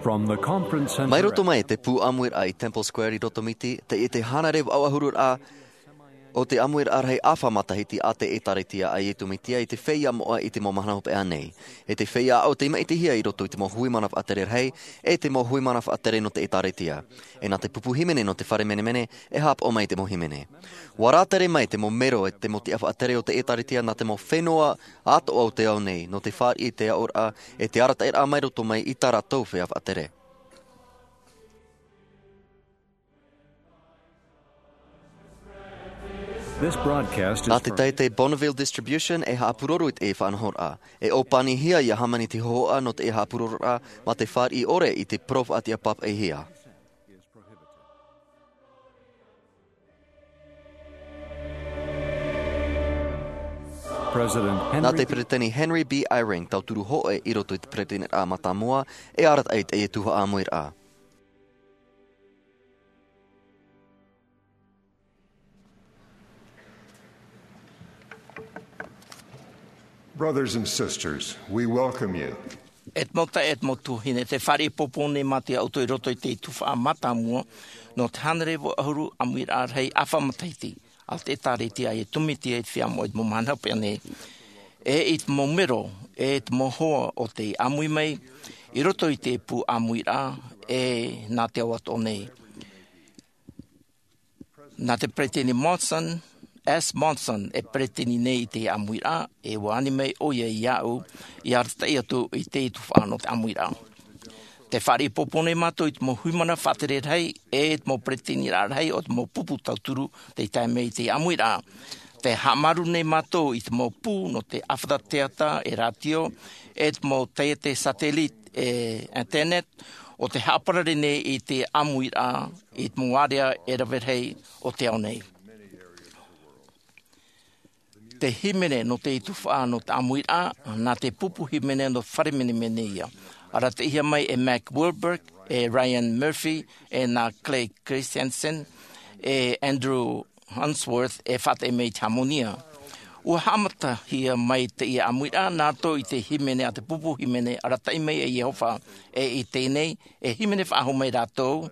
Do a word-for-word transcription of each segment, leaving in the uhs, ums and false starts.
Mai roto mai te pū ʻāmuiraʻa i Temple Square i Rotomiti, teie te hānere vaʻu ʻahuru rā o te ʻāmuiraʻa rahi ʻāfa matahiti a te ʻĒtārētia a Iesu Mesia i te feiā moʻa i te mau mahana hopeʻa nei. E te feiā aʻo tei maʻitihia i roto i te mau hui mana faʻatere rahi, e te mau hui mana faʻatere nō te ʻĒtārētia. E nā te pupu hīmene nō te fare menemene, e haʻapaʻo mai te mau hīmene. ʻUa rātere mai te mau mero e te mau tiʻa faʻatere o te ʻĒtārētia nā te mau fenua atoʻa o te ao nei, nō te fāriʻi i te aʻoraʻa, e te arataʻiraʻa mai roto mai i tā rātou feiā faʻatere. Nā te taʻata Bonneville Distribution e haʻapūroro i teie faʻanahoraʻa. E ʻōpanihia ia hāmani te hōhoʻa nō teie haʻapūrororaʻa mā te fāriʻi ʻore i te parau faʻatiʻa pāpaʻihia. Nā te Peretiteni Henry B. Eyring, tauturu hōʻē i roto i te Peresideniraʻa Mātāmua, e arataʻi i teie tuhaʻa ʻāmuiraʻa. Brothers and sisters, we welcome you. E te mau taeaʻe, e te mau tuahine, tē fāriʻi ʻōpani nei mātou ia ʻoutou i roto i te tuhaʻa mātāmua nō te hānere vaʻu ʻahuru ʻāmuiraʻa rahi ʻāfa matahiti a te ʻĒtārētia a Iesu Mesia i te feiā moʻa i te mau mahana hopeʻa nei. E i te mau mero, e te mau hoa o tei ʻāmui mai i roto i te pū ʻāmuiraʻa, e nā te ao atoʻa nei. Nā te Peretiteni Monson, S. Monson, e peretiteni nei i te ʻāmuiraʻa, e ʻua ani mai ʻoia iāʻu, ia arataʻi atu i te tuhaʻa nō te ʻāmuiraʻa. Tē fāriʻi ʻōpani nei mātou i te mau hui mana faʻatere rahi, e te mau peretiteniraʻa rahi o te mau pupu tauturu, tei tae mai i te ʻāmuiraʻa. Tē haʻamāuruuru nei mātou i te mau pū nō te ʻāfata teata, e rātio, e te mau taiete satellite, e internet, ʻo tē haʻaparare nei i te ʻāmuiraʻa i te mau ārea e rave rahi o te ao nei. Te hīmene nō te tuhaʻa nō te ʻāmuiraʻa, nā te pupu hīmene nō te fare menemene ia. Arataʻihia mai e Mac Wilberg, e Ryan Murphy, e nā Clay Christensen, e Andrew Unsworth, e faʻataʻi mai i te hāmoni. ʻUa haʻamatahia mai teie ʻāmuiraʻa nā roto i te hīmene a te pupu hīmene, arataʻi mai e Iehova, e i teie nei, e hīmene faʻahou mai rātou,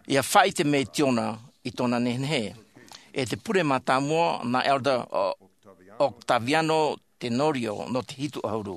ia faʻaʻite mai Siona i tōna nehenehe. E te pure mātāmua, nā Elder O-, Octaviano Tenorio nō te hitu ʻahuru.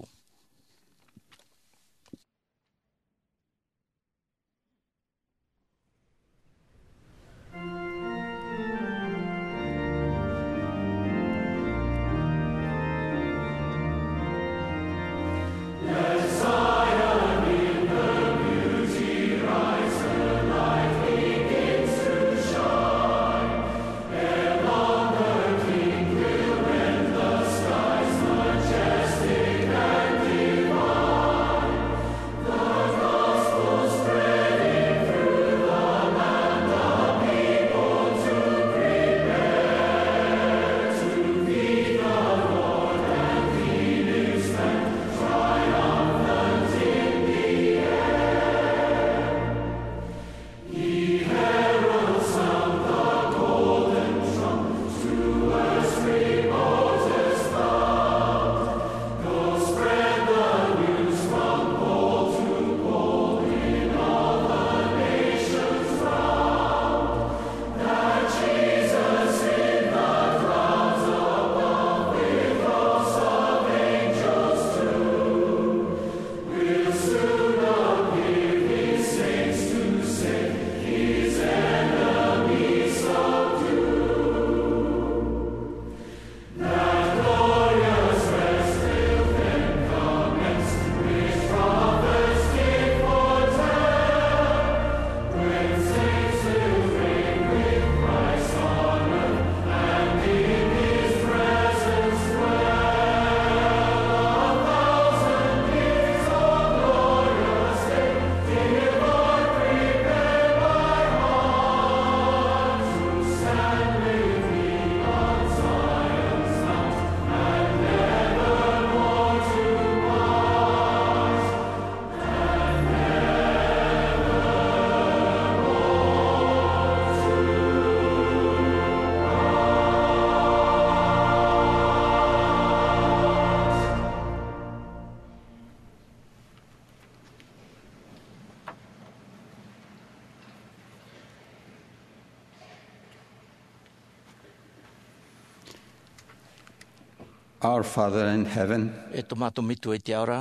Our Father in heaven, e tō mātou Metua i te ao ra,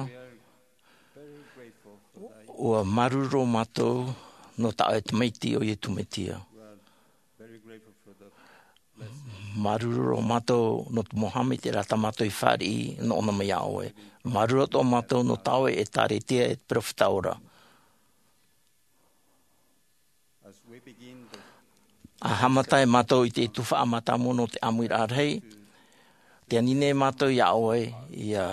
ua māuruuru mātou nō tā ʻoe Tamaiti ʻo Iesu Mesia. Māuruuru mātou nō te mau haʻamaitaʻiraʻa tā mātou i fāriʻi nō ʻōna mai iā ʻoe. Māuruuru atoʻa mātou nō tā ʻoe ʻĒtārētia e te peropheta ora. ʻA haʻamata ai mātou i te tuhaʻa mātāmua nō te ʻāmuiraʻa rahi, tē ani nei mātou iā ʻoe ʻia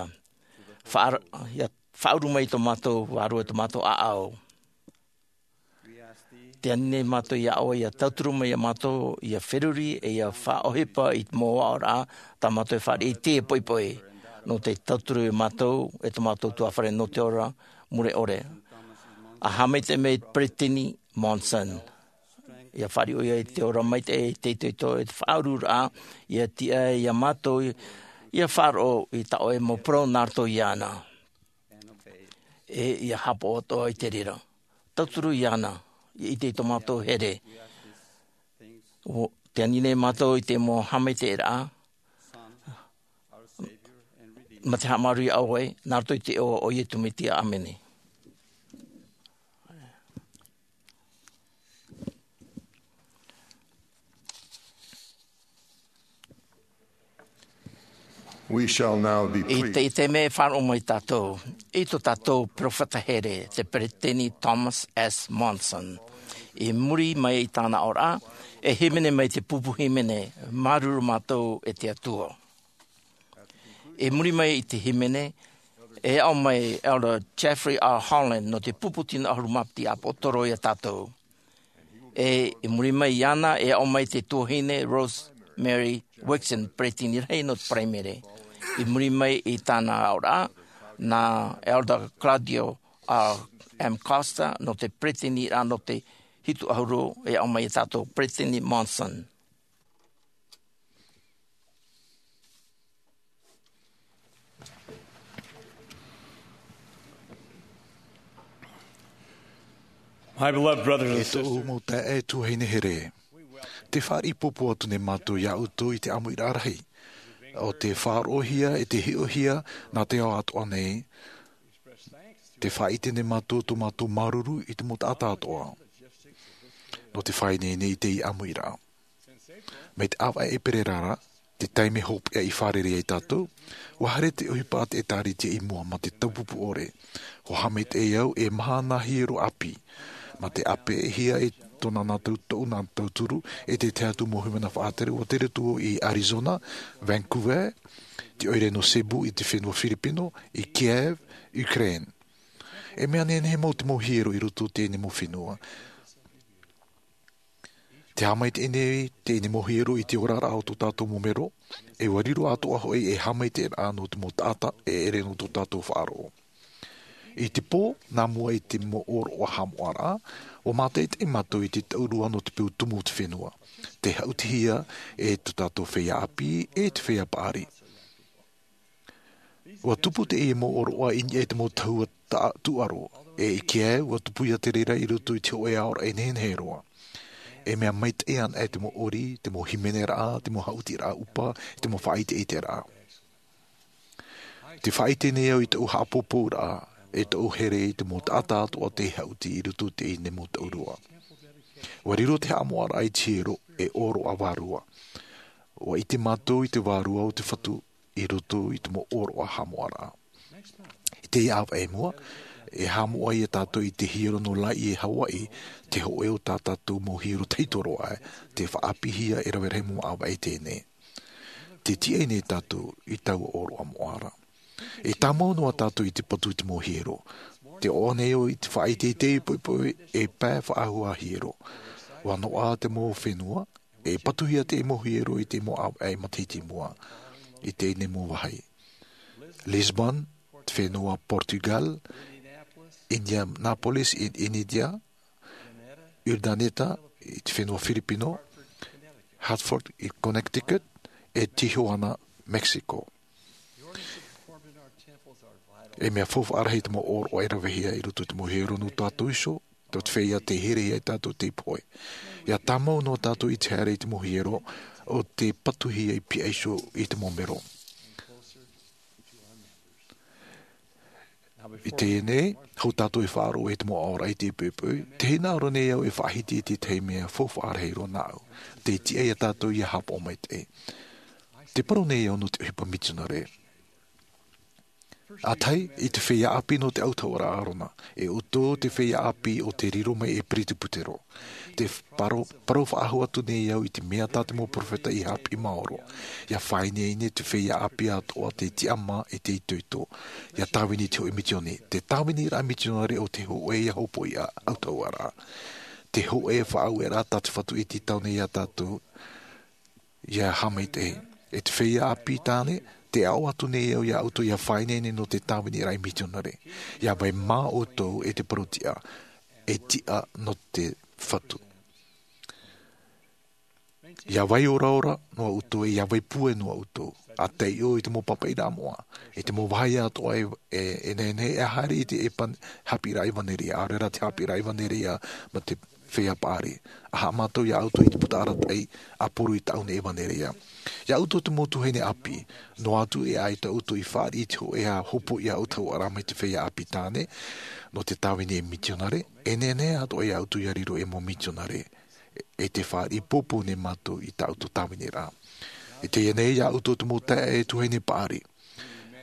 faʻa-, ʻia faʻauru mai i tō mātou vārua, i tō mātou ʻāʻau. Tē ani nei mātou iā ʻoe ʻia tauturu mai iā mātou ʻia feruri ʻe ʻia faʻaʻohipa i te mau aʻoraʻa tā mātou e fāriʻi i teie poʻipoʻi. Nō te tauturu iā mātou e tō mātou tuafare nō te ora mure ʻore. ʻA haʻamaitaʻi mai Peresideni Monson, ʻia fāriʻi ʻoia i te ora maitaʻi, i te itoito, i te faʻaururaʻa, ʻia tiʻa iā mātou ʻia faʻaroʻo i tā ʻoe mau parau nā roto iāna, ʻe ʻia haʻapaʻo atoʻa i te reira. Tauturu iāna, ʻia ʻite i tō mātou here. ʻO, tē ani nei mātou i te mau haʻamaitaʻiraʻa mā te haʻamāuruuru iā ʻoe, nā roto i te iʻoa o Iesu Mesia, ʻāmene. We shall now be I te, pleased. I te mea e faʻaroʻo mai tātou i tō tātou peropheta here, te Peresideni Thomas S. Monson. I muri mai i tāna aʻoraʻa, e hīmene mai te pupu hīmene, Māuruuru Mātou e te Atua. I muri mai i te hīmene, e aʻo mai Elder Jeffrey R. Holland nō te pupu tino ʻahuru mā piti ʻāpōsetolo iā tātou. ʻE i muri mai iāna, e aʻo mai te tuahine Rosemary Wixon, peresideni rahi nō te Paraimere. I muri mai i tāna aʻoraʻa, nā Elder Claudio R. M. Costa nō te peresideni ra nō te hitu ʻahuru, e aʻo mai iā tātou Peresideni Monson. My beloved brothers and E tōʻu sisters, mau taeaʻe e tuahine here, tē fāriʻi pōpō atu nei mātou iā ʻoutou i te ʻāmuiraʻa rahi, ʻo tē faʻaroʻohia ʻe tē hiʻohia nā te ao atoʻa nei. Tē faʻaʻite nei mātou tō mātou māuruuru i te mau taʻata atoʻa nō te faʻaineine i teie ʻāmuiraʻa. Mai te ʻāvaʻe ʻēperēra ra, te taime hopeʻa i fārerei ai tātou, ʻua haere te ʻohipa a te ʻĒtārētia i mua mā te taupupū ʻore. ʻUa haʻamaitaʻi au e maha nā hiero ʻāpī. Mā te ʻāpeʻehia e tōna nā tau-, tōʻu nā tauturu, e te tahi atu mau hīmene faʻatere, ʻua tere atu vau i Arizona, Vancouver, te ʻoire nō Cebu i te fenua Firipino, i Kiev, Ukraine. E mea nehenehe mau te mau hiero i roto i teie nei mau fenua. Tē haʻamaitaʻi nei teie nei mau hiero i te oraraʻa o tō tātou mau mero, ʻe ʻua riro atoʻa hoʻi ei haʻamaitaʻiraʻa nō te mau taʻata e ʻere nō tō tātou faʻaroʻo. I te pō nā mua i te mau ʻōroʻa haʻamoʻaraʻa, ʻua mātaʻitaʻi mātou i te taurua nō te peu tumu o te fenua, tē haʻutihia e tō tātou feiā ʻāpī ʻe te feiā paʻari. ʻUa tupu teie mau ʻōroʻa i niʻa i te mau tahua ta-, tūʻaro, ʻe i Kiev, ʻua tupu ia te reira i roto i te hōʻē aoraʻi nehenehe roa. E mea maitaʻi ana e te mau ʻori, te mau hīmeneraʻa, te mau haʻutiraʻa ʻupa, te mau faʻaʻiteʻiteraʻa. Tē faʻaʻite nei au i tōʻu haʻapōpōraʻa, ʻe tōʻu here i te mau taʻata atoʻa tei haʻuti i roto i teie nei mau taurua. ʻUa riro te haʻamoʻaraʻa i te hiero ei ʻōroʻa vārua. ʻUa ʻite mātou i te Vārua o te Fatu i roto i te mau ʻōroʻa haʻamoʻaraʻa. I teie ʻāvaʻe i mua, e haʻamoʻa ia tātou i te hiero nō Laie, Hawaii, te hōʻē o tā tātou mau hiero tahito roa ē, tē faʻaāpīhia e rave rahi mau ʻāvaʻe teie nei. Tē tiʻa nei tātou i taua ʻōroʻa moʻa ra. E tāmau noa tātou i te patu i te mau hiero. Tē ʻoaʻoa nei au i te faʻaʻiteʻite i poʻipoʻi ei pae faʻahou hiero. ʻUa noaʻa te mau fenua, e patuhia te mau hiero i te mau ʻāvaʻe matahiti i mua, i teie nei mau vāhi. Lisbon, te fenua Portugal, Indianapolis i Initia, Urdaneta, i te fenua Firipino, Hartford i Connecticut, ʻe Tijuana, Mexico. E mea faufaʻa rahi te mau ʻōroʻa e ravehia i roto i te mau hiero nō tātou iho, tō te feiā tei herehia ia tātou tei pohe. ʻIa tāmau noa tātou i te haere i te mau hiero, ʻo tē patuhia i pihaʻi iho i te mau mero. I teie nei, hou tātou e faʻaroʻo i te mau ʻaoraʻi i te poʻipoʻi, tē hinaʻaro nei au e faʻahiti i te tahi mea faufaʻa rahi roa nāʻu. Tē tiʻa ia tātou ʻia haʻapaʻo maitaʻi. Tē parau nei au nō te ʻohipa mitionare. ʻA tahi, i te feiā ʻāpī nō te ʻautahuʻaraʻa Arona, e ʻoutou te feiā ʻāpī ʻo tē riro mai e Pereti Petero. Tē parau, parau faʻahou atu nei au i te mea tā te mau peropheta i haʻapiʻi maoro. ʻIa faʻaineine te feiā ʻāpī atoʻa tei tiʻamā e tei itoito. ʻIa tāvini i te hōʻē mitioni. Te tāviniraʻa mitionare ʻo te hōʻē ʻia hopoiʻa ʻautahuʻaraʻa. Te hōʻē faʻaueraʻa tā te Fatu i tītau nei ia tātou ʻia haʻamaitaʻi. E te feiā ʻāpī tāne, tē aʻo atu nei au ia ʻoutou ʻia faʻaineine nō te tāviniraʻa mitionare. ʻIa vai mā ʻoutou e te parau tiʻa, e tiʻa nō te Fatu. ʻIa vai oraora noa ʻoutou, e ʻia vai pūai noa ʻoutou. ʻA taiʻo i te mau pāpaʻiraʻa moʻa, i te mau vāhi atoʻa e, e, e nehenehe e haere i te evan-, haʻapiʻiraʻa ʻevaneria, ʻaore rā te haʻapiʻiraʻa ʻevaneria mā te feiā paʻari. ʻA haʻamātau ia ʻoutou i te puta arataʻi, ʻa poro i tāʻu nei ʻevaneria. Ia ʻoutou te mau tuahine ʻāpī, noa atu e ʻaita ʻoutou i fāriʻi i te hōʻē hopoiʻa ʻautahuʻaraʻa mai te feiā ʻāpī tāne, nō te tāvini e mitionare, e nehenehe atoʻa ia ʻoutou ʻia riro ei mau mitionare. E te fāriʻi pōpou nei mātou i tā ʻoutou tāviniraʻa. I teie nei, ia ʻoutou te mau taeaʻe tuahine paʻari.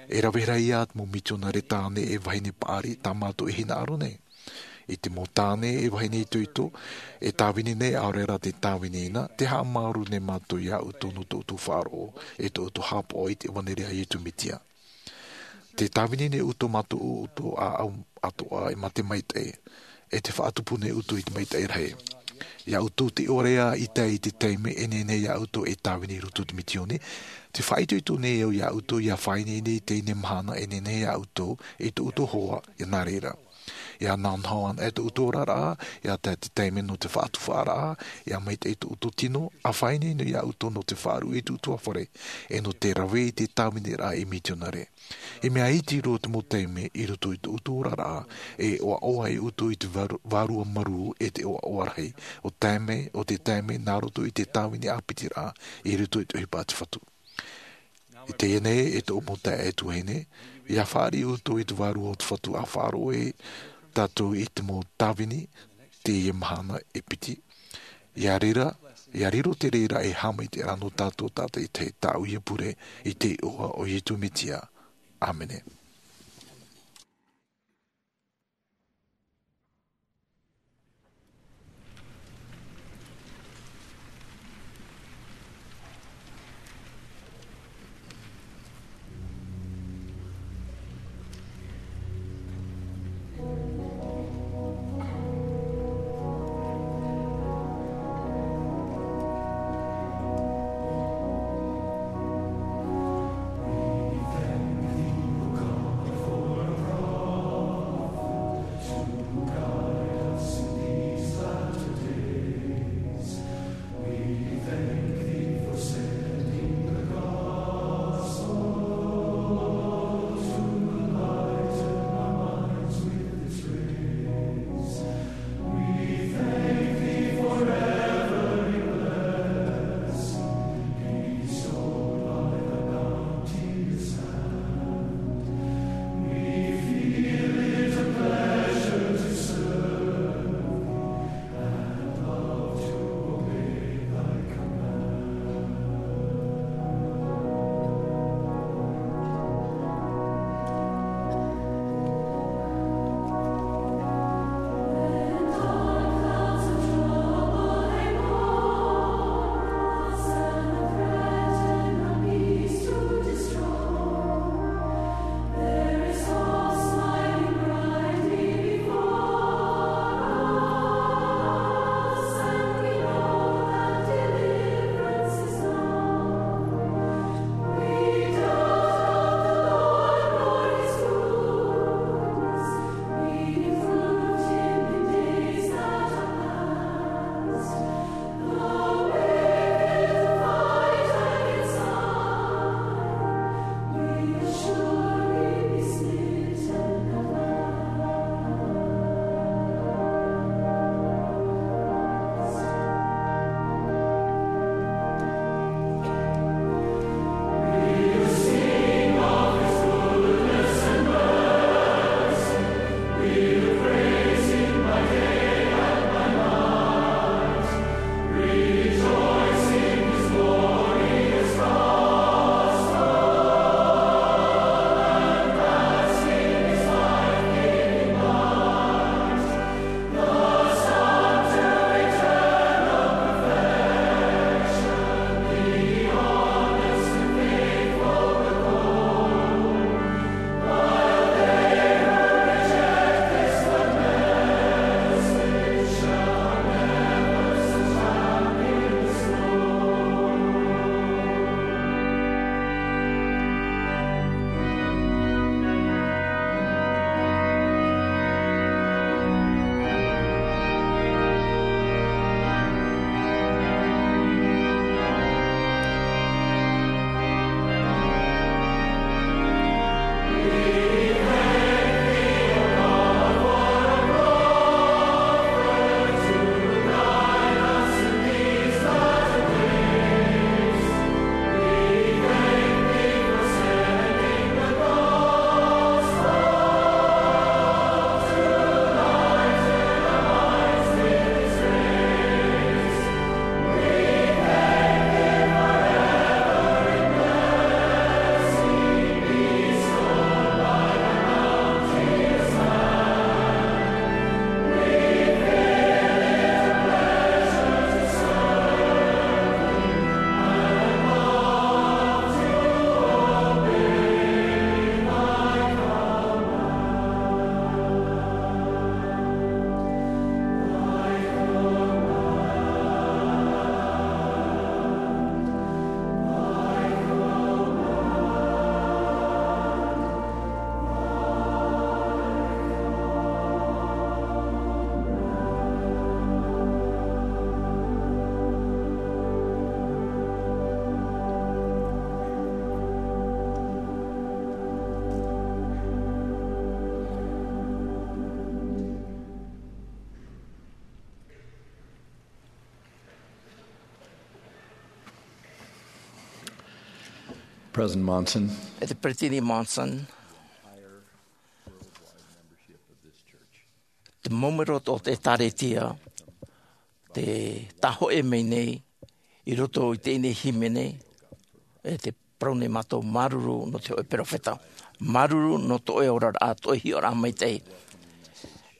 E rave rahi ā te mau mitionare tāne e vahine paʻari tā mātou e hinaʻaro nei. I te mau tāne e vahine itoito, e tāvini nei ʻaore rā tē tāvini na, tē haʻamāuruuru nei mātou ia ʻoutou nō tō ʻoutou faʻaroʻo, e tō ʻoutou haʻapaʻo i te ʻevaneria a Iesu Mesia. Tē tāvini nei ʻoutou mā tō ʻoutou ʻāʻau atoʻa e mā te maitaʻi. E tē faʻatupu nei ʻoutou i te maitaʻi rahi. Ia ʻoutou tē ʻore ā i tae i te taime e nehenehe ia ʻoutou e tāvini i roto i te mitioni. Tē faʻaitoito nei au ia ʻoutou ʻia faʻaineine i teie nei mahana e nehenehe ia ʻoutou, i tō ʻoutou hoa, ʻia nā reira. ʻIa nānaho ana e tō ʻoutou oraraʻa, ʻia tae te taime nō te faʻatufaʻaraʻa, ʻia maitaʻi tō ʻoutou tino, ʻa faʻaineine ia ʻoutou nō te faʻaruʻe i tō ʻoutou ʻāfare, e nō te rave i te tāviniraʻa ei mitionare. I mea iti roa te mau taime i roto i tō ʻoutou oraraʻa, e ʻoaʻoa ai ʻoutou i te vāru-, vārua marū e te ʻoaʻoa rahi, ʻo taime, ʻo te taime nā roto i te tāvini ʻāpitiraʻa, i roto i te ʻohipa a te Fatu. I teie nei, e tōʻu mau taeaʻe tuahine, ʻia fāriʻi ʻoutou i te vārua o te Fatu ʻa faʻaroʻo e tātou i te mau tāvini, teie mahana e piti. ʻIa reira, ʻia riro te reira e haʻamaitaʻi ra nō tātou tātaʻitahi tāʻu ia pure, i te iʻoa o Iesu Mesia. ʻĀmene. President Monson. E te Peresideni Monson, te mau mero o te ʻĒtārētia, te tāhoʻe mai nei i roto i teie nei hīmene, e te parau nei mātou māuruuru nō te hōʻē peropheta. Māuruuru nō tō ʻoe oraraʻa, tō ʻoe hiʻoraʻa maitaʻi.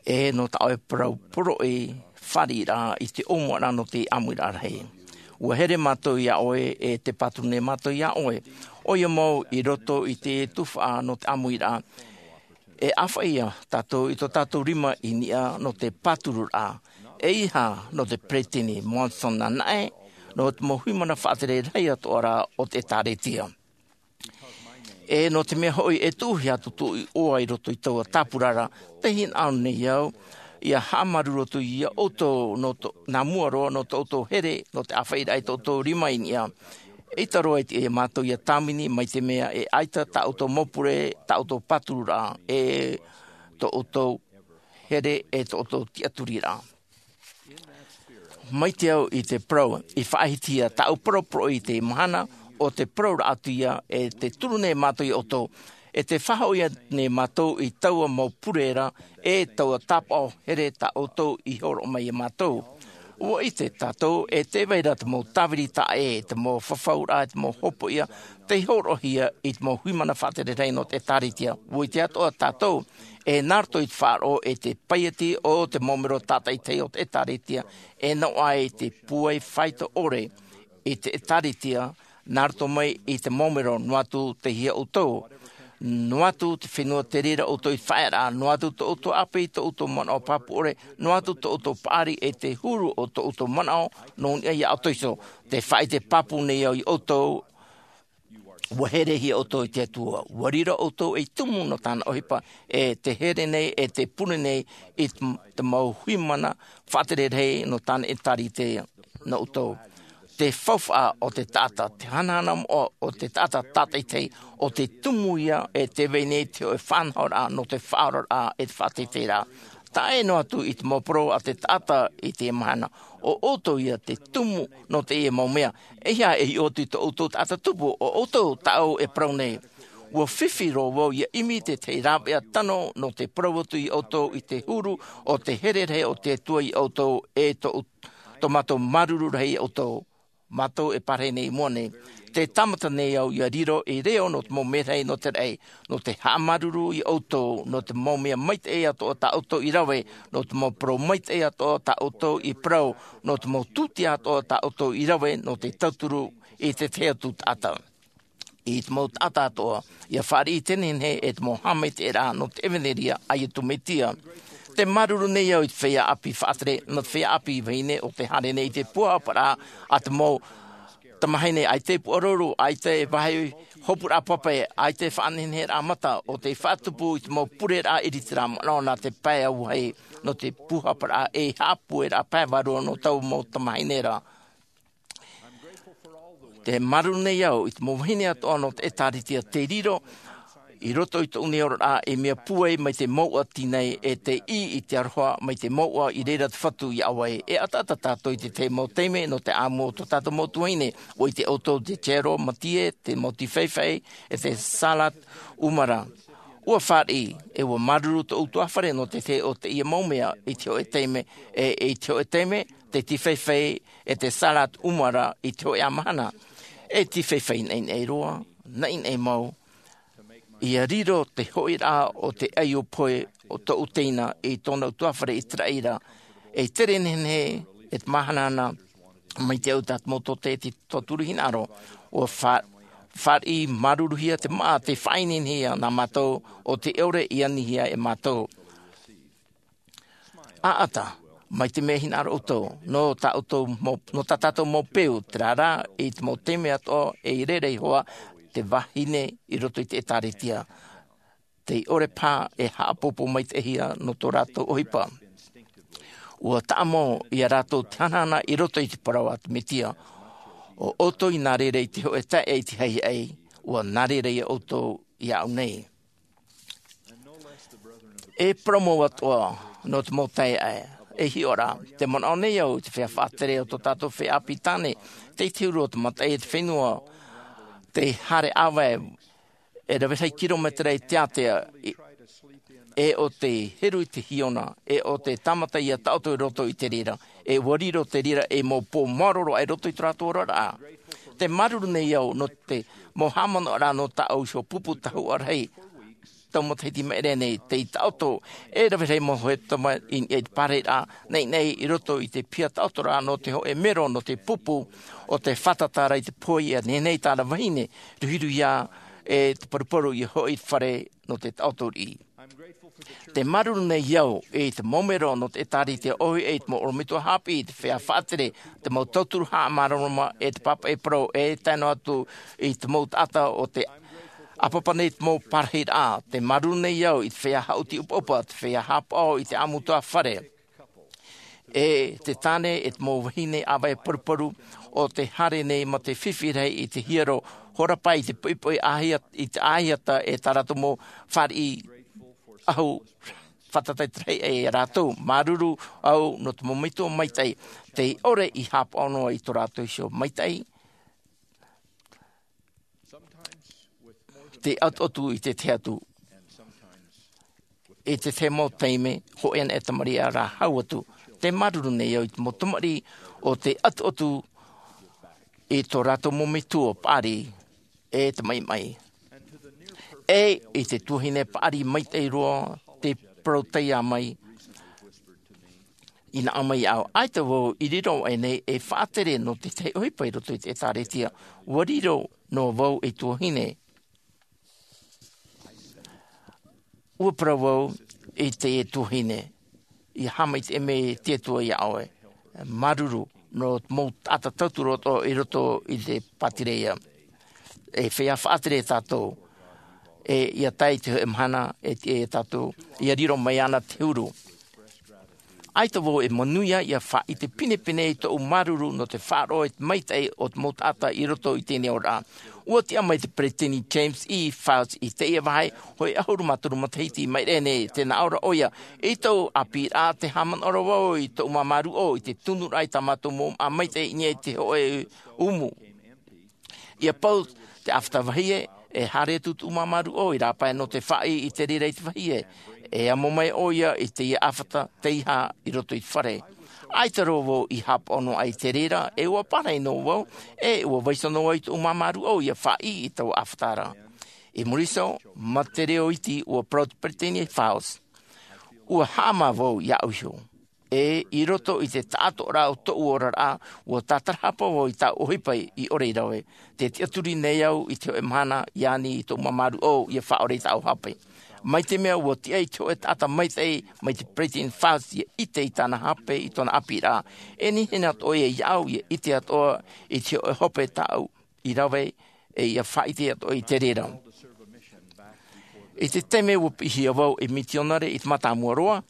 E nō tā ʻoe parau poroʻi fāriʻiraʻa i te ʻōmuaraʻa nō te ʻāmuiraʻa rahi. ʻUa here mātou iā ʻoe, e tē pāturu nei mātou iā ʻoe. ʻOia mau i roto i te tuhaʻa nō te ʻāmuiraʻa. E ʻāfaʻi ia tātou i tō tātou rima i niʻa nō te pātururaʻa. ʻEiaha nō te Peresideni Monson anaʻe, nō te mau huimana faʻatere rahi atoʻa ra o te ʻĒtārētia. E nō te mea hoʻi e tuʻuhia atu tōʻu iʻoa i roto i taua tāpura ra, tē hinaʻaro nei au, ʻia haʻamāuruuru atu iā ʻoutou nō tō, nā mua roa nō tō ʻoutou here, nō te ʻāfaʻiraʻa i tō ʻoutou rima i niʻa. ʻEita roa i te, iā mātou ʻia tāvini, mai te mea e ʻaita tā ʻoutou mau pure, tā ʻoutou pātururaʻa, e tō ʻoutou here, e tō ʻoutou tiʻaturiraʻa. Mai te au i te parau, i faʻahitihia tāʻu parau poroʻi i te mahana, ʻo te parau ra atu ia, e tē turu nei mātou iā ʻoutou, e tē faʻahoʻi nei mātou i taua mau pure ra, e taua tāpaʻo here tā ʻoutou i hōroʻa mai iā mātou. ʻUa ʻite tātou, e tē vai ra te mau tāviri taʻa ʻē, te mau fafauraʻa, te mau hopoiʻa, tei hōroʻahia i te mau huimana faʻatere rahi nō te ʻĒtārētia. ʻUa ʻite atoʻa tātou, e nā roto i te faʻaroʻo e te paieti o te mau mero tātaʻitahi o te ʻĒtārētia, e noaʻa i te pūai faito ʻore i te ʻĒtārētia, nā roto mai i te mau mero, noa atu tei hea ʻoutou, noa atu te fenua te reira ʻoutou i te faʻaearaʻa, noa atu tō ʻoutou ʻāpī, tō ʻoutou manaʻo pāpū ʻore, noa atu tō ʻoutou paʻari e te huru o tō ʻoutou manaʻo nō niʻa iā ʻoutou iho. Tē faʻaʻite pāpū nei au iā ʻoutou, ʻua herehia ʻoutou e te Atua, ʻua riro ʻoutou ei tumu nō tāna ʻohipa, e tē here nei, e tē pure nei i te, te mau huimana faʻatere rahi nō tāna ʻĒtārētia nō ʻoutou. Te faufaʻa o te taʻata, te hanahana moʻa o te taʻata tātaʻitahi, ʻo te tumu ia e tē vai nei te hōʻē faʻanahoraʻa nō te faʻaoraraʻa e te faʻateiteiraʻa. Taʻa ʻē noa atu i te mau parau a te taʻata i teie mahana, ʻo ʻoutou ia te tumu nō teie mau mea. ʻEiaha e hiʻo atu i tō ʻoutou taʻata tupu, ʻo ʻoutou tāʻu e parau nei. ʻUa fifi roa vau ʻia ʻimi i te tahi rāveʻa tano nō te parau atu iā ʻoutou i te huru o te here rahi o te Atua iā ʻoutou, e tō, tō mātou māuruuru rahi iā ʻoutou. Mātou e pārahi nei i mua nei. Tē tāmata nei au ʻia riro ei reo nō te mau merahi nō te raʻi, nō te haʻamāuruuru iā ʻoutou, nō te mau mea maitaʻi atoʻa tā ʻoutou i rave, nō te mau parau maitaʻi atoʻa tā ʻoutou i parau, nō te mau tūtia atoʻa tā ʻoutou i rave, nō te tauturu i te tahi atu taʻata. I te mau taʻata atoʻa, ʻia fāriʻi i te nehenehe e te mau haʻamaitaʻiraʻa nō te ʻevanelia a Iesu Mesia. Tē māuruuru nei au i te feiā ʻāpī faʻatere, nō te feiā ʻāpī vahine ʻo tē haere nei i te pūhaparaʻa a te mau tamahine, ʻaita e puʻaroru, ʻaita e vāhi hopuraʻa pape, ʻaita e faʻaneheneheraʻa mata, ʻo tē faʻatupu i te mau pureraʻa ʻiritiraʻa manaʻo nā te pae auahi, nō te pūhaparaʻa e haʻapūairaʻa pae vārua nō taua mau tamahine ra. Tē māuruuru nei au i te mau vahine atoʻa nō te ʻĒtārētia tei riro i roto i tōʻu nei oraraʻa ei mea pūai mai te mouʻa tīnai, e tei ʻī i te aroha mai te mouʻa i reira te Fatu iā ʻoe. E ʻataʻata tātou i te tahi mau taime nō te ʻāmui o tō tātou mau tuahine, ʻua ʻite ʻoutou te Jero Matie, te mau tīfaifai, e te Salat Umara. ʻUa fāriʻi, e ʻua māuruuru tō ʻutuāfare nō te tahi o teie mau mea i te hōʻē taime, e, e i te hōʻē taime, te tīfaifai e te Salat Umara i te hōʻē mahana. E tīfaifai naʻinaʻi roa, naʻinaʻi mau, ʻia riro te hoʻiraʻa o te ʻaiʻo pohe o tōʻu teina i tōna ʻutuāfare i te raʻi ra, e tere nehenehe e te māhanahana mai te au tā te mau tōtē i te tauturu hinaʻaro, ʻua fā-, fāriʻi māuruuruhia te māʻa tei faʻaineinehia nā mātou ʻo tē ʻore i anihia e mātou. ʻAʻata, mai te mea hinaʻaro ʻoutou, nō tā ʻoutou mau, nō tā tātou mau peu, terā rā, i te mau taime atoʻa, e i reira iho ā, te vahine i roto i te ʻĒtārētia. Tei ʻore paha e haʻapōpō maitaʻihia nō tō rātou ʻohipa. ʻUa taʻa mau iā rātou te hanahana i roto i te parau a te Mesia. ʻO ʻoutou i nā reira i te hōʻē taeaʻe i te haʻehaʻa, ʻua nā reira ia ʻoutou iāʻu nei. E parau mau atoʻa nō te mau taeaʻe, e hiʻo ra, tē manaʻo nei au i te feiā faʻatere o tō tātou feiā ʻāpī tāne, tei te huru o te mataʻi e te fenua, te haere ʻāvae e rave rahi kirometera i te ātea, e ʻo te heru i te hiona, e ʻo te tāmata ia taʻoto i roto i te reira, e ua riro te reira ei mau pō māoro roa i roto i tō rātou oraraʻa. Te māuruuru nei au nō te mau haʻamanaʻoraʻa nō tāʻu iho pupu tahuʻa rahi tau matahiti maʻere nei, tei taʻoto e rave rahi mau hōʻē tama i niʻa i te pārahiraʻa naʻinaʻi i roto i te piha taʻotoraʻa nō te hōʻē mero nō te pupu o te fātata ra i te pohe ia nehenehe i tāna vahine, ruhiruhia e te paruparu ia hoʻi i te fare nō te taʻoto riʻi. Te māuruuru nei au i te mau mero nō te ʻĒtārētia ʻōhie, i te mau ʻorometua haʻapiʻi, te feiā faʻatere, te mau tauturu haʻamāramarama, e te pāpaʻi parau, e tae noa atu i te mau taʻata o te ʻāpapa nei te mau pārahiraʻa. Te māuruuru nei au i te feiā haʻuti ʻupaʻupa, te feiā haʻapaʻo i te ʻāmutuafare, e te tāne, e te mau vahine ʻāvae paruparu o te haere nei mā te fifi rahi i te hiero hora pae i te poʻipoʻi ʻāhiata, i te ʻāhiata, e tā rātou mau fāriʻi ʻahu fātata i te rahi ia rātou. Māuruuru au nō te mau metua maitaʻi, tei ʻore i haʻapaʻo noa i tō rātou iho maitaʻi, te ʻatuʻatu i te tahi atu, i te tahi mau taime, hōʻē anaʻe tamariʻi rā hau atu. Te māuruuru nei au i te mau tamariʻi o te ʻatuʻatu i tō rātou mau metua paʻari, e te maʻimaʻi, e i te tuahine paʻari maitaʻi roa, te parau taiā mai, i nā ʻō mai iāʻu, ʻaita vau i riro aʻe nei e faʻatere nō te tahi ʻohipa i roto i te ʻĒtārētia. Ua riro noa vau ei tuahine. Ua parau vau i teie tuahine, ʻia haʻamaitaʻi mai te Atua iā ʻoe. Māuruuru nō te mau taʻata tauturu atoʻa i roto i te pātireia. E feiā faʻatere tātou, e ʻia tae i te hōʻē mahana e tiʻa ia tātou ʻia riro mai ana te huru. ʻAita vau e manuia ʻia faʻaʻite pinepine i tōʻu māuruuru nō te faʻaroʻo i te maitaʻi o te mau taʻata i roto i teie nei oraraʻa. Ua tiʻa mai te peresideni James E. Faust i teie vāhi, hōʻē ʻahuru mā toru matahiti i maʻiri nei, tē nā ʻō ra ʻoia: I tōʻu ʻāpīraʻa, tē haʻamanaʻo ra vau i tōʻu māmā ruʻau i te tunuraʻa i tā mātou mau māʻa maitaʻi i niʻa i te hōʻē umu. ʻIa pau te ʻāfata vahie, e haere atu tōʻu māmā ruʻau i rāpae nō te faʻaʻī i te reira i te vahie, e amo mai ʻoia i teie ʻāfata teiaha i roto i te fare. ʻAita roa vau i haʻapaʻo noa aʻe i te reira, e ʻua pārahi noa vau, e ʻua vaiiho noa vau i tōʻu māmā ruʻau ʻia faʻaʻī i taua ʻāfata ra. I muri iho, mā te reo iti, ʻua parau te peresideni Faust: ʻUa haʻamā vau iāʻu iho. E i roto i te taʻatoʻaraʻa o tōʻu oraraʻa, ʻua tātarahapa vau i tāʻu ʻohipa i ʻore i rave. Tē tiʻaturi nei au i te hōʻē mahana ʻia ani i tōʻu māmā ruʻau ʻia faʻaʻore i tāʻu hape. Mai te mea ʻua tiʻa i te hōʻē taʻata maitaʻi mai te peresideni Faust ʻia ʻite i tāna hape i tōna ʻāpīraʻa, e nehenehe atoʻa ia iāʻu ʻia ʻite atoʻa i te hōʻē hope tāʻu i rave, e ʻia faʻaʻite atoʻa i te reira. I te taime ʻua piʻihia vau ei mitionare i te mātāmua roa,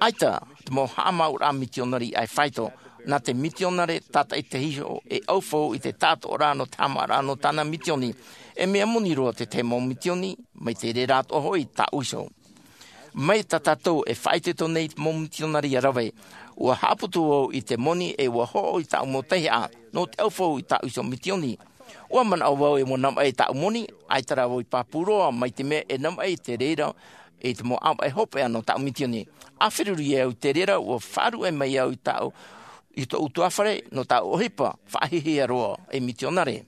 ʻaita te mau haʻamāuʻaraʻa mitionare i ʻae faito. Nā te mitionare tātaʻitahi iho e ʻaufau i te taʻatoʻaraʻa nō te haʻamāuʻaraʻa nō tāna mitioni. E mea moni roa te tahi mau mitioni, mai te reira atoʻa hoʻi tāʻu iho. Mai tā tātou e faʻaitoito nei i te mau mitionare ʻia rave, ʻua haʻaputu vau i te moni e ʻua hoʻo i tāʻu mau teiaha nō te ʻaufau i tāʻu iho mitioni. ʻUa manaʻo vau e ʻua navaʻi tāʻu moni, ʻaita rā vau i pāpū roa, mai te mea e navaʻi i te reira i te mau ʻāvaʻe hopeʻa nō tāʻu mitioni. A feruri au i te reira, ʻua faʻaruʻe mai au i tāʻu, i tōʻu ʻutuāfare nō tāʻu ʻohipa faʻahiahia roa ei mitionare.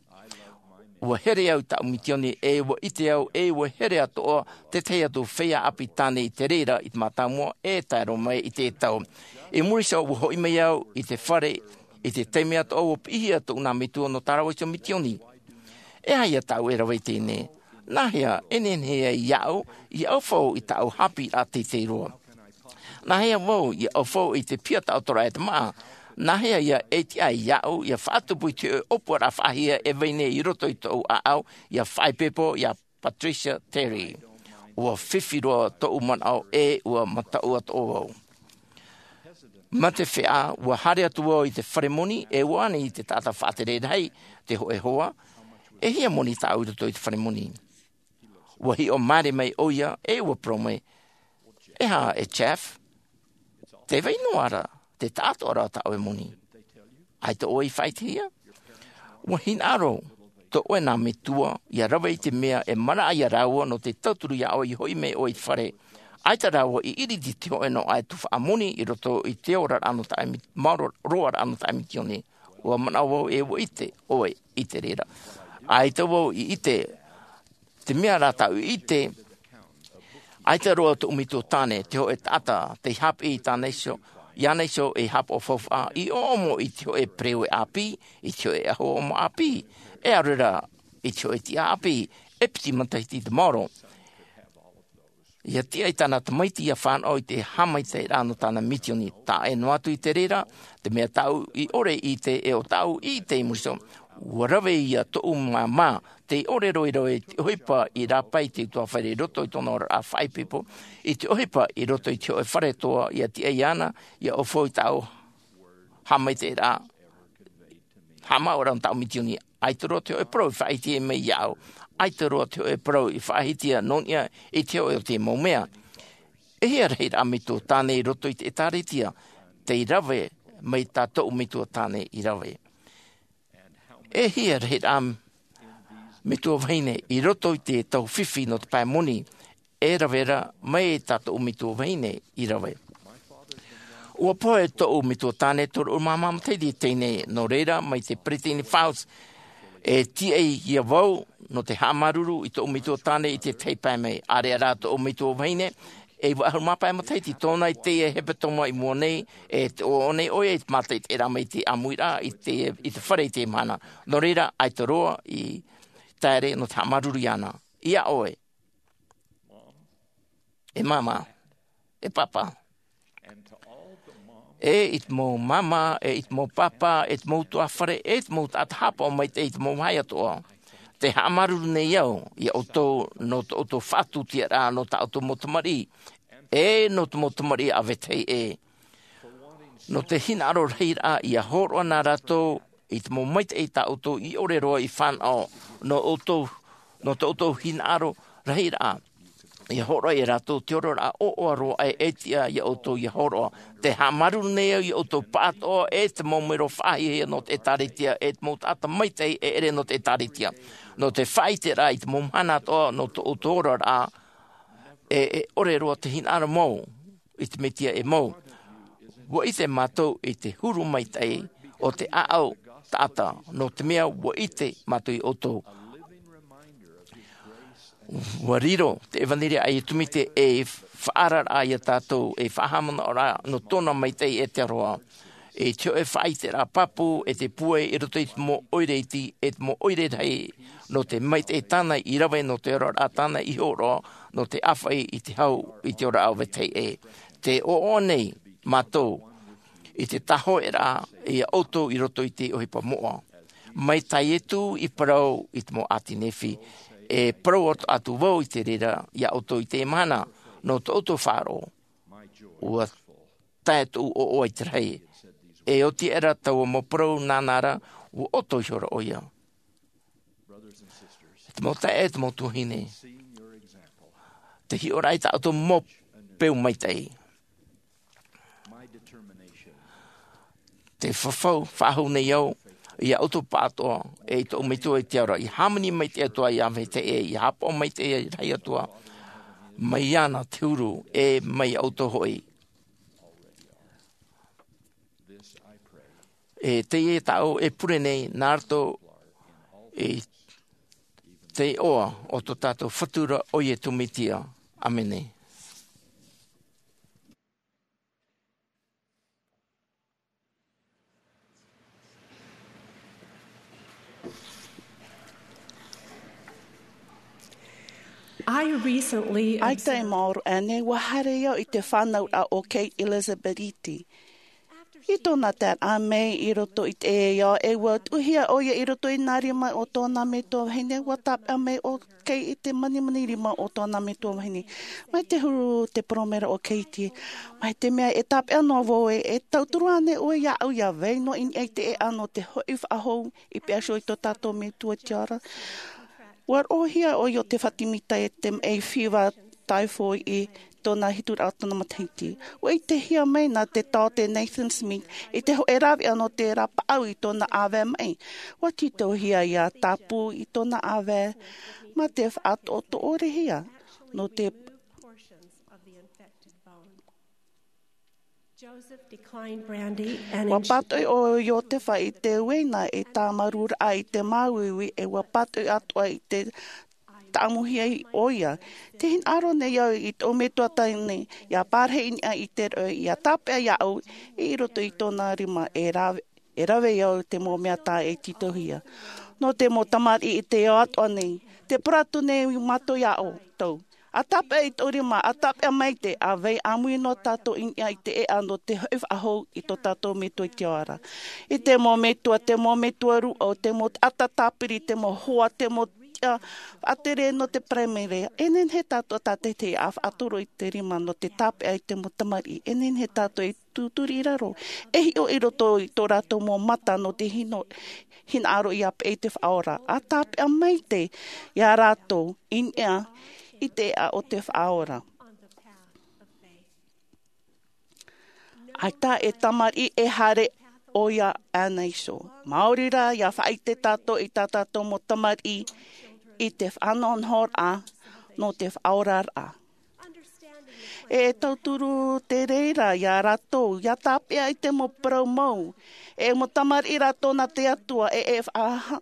ʻUa here au i tāʻu mitioni, e ʻua ʻite au, e ʻua here atoʻa te tahi atu feiā ʻāpī tāne i te reira i te mātāmua e tae roa mai i te tau. I muri iho, ʻua hoʻi mai au i te fare i te taime atoʻa ʻua piʻihia tōʻu nā metua nō tā rāua iho mitioni. E aha ia tāʻu e rave i teie nei? Nāhea e nehenehe ai iāʻu ʻia ʻaufau i tāʻu haʻapiʻiraʻa teitei roa? Nāhea vau ʻia ʻaufau i te piha taʻatoʻaraʻa e te māʻa? Nāhea ia e tiʻa ai iāʻu ʻia faʻatupu i te hōʻē ʻōpuaraʻa faʻahiahia e vai nei i roto i tōʻu ʻāʻau, ʻia faʻaipoipo iā Patricia Terry? ʻUa fifi roa tōʻu manaʻo, e ʻua mataʻu atoʻa vau. Mā te feiā, ʻua haere atu vau i te fare moni, e ʻua ani i te taʻata faʻatere rahi, te hōʻē hoa: E hia moni tāʻu i roto i te fare moni? ʻUa hiʻo maere mai ʻoia, e ʻua parau mai: E aha, e Jeff? Tē vai noa ra te taʻatoʻaraʻa o tā ʻoe moni. ʻAita ʻoe i faʻaʻitehia? ʻUa hinaʻaro tō ʻoe nā metua, ʻia rave i te mea e manaʻo ia rāua nō te tauturu ia ʻoe i hoʻi mai ʻoe i te fare. ʻAita rāua i ʻiriti te hōʻē noa e tuhaʻa moni i roto i te oraraʻa nō taʻe mi-, maoro roaraʻa nō taʻe mitioni. ʻUa manaʻo vau e ʻua ʻite ʻoe i te reira. ʻAita vau i ʻite, te mea rā tāʻu i ʻite, ʻaita roa tōʻu metua tāne, te hōʻē taʻata, tei haʻapiʻi i tāna iho, iāna iho ei haʻapaʻo faufaʻa, i ʻōʻomo i te hōʻē pereue ʻāpī, i te hōʻē ʻahu ʻōʻomo ʻāpī, e ʻaore rā, i te hōʻē tiʻa ʻāpī, e piti matahiti te maoro. ʻIa tiʻa i tāna tamaiti ʻia fānaʻo i te haʻamaitaʻiraʻa nō tāna mitioni, taʻa ʻē noa atu i te reira, te mea tāʻu i ʻore i ʻite e ʻo tāʻu i ʻite i muri iho, ʻua rave ia tōʻu māmā, tei ʻōrero i rave i te ʻohipa i rāpae i te utuāfare i roto i tōna oraraʻa faʻaipoipo, i te ʻohipa i roto i te hōʻē fare toa ʻia tiʻa iāna, ʻia ʻaufau i tāʻu haʻamaitaʻiraʻa, haʻamāuʻaraʻa nō tāʻu mitioni, ʻaita roa te hōʻē parau i faʻaʻite mai iāʻu, ʻaita roa te hōʻē parau i faʻaʻite nō niʻa i te hōʻē o te mau mea. E hia rahiraʻa metua tāne i roto i te ʻĒtārētia, tei rave mai tā tōʻu metua tāne i rave. E hia rahiraʻa metua vahine i roto i te tau fifi nō te pae moni, e rave ra mai tā tōʻu metua vahine i rave. ʻUa pohe tōʻu metua tāne toru ʻahuru mā maha matahiti teie nei, nō reira, mai te peretiteni Faust, e tiʻa ia vau, nō te haʻamāuruuru i tōʻu metua tāne i te tahi pae mai. ʻĀreʻa rā tōʻu metua vahine, e iva ʻahuru mā pae matahiti tōna i teie hepetoma i mua nei, e te ʻoaʻoa nei ʻoia i te mātaʻitaʻiraʻa mai te ʻāmuiraʻa i te, i te fare i te mahana. Nō reira, ʻaita roa i taere nō te haʻamāuruuru iāna. Ia ʻoe. E māmā, e pāpā. E i te mau māmā, e i te mau pāpā, e te mau utuāfare, e te mau taʻata haʻapaʻo maitaʻi i te mau vāhi atoʻa. Tē haʻamāuruuru nei au ia ʻoutou nō tō ʻoutou faʻatūtiaraʻa nō tā ʻoutou mau tamariʻi, e nō te mau tamariʻi a vetahi ʻē. Nō te hinaʻaro rahiraʻa, ʻia hōroʻa nā rātou i te mau maitaʻi tā ʻoutou i ʻore roa i fānaʻo, nō ʻoutou, nō tō ʻoutou hinaʻaro rahiraʻa. ʻIa hōroʻa ia rātou te oraraʻa ʻoaʻoa roa e, e tiʻa ia ʻoutou ʻia hōroʻa. Tē haʻamāuruuru nei au ia ʻoutou pāʻatoʻa, e te mau mero faʻahiahia nō te ʻĒtārētia, e te mau taʻata maitaʻi e ʻere nō te ʻĒtārētia. Nō te faʻaʻiteraʻa i te mau mahana atoʻa nō tō ʻoutou oraraʻa, e, e ʻore roa te hinaʻaro mau i te Mesia e mau. ʻUa ʻite mātou i te huru maitaʻi o te ʻāʻau taʻata, nō te mea ʻua ʻite mātou ia ʻoutou. ʻUa riro te ʻevanelia a Iesu Mesia ei faʻaararaʻa ia tātou, ei faʻahaʻamanaʻoraʻa nō tōna maitaʻi e te aroha. I te hōʻē faʻaʻiteraʻa pāpū, e te pūai i roto i te mau ʻoire iti, e te mau ʻoire rahi, nō te maitaʻi tāna i rave, nō te oraraʻa tāna i hōroʻa, nō te ʻāfaʻi i te hau, i te oraraʻa o vetahi ʻē. Tē ʻoaʻoa nei mātou i te tāhōʻēraʻa ia ʻoutou i roto i te ʻohipa moʻa. Mai tā Iesu i parau i te mau ʻāti Nephi, e parau atu, atu vau i te reira ia ʻoutou i teie mahana, nō tō ʻoutou faʻaroʻo. ʻUa tae tōʻu ʻoaʻoa i te rahi. E oti aʻera taua mau parau nāna ra, ʻua ʻoto ihora ʻoia. Te mau taeaʻe, te mau tuahine, te hiʻoraʻa i tā ʻoutou mau peu maitaʻi. Te fafau faʻahou nei au ia ʻoutou pāʻatoʻa, e i tōʻu Metua i te ao ra, ʻia hāmani maitaʻi atu ā ia vetahi ʻē, ʻia haʻapaʻo maitaʻi rahi atu ā mai iāna te huru, e mai iā ʻoutou hoʻi. E teie tāʻu e pure nei nā roto i te iʻoa o tō tātou Fatu ra, ʻo Iesu Mesia. ʻĀmene. I recently ʻAita e maoro aʻe nei, ʻua haere au i te fānauraʻa o Kate Elizabeth Eady. I tōna taeraʻa mai i roto i te ao, e ʻua tuʻuhia ʻoia i roto i nā rima o tōna metua vahine, ʻua tāpeʻa mai ʻo Kate i te manimani rima o tōna metua vahine. Mai te huru te poromera o Kate, mai te mea e tāpeʻa noa vau ē, e tauturu ānei ʻoe iāʻu ʻia vai noa i niʻa i te ʻēʻa nō te hoʻi faʻahou i pīhaʻi iho i tō tātou Metua i te ao ra. ʻUa roʻohia ʻoia ʻo Tefati Mita e te maʻi fīvā taifoʻi i tōna hituraʻa o tōna matahiti. Ua ʻitehia mai nā te taote Nathan Smith i te hoʻē rāveʻa nō te rāpaʻau i tōna ʻāvae maʻi. Ua tītauhia ia tāpū i tōna ʻāvae mā te faʻatoʻotoʻorehia nō te Joseph declined brandy and Ua pātoʻi ʻo Iotefa i te uaina e tāmarū raʻa i te māuiui, e ua pātoʻi atoʻa i te tāʻamuhia ʻoia. Te hinaʻaro nei au i tōʻu metua tāne ia parahi i niʻa i te roʻi, ia tāpeʻa iāʻu i roto i tōna rima e rave, e rave au te mau mea tā e tītauhia. Nō te mau tamariʻi i te ao atoʻa nei, te parau atu nei mātou iā ʻoutou. ʻA tāpeʻa i tō rima, ʻa tāpeʻa maite, ʻa vai ʻāmui noa tātou i niʻa i te ʻēʻa nō te hoʻi faʻahou i tō tātou metua i te ao ra. I te mau metua, te mau metua rūʻau, te mau taʻata tāpiri, te mau hoa, te mau tiʻa faʻatere nō te Paraimere, e nehenehe tātou tātaʻitahi ʻa faʻatoro i te rima nō te tāpeʻa i te mau tamariʻi, e nehenehe tātou e tūturi i raro, e hiʻo i roto i tō rātou mau mata nō te hino, hinaʻaro ia peʻe i te Faʻaora. ʻA tāpeʻa maite iā rātou i niʻa i te ʻēʻa o te Faʻaora. ʻAita e tamariʻi e haere ʻoia ʻānei iho. Maori rā, ia faʻaʻite tātou i tā tātou mau tamariʻi i te faʻanahonahoraʻa nō te faʻaoraraʻa. E tauturu te reira iā rātou, ia tāpeʻa i te mau parau mau. E mau tamariʻi rātou nā te Atua, e, e faʻa-,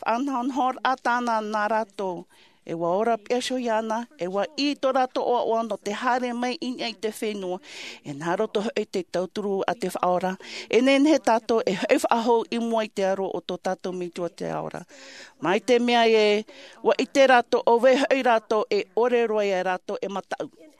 faʻanahonahoraʻa tāna nā rātou. E ua ora piha iho iāna, e ua ʻī tō rātou ʻoaʻoa nō te haere mai i niʻa i te fenua. E nā roto hoʻi te tauturu a te Faʻaora, e nehenehe tātou e hoʻi faʻahou i mua i te aro o tō tātou metua i te ao ra. Mai te mea ē, ua ʻite rātou, ʻo vai hoʻi rātou, e ʻore roa ia rātou e mataʻu.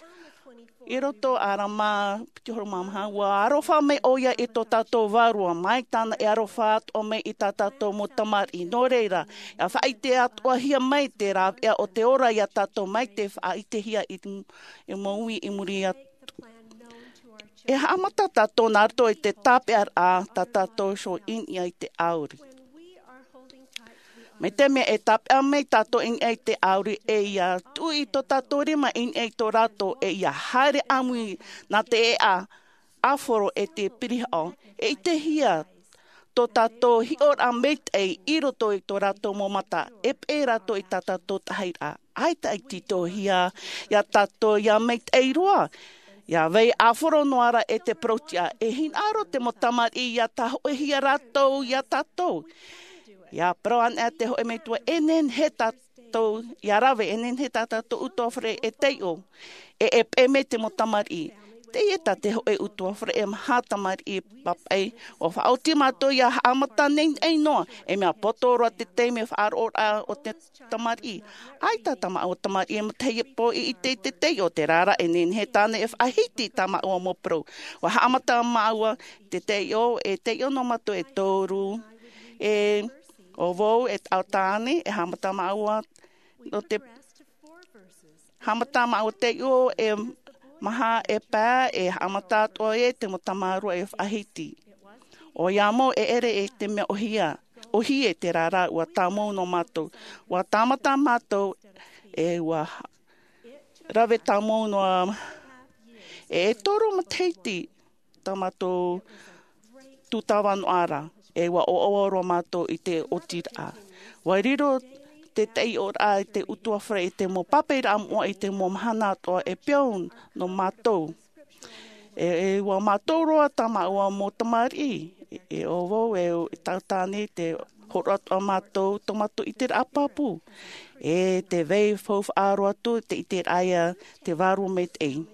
I roto Arama piti huru mā maha, ua aroha mai ʻoia i tō tātou Vārua, mai tāna e aroha atoʻa mai i tā tātou mau tamariʻi. Nō reira, ia faʻaʻite atoʻahia mai te rāveʻa o te ora iā tātou mai te faʻaʻitehia i, i mau ui i muri atu. E haʻamata tātou nā roto i te tāpeʻaraʻa tā tātou iho i niʻa i te ʻāuri. Mai te mea e tāpeʻa mai tātou i niʻa i te ʻāuri, e ia tuʻu i tō tātou rima i niʻa i tō rātou, e ia haere ʻāmui nā te ʻēʻa, ʻāfaro e te pirihaʻo, e ʻitehia tō tātou hiʻoraʻa maitaʻi i roto i tō rātou mau mata, e peʻe rātou i tā tātou tahiraʻa. ʻAita i tītauhia iā tātou ia maitaʻi roa, ia vai ʻāfaro noa ra e te parau-tiʻa, e hinaʻaro te mau tamariʻi ia tāhoʻihia rātou iā tātou. Ia parau anaʻe te hōʻē metua, e nehenehe tātou ia rave, e nehenehe tā tātou ʻutuāfare e taiʻo, e, e peʻe mai te mau tamariʻi. Teie tā te hōʻē ʻutuāfare e maha tamariʻi papaʻi, ua faʻaoti mātou ia haʻamata nei, nei noa, e mea poto roa te taime faʻaroʻoraʻa o te tamariʻi. ʻAita tā māua tamariʻi e matahiapo i ʻite i te taiʻo, terā rā e nehenehe tāna e faʻahiti i tā māua mau parau. Ua haʻamata māua te taiʻo, e taiʻo noa mātou e toru, e ʻo vau, e taʻata tāne, e haʻamata māua nō te, haʻamata māua taiʻo e maha e pae, e haʻamata atoʻa e te mau tamāroa e faʻahiti. ʻOia mau e ʻere e te mea ʻōhie, ʻōhie terā rā, ua tāmau noa mātou. Ua tāmata mātou, e ua rave tāmau noa, e, e toru matahiti tā mātou tūtava noa ra, e ua ʻoaʻoa roa mātou i te otiraʻa. Ua riro te taiʻoraʻa i te ʻutuāfare i te mau papaʻiraʻa moʻa i te mau mahana atoʻa e peau nō mātou. E, e ua mātou roa tā māua mau tamariʻi, e, e ʻo vau, e, e taʻata tāne, te hōroʻa atoʻa mātou, tō mātou ʻiteraʻa pāpū. E te vai faufaʻa roa atu, te ʻiteraʻa ia te Vārua Maitaʻi.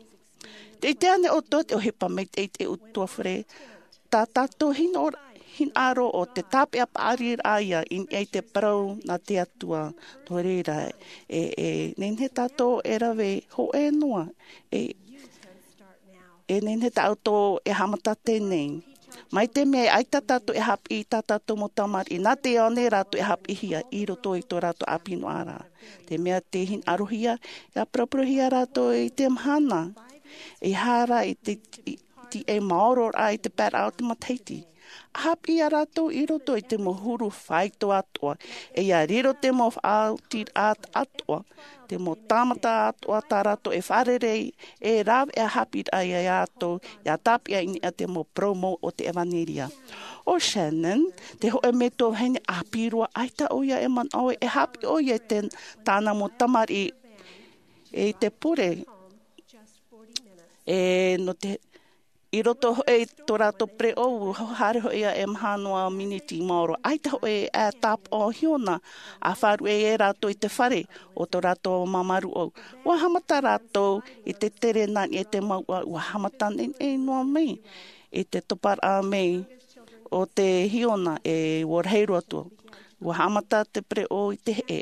Te ʻite ānei ʻoutou te ʻohipa maitaʻi i te ʻutuāfare, tā tātou hino-, hinaʻaro ʻo te tāpeʻa paʻari ra ia i niʻa i te parau nā te Atua. Nō reira, e, e nehenehe tātou e rave hōʻē noa, e, e nehenehe tātou e haʻamata teie nei. Mai te mea e ʻaita tātou e haʻapiʻi i tā tātou mau tamariʻi, nā te ao nei rātou e haʻapiʻihia i roto i tō rātou ʻāpī noa ra. Te mea tē hinaʻarohia, e paraparauhia rātou i te mahana, e hara i te, i, i te maororaʻa i te paeraʻa o te matahiti. A haʻapiʻi iā rātou i roto i te mau huru faito atoʻa, e ia riro te mau faʻaotiraʻa atoʻa, te mau tāmata atoʻa tā rātou e fārerei, e rave a haʻapiʻiraʻa iā rātou, ia tāpeʻa i niʻa te mau purōmu o te ʻevanelia. ʻO Shannon, te hōʻē metua vahine ʻāpī roa, ʻaita ʻoia e manaʻo e haʻapiʻi ʻoia i te, tāna mau tamariʻi, e i te pure. E nō te, i roto hoʻi i tō rātou pereʻoʻo, haere hoʻi ia e maha noa miniti maoro. ʻAita hoʻi e tāpaʻo hiona, a faʻaruʻe e rātou i te fare o tō rātou māmā rūʻau. Ua haʻamata rātou i te tere nā niʻa i te mouʻa, ua haʻamata neʻineʻi noa mai i te toparaʻa mai o te hiona e ua rahi roa atu. Ua haʻamata te pereʻoʻo i te heʻe.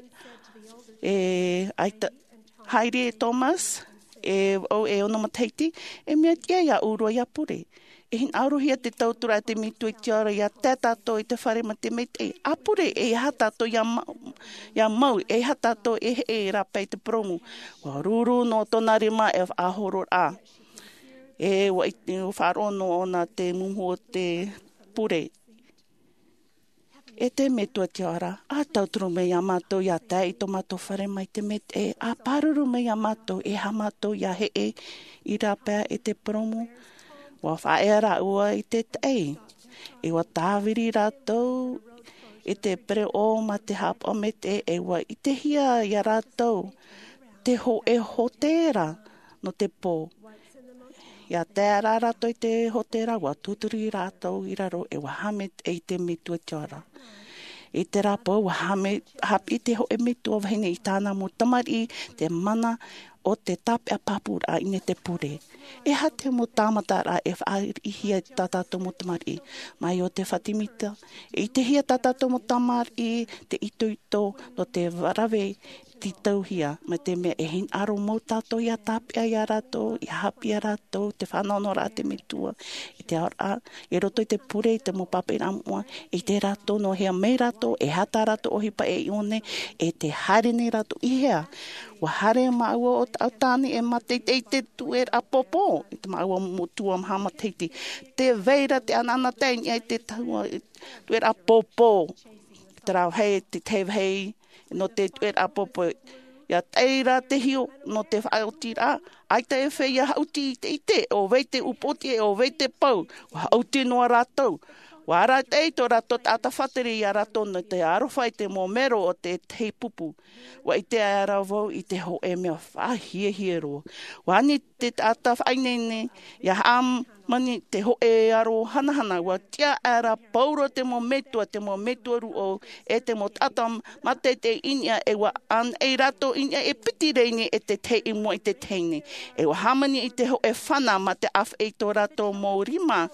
E ʻaita, haere Thomas, e vau e ono matahiti, e mea tiʻa iāʻu roa ia pure. E hinaʻarohia te tauturu a te metua i te ao ra ia tae tātou i te fare mai te maitaʻi. A pure, e aha tātou ia mau, ia mau, e aha tātou e heʻe rāpae i te purōmu. Ua ruru noa tōna rima e faʻahoro rā. E ua i, ua faʻaroʻo noa ʻōna te mumu o te pure. E te metua i te ao ra, a tauturu mai iā mātou ia tae i tō mātou fare mai te maitaʻi, a pāruru mai iā mātou e aha mātou ia heʻe i rāpae i te purōmu. Ua faʻaea rāua i te taʻi. E ua tāviri rātou i te pereʻoʻo mā te haʻapaʻo maitaʻi, e ua ʻitehia iā rātou te hōʻē hōtēra nō te pō. Ia tae rā rātou i te hōtēra, ua tūturi rātou i raro, e ua haʻamaitaʻi te metua i te ao ra. I terā pō, ua haʻame-, haʻapiʻi te hōʻē metua vahine i tāna mau tamariʻi te mana o te tāpeʻa pāpūraʻa i niʻa i te pure. E aha te mau tāmataraʻa e faʻariʻihia i tā tātou mau tamariʻi? Mai o te Fatimita, e ʻitehia tā tātou mau tamariʻi te itoito nō te rave tītauhia, mai te mea e hinaʻaro mau tātou ia tāpeʻa iā rātou, ia haʻapiʻi iā rātou te fānaʻonaʻoraʻa a te metua i te aoraʻa, i roto i te pure, i te mau pāpaʻiraʻa moʻa, e ʻite rātou nō hea mai rātou, e aha tā rātou ʻohipa e ʻiʻo nei, e te haere nei rātou i hea. Ua haere māua o Taʻatāne e mātaʻitaʻi i te tueraʻa pōpō, i te māua moʻa tuamaha matahiti. Tē vai ra te anaanatae i niʻa i te taua tueraʻa pōpō. Terā vāhi, te tahi vāhi nō te tueraʻa pōpō. Ia tae ra te hiʻo nō te faʻaotiraʻa, ʻaita e feiā haʻuti i te ʻite, ʻo vai te upoʻotiʻa, ʻo vai te pou, ua haʻuti noa rātou. Ua arataʻi tō rātou taʻata faʻatere iā rātou nō te aroha i te mau mero o te tahi pupu. Ua ʻite aʻera vau i te hōʻē mea faʻahiahia roa. Ua ani te taʻata faʻaineine, ia haʻamani te hōʻē aro hanahana, ua tiʻa aʻera pauroa te mau metua, te mau metua rūʻau, e te mau taʻata mātaʻitaʻi i niʻa, e ua ʻānaʻi rātou i niʻa e piti rā nei e te tahi i mua i te tahi nei. E ua hāmani i te hōʻē fana mā te ʻāfaʻi i tō rātou mau rima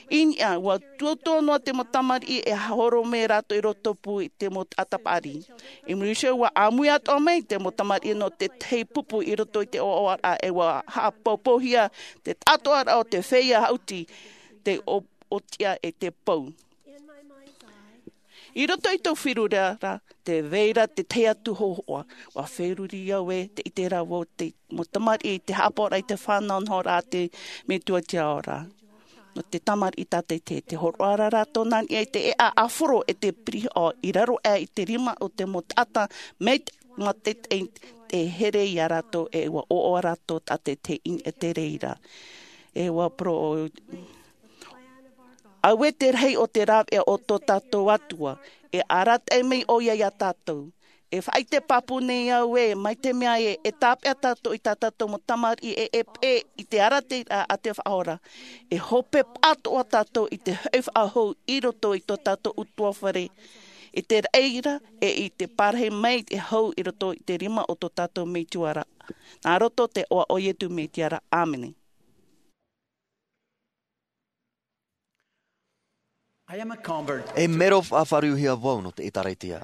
i niʻa, ua tuatua noa te mau tamariʻi e horo mai rātou i roto pū i te mau taʻata paʻari. I muri iho ua ʻāmui atoʻa mai te mau tamariʻi nō te tahi pupu i roto i te ʻoaʻoaraʻa, e ua haʻapoupouhia te taʻatoʻaraʻa o te feiā haʻuti, te o-, ʻotiʻa e te pou. I roto i tō feruriraʻa, tē vai ra te tahi atu hōhoʻa, ua feruri au e te ʻite ra vau te mau tamariʻi i te haʻapaʻoraʻa i te fānaʻonaʻoraʻa a te metua i te ao ra. Nō te tamariʻi tātaʻitahi, tē hōroʻa ra rātou nā niʻa i te ʻēʻa ʻāfaro e te pirihoʻa i raro aʻe i te rima o te mau taʻata mai te, mā te, te, te here iā rātou, e ua ʻoaʻoa rātou tātaʻitahi i niʻa i te reira. E ua poro-, auē te rahi o te rāveʻa o tō tātou Atua, e arataʻi mai ʻoia iā tātou. E faʻaʻite pāpū nei au ē, mai te mea ē, e tāpeʻa tātou i tā tātou mau tamariʻi e, e peʻe i te arataʻiraʻa a te Faʻaora. E hope pātoʻa tātou i te hoʻi faʻahou i roto i tō tātou ʻutuāfare, i te reira, e i te parahi mai e hau i roto i te rima o tō tātou Metua ra. Nā roto i te iʻoa o Iesu Mesia ra. ʻĀmene. I am a convert. E mero faʻafāriuhia vau nō te ʻĒtārētia.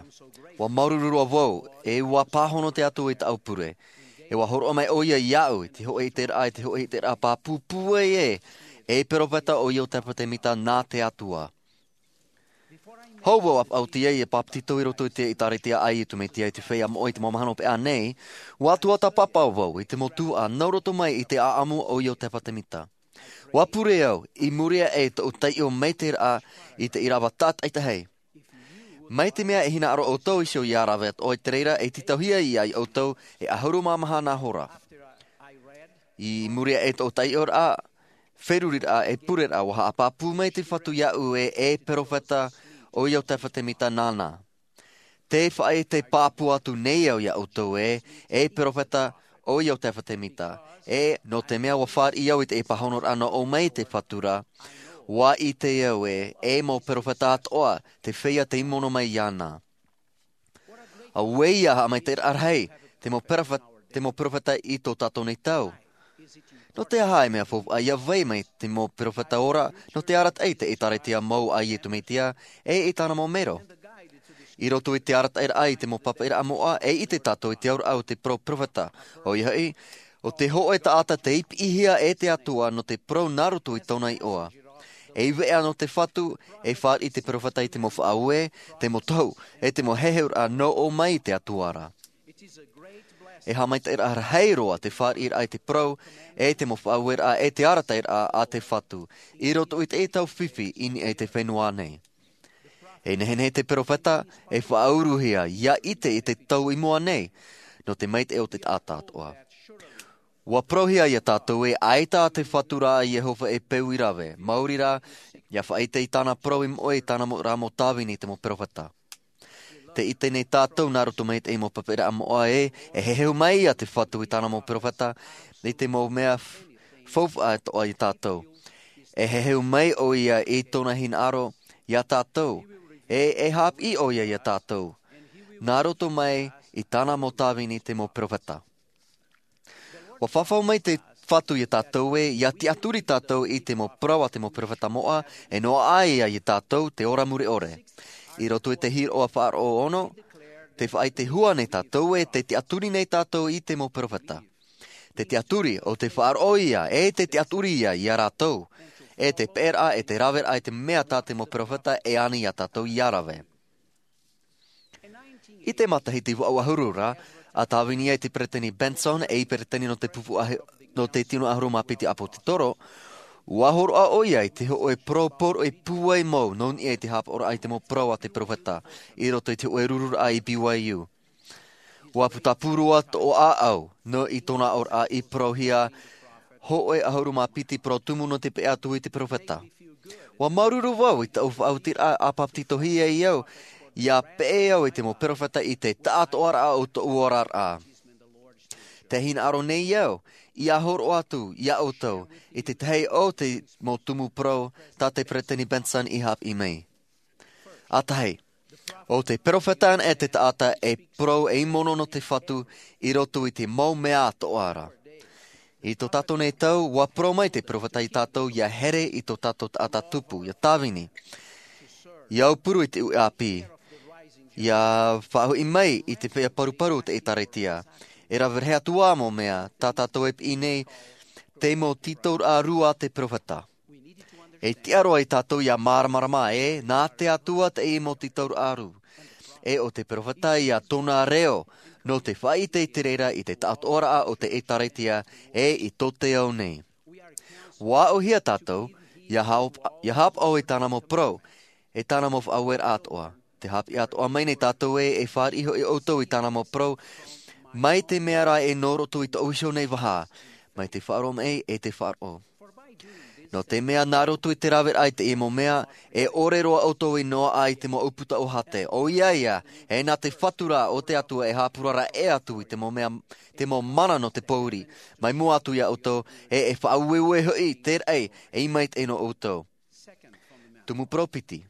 Ua māuruuru roa vau, e ua pāhono te Atua i tāʻu pure. E ua hōroʻa mai ʻoia iāʻu i te hōʻē ʻiteraʻa, i te hōʻē ʻiteraʻa pāpū pūai ē, e peropheta ʻo Iotefa Temita nā te Atua. Hou vau a faʻaoti ai e pāpetito i roto i te ʻĒtārētia a Iesu Mesia i te feiā moʻa i te mau mahana hopeʻa nei, ua tuatāpapa vau i te mau tuhaʻa nā roto mai i te ʻāʻamu o Iotefa Temita. Ua pure au i muri aʻe i tōʻu taiʻo maitaʻi raʻa i te ʻīrava tātaʻitahi. Mai te mea e hinaʻaro ʻoutou iho ia rave atoʻa i te reira, e tītauhia ia ʻoutou e ʻahuru mā maha nā hora. I muri aʻe i tōʻu taiʻoraʻa, feruriraʻa e pureraʻa, ua haʻapāpū mai te Fatu iāʻu ē, e perofeta ʻo Iosepha Semita nāna. Te faʻaʻite pāpū atu nei au ia ʻoutou ē, e perofeta ʻo Iosepha Semita, e nō te mea ua fāriʻi au i te pāhonoraʻa nō ʻō mai te Fatu ra, ua ʻite au ē, e mau perofeta atoʻa te feiā tei mono mai iāna. Auē ia haʻamaitaʻiraʻa rahi te mau perofeta, te mau perofeta i tō tātou nei tau. Nō te aha e mea faufaʻa ia vai mai te mau perofeta ora nō te arataʻi i te ʻĒtārētia mau a Iesu Mesia, e i tāna mau mero? I roto i te arataʻiraʻa i te mau papaʻiraʻa moʻa, e ʻite tātou i te auraʻa o te parau perofeta. ʻOia hoʻi, ʻo te hōʻē taʻata tei piʻihia e te Atua nō te parau nā roto i tōna iʻoa. E veʻa nō te Fatu e fāriʻi te perofeta i te mau faʻaue, te mau tohu, e te mau heheuraʻa nō ʻō mai i te Atua ra. E haʻamaitaʻiraʻa rahi roa te fāriʻiraʻa i te parau, e te mau faʻaueraʻa, e te arataʻiraʻa a te Fatu i roto i te tau fifi i niʻa i te fenua nei. E nehenehe te perofeta e faʻauruhia ia ʻite i te tau i mua nei nō te maitaʻi o te taʻata atoʻa. Ua parauhia ia tātou ē, ʻaita te Fatu ra a Iehova e peu i rave, maori rā, ia faʻaʻite i tāna parau i moʻe i tāna mau, rā mau tāvini te mau perofeta. Te ʻite nei tātou nā roto mai i te mau papaʻiraʻa moʻa ē, e heheu mai ia te Fatu i tāna mau perofeta i te mau mea f-, faufaʻa atoʻa ia tātou. E heheu mai ʻoia i tōna hinaʻaro ia tātou, e, e haʻapiʻi ʻoia ia tātou nā roto mai i tāna mau tāvini te mau perofeta. Ua fafau mai te Fatu ia tātou ē, ia tiʻaturi tātou i te mau parau a te mau perofeta moʻa, e noaʻa ia ia tātou te ora mure ʻore. I roto i te Hiroʻa faʻaroʻo ono, te faʻaʻite hua nei tātou ē, tē tiʻaturi nei tātou i te mau perofeta. Te tiʻaturi, ʻo te faʻaroʻo ia, e te tiʻaturi ia ia rātou, e te peʻeraʻa, e te raveraʻa i te mea tā te mau perofeta e ani ia tātou ia rave. I te matahiti vaʻu ʻahuru ra, a tāvini ai te Peresideni Benson ei Peresideni nō te pupu ahi-, nō te tino ʻahuru mā piti ʻāpōsetolo, ua hōroʻa ʻoia i te hōʻē parau poroʻi pūai mau nō niʻa i te haʻapaʻoraʻa i te mau parau a te perofeta, i roto i te hōʻē rururaʻa i B Y U. Ua putapū roa tō ʻāʻau, nō i tōna aʻoraʻa i parauhia hōʻē ʻahuru mā piti parau tumu nō te peʻe atu i te perofeta. Ua māuruuru vau i taʻu faʻaotiraʻa a bāpetizohia ai au, ia peʻe au i te mau perofeta i te taʻatoʻaraʻa o tōʻu oraraʻa. Tē hinaʻaro nei au ia hōroʻa atu ia ʻoutou i te tahi o te mau tumu parau tā te Peresideni Benson i haʻapiʻi mai. ʻA tahi, ʻo te perofeta anaʻe te taʻata e parau ei mono nō te Fatu i roto i te mau mea atoʻa ra. I tō tātou nei tau, ua parau mai te perofeta ia tātou ia here i tō tātou taʻata tupu, ia tāvini, ia aupuru i te uʻi ʻāpī, ia faʻahoʻi mai i te feiā paruparu o te ʻĒtārētia. E rave rahi atu ā mau mea tā tātou e piʻi nei, te mau tītauraʻa rū a te perofeta. E tiʻa roa ia tātou ia māramarama ē, nā te Atua teie mau tītauraʻa rū. E ʻo te perofeta ia tōna reo, nō te faʻaʻite i te reira i te taʻatoʻaraʻa o te ʻĒtārētia, e i tō te ao nei. Ua aʻohia tātou ia haʻap-, ia haʻapaʻo i tāna mau parau, e tāna mau faʻaueraʻa atoʻa. Tē haʻapiʻi atoʻa mai nei tātou ē, e fāriʻi hoʻi ʻoutou i tāna mau parau, mai te mea rā ē nō roto i tōʻu iho nei vaha, mai te faʻaroʻo mai e te faʻaroʻo. Nō te mea nā roto i te raveraʻa i teie mau mea, e ʻore roa ʻoutou i noaʻa i te mau ʻūputa ʻōhāte. ʻOia ia, e nā te Fatu rā o te Atua e haʻapurara ʻē atu i te mau mea, te mau mana nō te pōuri. Mai mua atu ia ʻoutou, e, e faʻaueue hoʻi te raʻi, e mai te nō ʻoutou. Tumu parau piti.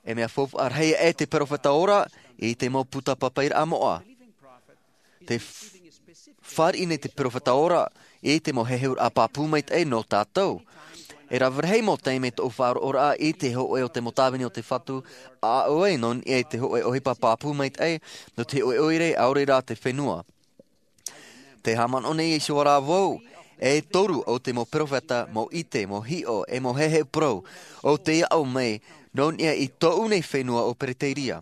E mea faufaʻa rahi e te perofeta ora i te mau puta papaʻiraʻa moʻa. Tē f-, fāriʻi nei te perofeta ora i te mau heheuraʻa pāpū maitaʻi nō tātou. E rave rahi mau taime tōʻu faʻaroʻoraʻa i te hōʻē o te mau tāvini o te Fatu, a ʻoe nō niʻa i te hōʻē ʻohipa pāpū maitaʻi, nō te hōʻē ʻoire, ʻaore rā te fenua. Tē haʻamanaʻo nei iho ā rā vau, e toru o te mau perofeta, mau ʻite, mau hiʻo, e mau heheu parau, ʻo tei aʻo mai, nō niʻa i tōʻu nei fenua ʻo Pereteria.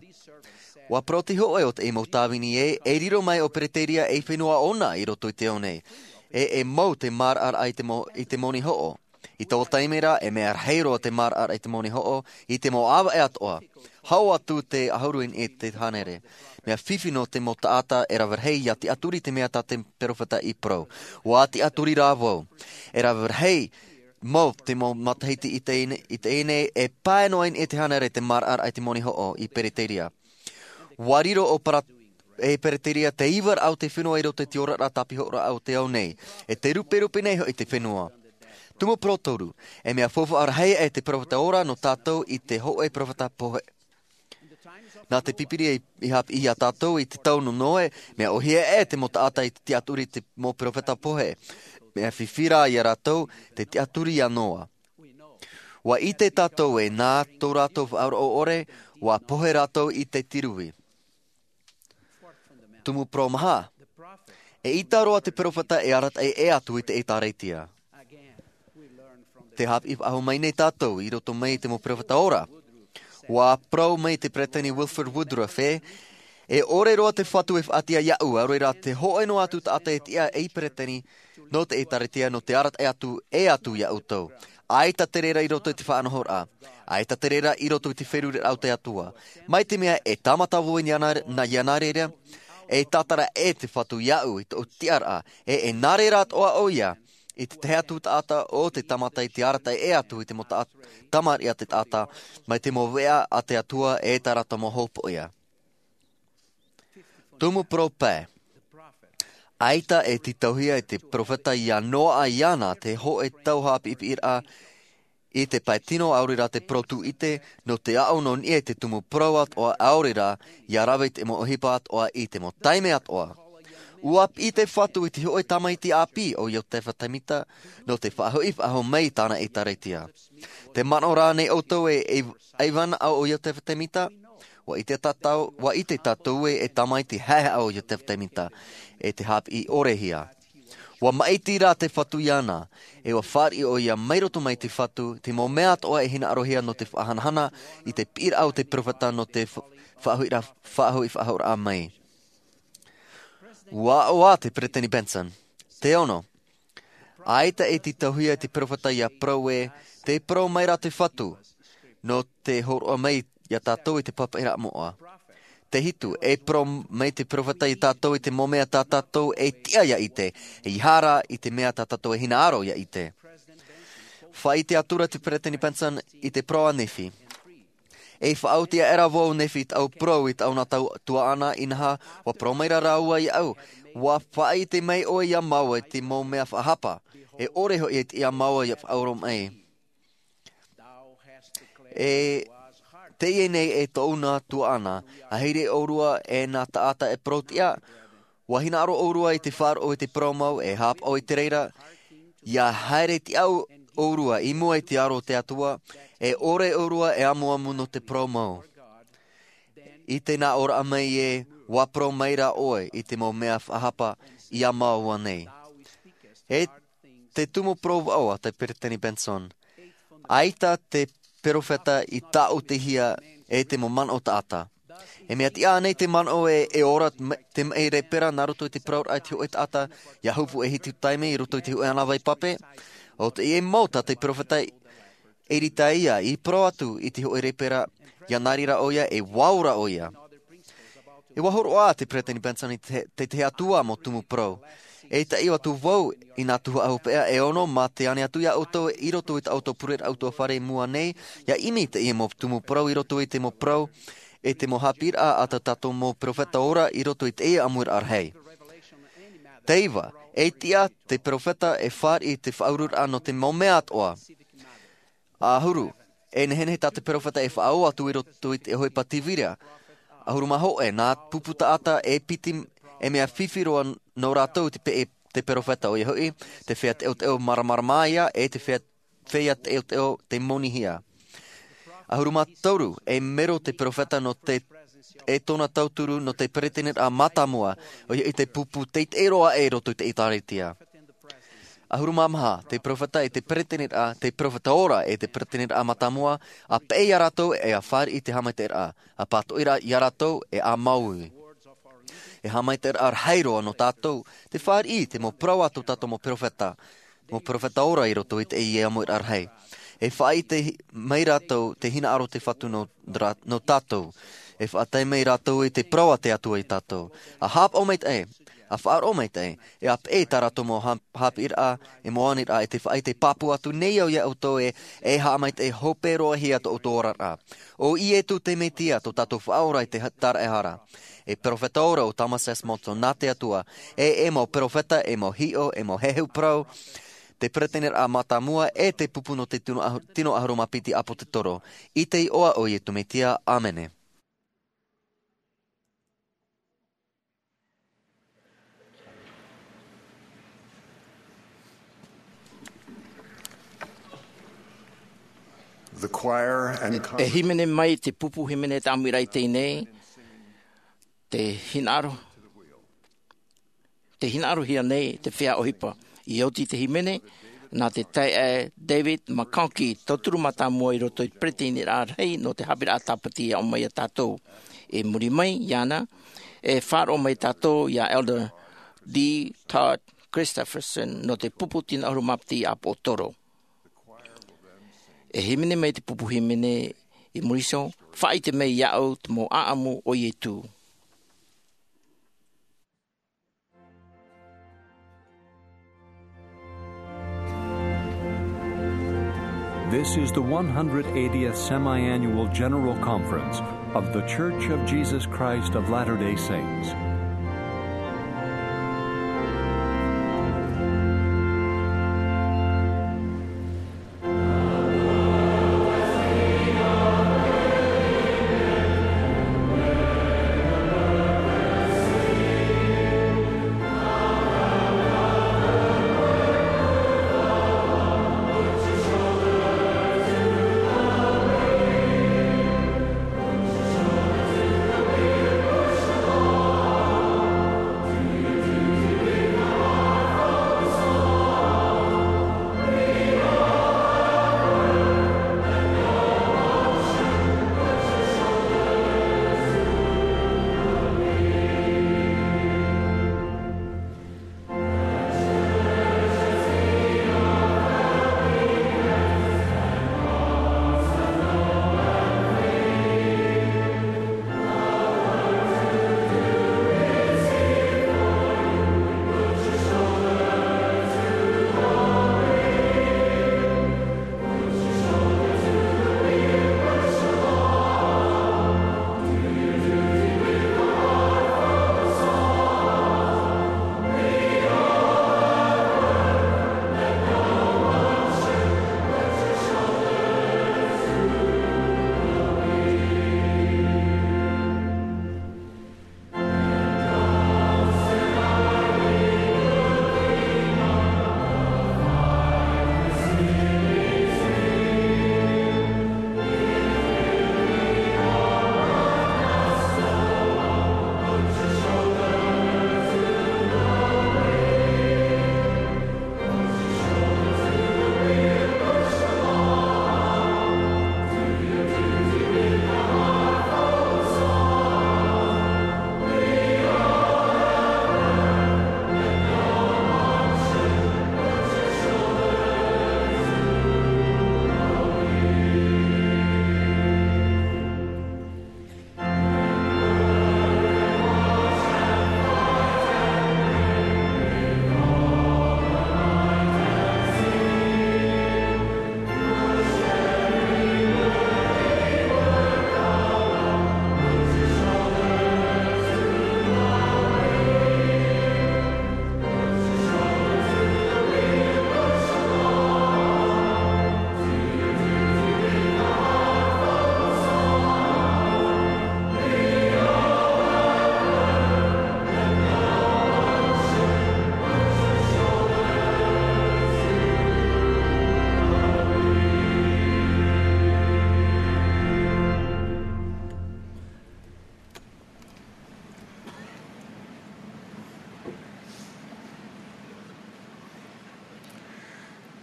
Ua parau te hōʻē o te mau tāvini ē, e riro mai ʻo Pereteria ei fenua ʻōna i roto i te ao nei. E, e mau te maraʻaraʻa i te mau, i te moni hoʻo. I taua taime ra, e mea rahi roa te maraʻaraʻa i te moni hoʻo, i te mau ʻāvaʻe atoʻa. Hau atu te ʻahuru i te hānere. Mea fifi nō te mau taʻata e rave rahi ia tiʻaturi te mea tā te peropheta i parau. ʻUa tiʻaturi rā vau. E rave rahi mau te mau matahiti i teie nei, i teie nei, e pae noa i te hānere te maraʻaraʻa i te moni hoʻo i Pereteria. ʻUa riro ʻo Para-, e Pereteria te iva raʻa o te fenua i roto i te oraraʻa tāpihoraʻa o te ao nei. E te ruperupe nei hoʻi te fenua. Tumu parau toru, e mea faufaʻa rahi e te peropheta ora nō tātou i te hōʻē peropheta pohe. Nā te Pīpīria i, i haʻapiʻi ia tātou i te tau nō Noe, mea ʻōhie e te mau taʻata i te tiʻaturi te mau peropheta pohe. Mea fifi rā ia rātou te tiʻaturi ia Noa. ʻUa ʻite tātou e nā tō rātou faʻaroʻo ʻore, ʻua pohe rātou i te tirui. Tumu parau maha, e ʻita roa te peropheta e arataʻi ʻē atu i te ʻĒtārētia. Te haʻapiʻi faʻahou mai nei tātou i roto mai i te mau peropheta ora. ʻUa parau mai te Peresideni Wilford Woodruff ē, e ʻore roa te Fatu e faʻatiʻa iaʻu, ʻaore rā te hōʻē noa atu taʻata e tiʻa ei peresideni nō te ʻĒtārētia nō te arataʻi atu ʻē atu ia ʻoutou. ʻAita te reira i roto i te faʻanahoraʻa. ʻAita te reira i roto i te feruriraʻa o te Atua. Mai te mea e tāmata vau i nā, nā, ia nā reira, e tātara ʻē te Fatu iaʻu i tōʻu tiʻaraʻa, e, e nā reira atoʻa ʻoia, i te tahi atu taʻata o te tāmata i te arataʻi ʻē atu i te mau taʻa-, tamariʻi a te taʻata, mai te mau veʻa a te Atua e tā rātou mau hopoiʻa. Tumu parau pae. ʻAita e tītauhia e te peropheta ia Noa iāna te hōʻē tau haʻapiʻipiʻiraʻa i te pae tino ʻaore rā te parau tūʻite, nō te aʻo nō niʻa i te tumu parau atoʻa ʻaore rā, ia rave i te mau ʻohipa atoʻa i te mau taime atoʻa. ʻUa piʻi te Fatu i te hōʻē tamaiti ʻāpī ʻo Iotefa Temita, nō te faʻahoʻi faʻahou mai i tāna ʻĒtārētia. Te manaʻo rā nei ʻoutou e, e, ʻaivana ʻo Iotefa Temita, ʻua ʻite tātou, ʻua ʻite tātou ē e tamaiti haʻehaʻa ʻo Iotefa Temita, e te haʻapiʻi ʻorehia. ʻUa maʻiti rā te Fatu iāna, e ʻua fāriʻi ʻoia mai roto mai te Fatu, te mau mea atoʻa e hinaʻarohia nō te faʻahanahana i te piʻiraʻa o te peropheta nō te fa-, faʻahoʻiraʻa, faʻahoʻi faʻahoʻiraʻa mai. ʻUa aʻo ā te Peresideni Benson. Te ono, ʻaita e tītauhia e te peropheta ia parau ē, tē parau mai rā te Fatu, nō te hōroʻa mai ia tātou i te pāpaʻiraʻa moʻa. Te hitu, e parau mai te peropheta ia tātou i te mau mea tā tātou e tiʻa ia ʻite, ʻeiaha rā i te mea tā tātou e hinaʻaro ia ʻite. Faʻaʻite atu ra te Peresideni Benson i te parau a Nephi. E faʻaoti aʻera vau Nephi i tāʻu parau i tāʻu nā tau tuaʻana, inaha, ʻua parau mai rā rāua iāʻu, ʻua faʻaʻite mai ʻoe ia māua i te mau mea faʻahapa, e ʻore hoʻi e tiʻa māua ia faʻaora mai. E teie nei e tōʻu nā tuaʻana, ʻāhiri ʻōrua e nā taʻata e parau tiʻa, ʻua hinaʻaro ʻōrua i te faʻaroʻo i te parau mau, e haʻapaʻo i te reira, ia haere tiʻa ʻōrua i mua i te aro o te Atua, e ʻore ʻōrua e amuamu nō te parau mau. I te nā ʻōraʻa mai ē, ʻua parau mai rā ʻoe i te mau mea faʻahapa ia māua nei. E te tumu parau vaʻu a te Peresideni Benson. ʻAita te peropheta i tāʻutihia e te mau manaʻo taʻata. E mea tiʻa nei te manaʻo ē, e ora te ma-, te maʻi rēpera nā roto i te parau raʻa i te hōʻē taʻata, ia hopu e hitu taime i roto i te hōʻē ʻānāvai pape. ʻO teie mau tā te peropheta Eritaia i parau atu i te hōʻē rēpera, ia nā reira ʻoia, e ʻua ora ʻoia. E ʻua hōroʻa te Peresideni Benson i te, te, te Atua mau tumu parau. E taʻi atu vau i nā tuhaʻa hopeʻa e ono mā te ani atu ia ʻoutou i roto i tā ʻoutou pureraʻa ʻutuāfare i mua nei, ia ʻimi i teie mau tumu parau i roto i te mau parau, e te mau haʻapiʻiraʻa a tā tātou mau peropheta ora i roto i teie ʻāmuiraʻa rahi. Te iva, e tiʻa te peropheta e fāriʻi i te faʻaururaʻa nō te mau mea atoʻa. ʻAhuru, e nehenehe tā te peropheta e faʻaō atu i roto i te ʻohipa tīvira. ʻAhuru mā hōʻē, nā pupu taʻata e piti, e mea fifi roa nō rātou te pe-, te peropheta ʻoia hoʻi, te feiā teʻoteʻo māramarama ia, e te feiā, feiā teʻoteʻo tei monihia. ʻAhuru mā toru, e mero te peropheta nō te, e tōna tauturu nō te peresideni mātāmua, ʻoia hoʻi te pupu teitei roa aʻe i roto i te ʻĒtārētia. ʻAhuru mā maha, te peropheta e te peresideni, te peropheta ora e te peresideni mātāmua, ʻa peʻe ia rātou e ʻa fāriʻi i te haʻamaitaʻiraʻa, ʻa pātoʻi ia rātou e ʻa māuiui. E haʻamaitaʻiraʻa rahi roa nō tātou, te fāriʻi i te mau parau a tō tātou mau peropheta. mau peropheta ora i roto i teie ʻāmuiraʻa rahi. E faʻaʻite mai rātou te hinaʻaro o te Fatu nō, rā-, nō tātou. E faʻatae mai rātou i te parau a te Atua ia tātou. ʻA haʻapaʻo maitaʻi, ʻa faʻaroʻo maitaʻi, e ʻa peʻe i tā rātou mau hā-, haʻapiʻiraʻa, e mau aniraʻa, e te faʻaʻite pāpū atu nei au ia ʻoutou ē, e haʻamaitaʻi hope roa hia tō ʻoutou oraraʻa. ʻO Iesu te Mesia, tō tātou Faʻaora i te ha-, tāraʻehara. E peropheta ora ʻo Thomas S. Monson nā te Atua, e, e mau peropheta, e mau hiʻo, e mau heheu parau, te peretiteniraʻa mātāmua, e te pupu nō te tino ʻahu-, tino ʻahuru mā piti ʻāpōsetolo. I te iʻoa o Iesu Mesia, ʻāmene. The choir and E hīmene mai te pupu hīmene te ʻāmuiraʻa i teie nei, te hinaʻaro, te hinaʻarohia nei te feiā ʻohipa. I oti te hīmene, nā te taeaʻe David McConkie, tauturu mātāmua i roto i te peretiteniraʻa rahi nō te haʻapiʻiraʻa Tāpati e aʻo mai ia tātou. I muri mai iāna, e faʻaroʻo mai tātou ia Elder D. Todd Christofferson nō te pupu tino ʻahuru mā piti ʻāpōsetolo. E hīmene mai te pupu hīmene i muri iho, faʻaʻite mai iāʻu te mau ʻāʻamu o Iesu. This is the one hundred eightieth Semi-Annual General Conference of The Church of Jesus Christ of Latter-day Saints.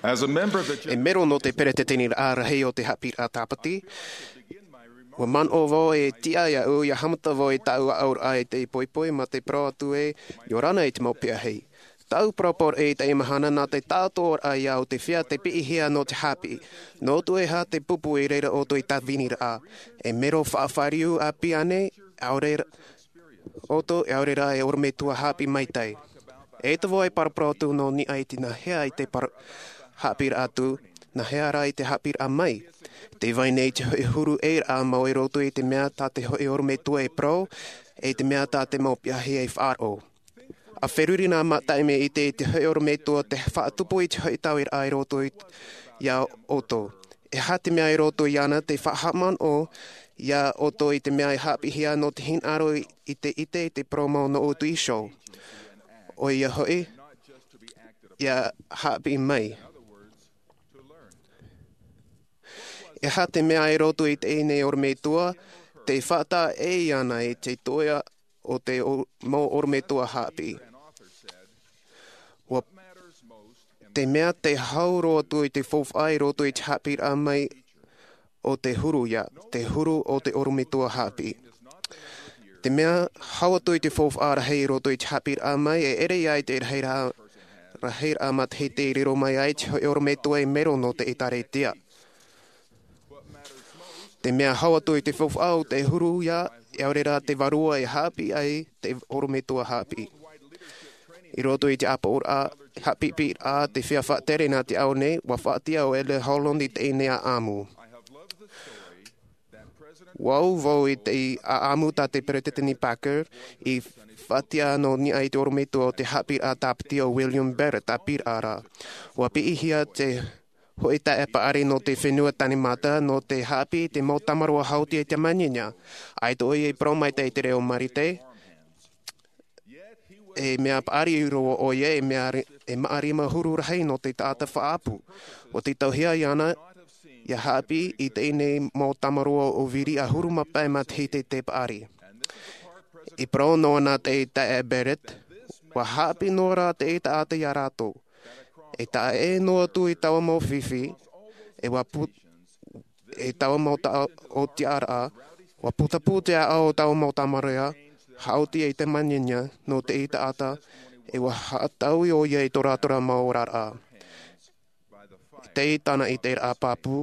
As a member of the E mero nō te peretiteniraʻa rahi o te haʻapiʻiraʻa Tāpati, ʻua manaʻo vau e tiʻa iāʻu ʻia haʻamata vau i tāʻu aʻoraʻa i te poipoi mā te parau atu ē, ʻia ora na i te mau peʻahei. Tāʻu parau poroʻi i teie mahana nā te tāʻatoʻaraʻa ia ʻoutou te feiā te piʻihia nō te haʻapiʻi. Nō ʻoutou e aha te pupu i reira ʻoutou i tāviniraʻa? E mero faʻafāriu ʻāpī ānei? ʻAore ʻoutou, ʻaore rā e orometua haʻapiʻi maitaʻi. E te vai paraparau atu nō niʻa i te nāhea i te par-, haʻapiʻiraʻa atu, nāhea rā i te haʻapiʻiraʻa mai. Te vai nei te hoʻi huru ʻē raʻa mau i roto i te mea tā te hoʻi orometua e parau, e te mea tā te mau piahi e faʻaroʻo. ʻA feruri nā mātaʻi mea ʻite i te hoʻi orometua te faʻatupu i te hoʻi tauiraʻa i roto i, ia ʻoutou. E aha te mea i roto iāna te faʻahaʻamanaʻo ia ʻoutou i te mea e haʻapiʻihia nō te hinaʻaro i te ʻite i te parau mau nō ʻoutou iho. ʻOia hoʻi, ia haʻapiʻi mai. E aha te mea i roto i teie nei orometua, te faʻataʻa ʻē iāna i te toʻa o te o-, mau orometua haʻapiʻi. ʻUa, te mea te hau roa atu i te faufaʻa i roto i te haʻapiʻiraʻa mai o te huru ia, te huru o te orometua haʻapiʻi. Te mea hau atu i te faufaʻa rahi i roto i te haʻapiʻiraʻa mai, e ʻere ia i te rahiraʻa, rahiraʻa matahiti i riro mai ai te hoʻi orometua e mero nō te ʻĒtārētia. Te mea hau atu i te faufaʻa o te huru ia, ʻaore rā te vārua e haʻapiʻi ai te orometua haʻapiʻi. I roto i te ʻāpōraʻa, haʻapiʻiraʻa te feiā faʻatere nā te ao nei, ʻua faʻatiʻa ʻo Elder Holland i teie nei ʻāʻamu. ʻUa ʻō vau i te ʻāʻamu tā te Peretiteni Packer i faʻatiʻa nō niʻa i te orometua o te haʻapiʻiraʻa tāpiti o William Barrett ʻāpīraʻa ra. ʻUa piʻihia te hoʻi taeaʻe paʻari nō te fenua Tanemata nō te haʻapiʻi i te mau tamaroa haʻaoti e te maninia. ʻAita ʻoia i parau maitaʻi i te reo Marite, e mea paʻari roa ʻoia, e mea ri-, e maʻa rima huru rahi nō te taʻata faʻaʻapu. ʻUa tītauhia iāna ia haʻapiʻi i teie nei mau tamaroa ʻo Viriʻa huru mā pae matahiti te paʻari. I parau noa nā te taeaʻe Barrett, ʻua haʻapiʻi noa rā te taʻata ia rātou. E taʻa ʻē noa atu i taua mau fifi, e ʻua pu-, e taua mau taʻa o tiʻaraʻa, ʻua putapū te ʻāʻau o taua mau tamaroa haʻaoti e te maninia nō te taʻata, e ʻua haʻataui ʻoia i tō rātou mau oraraʻa. I teie tāna ʻiteraʻa pāpū,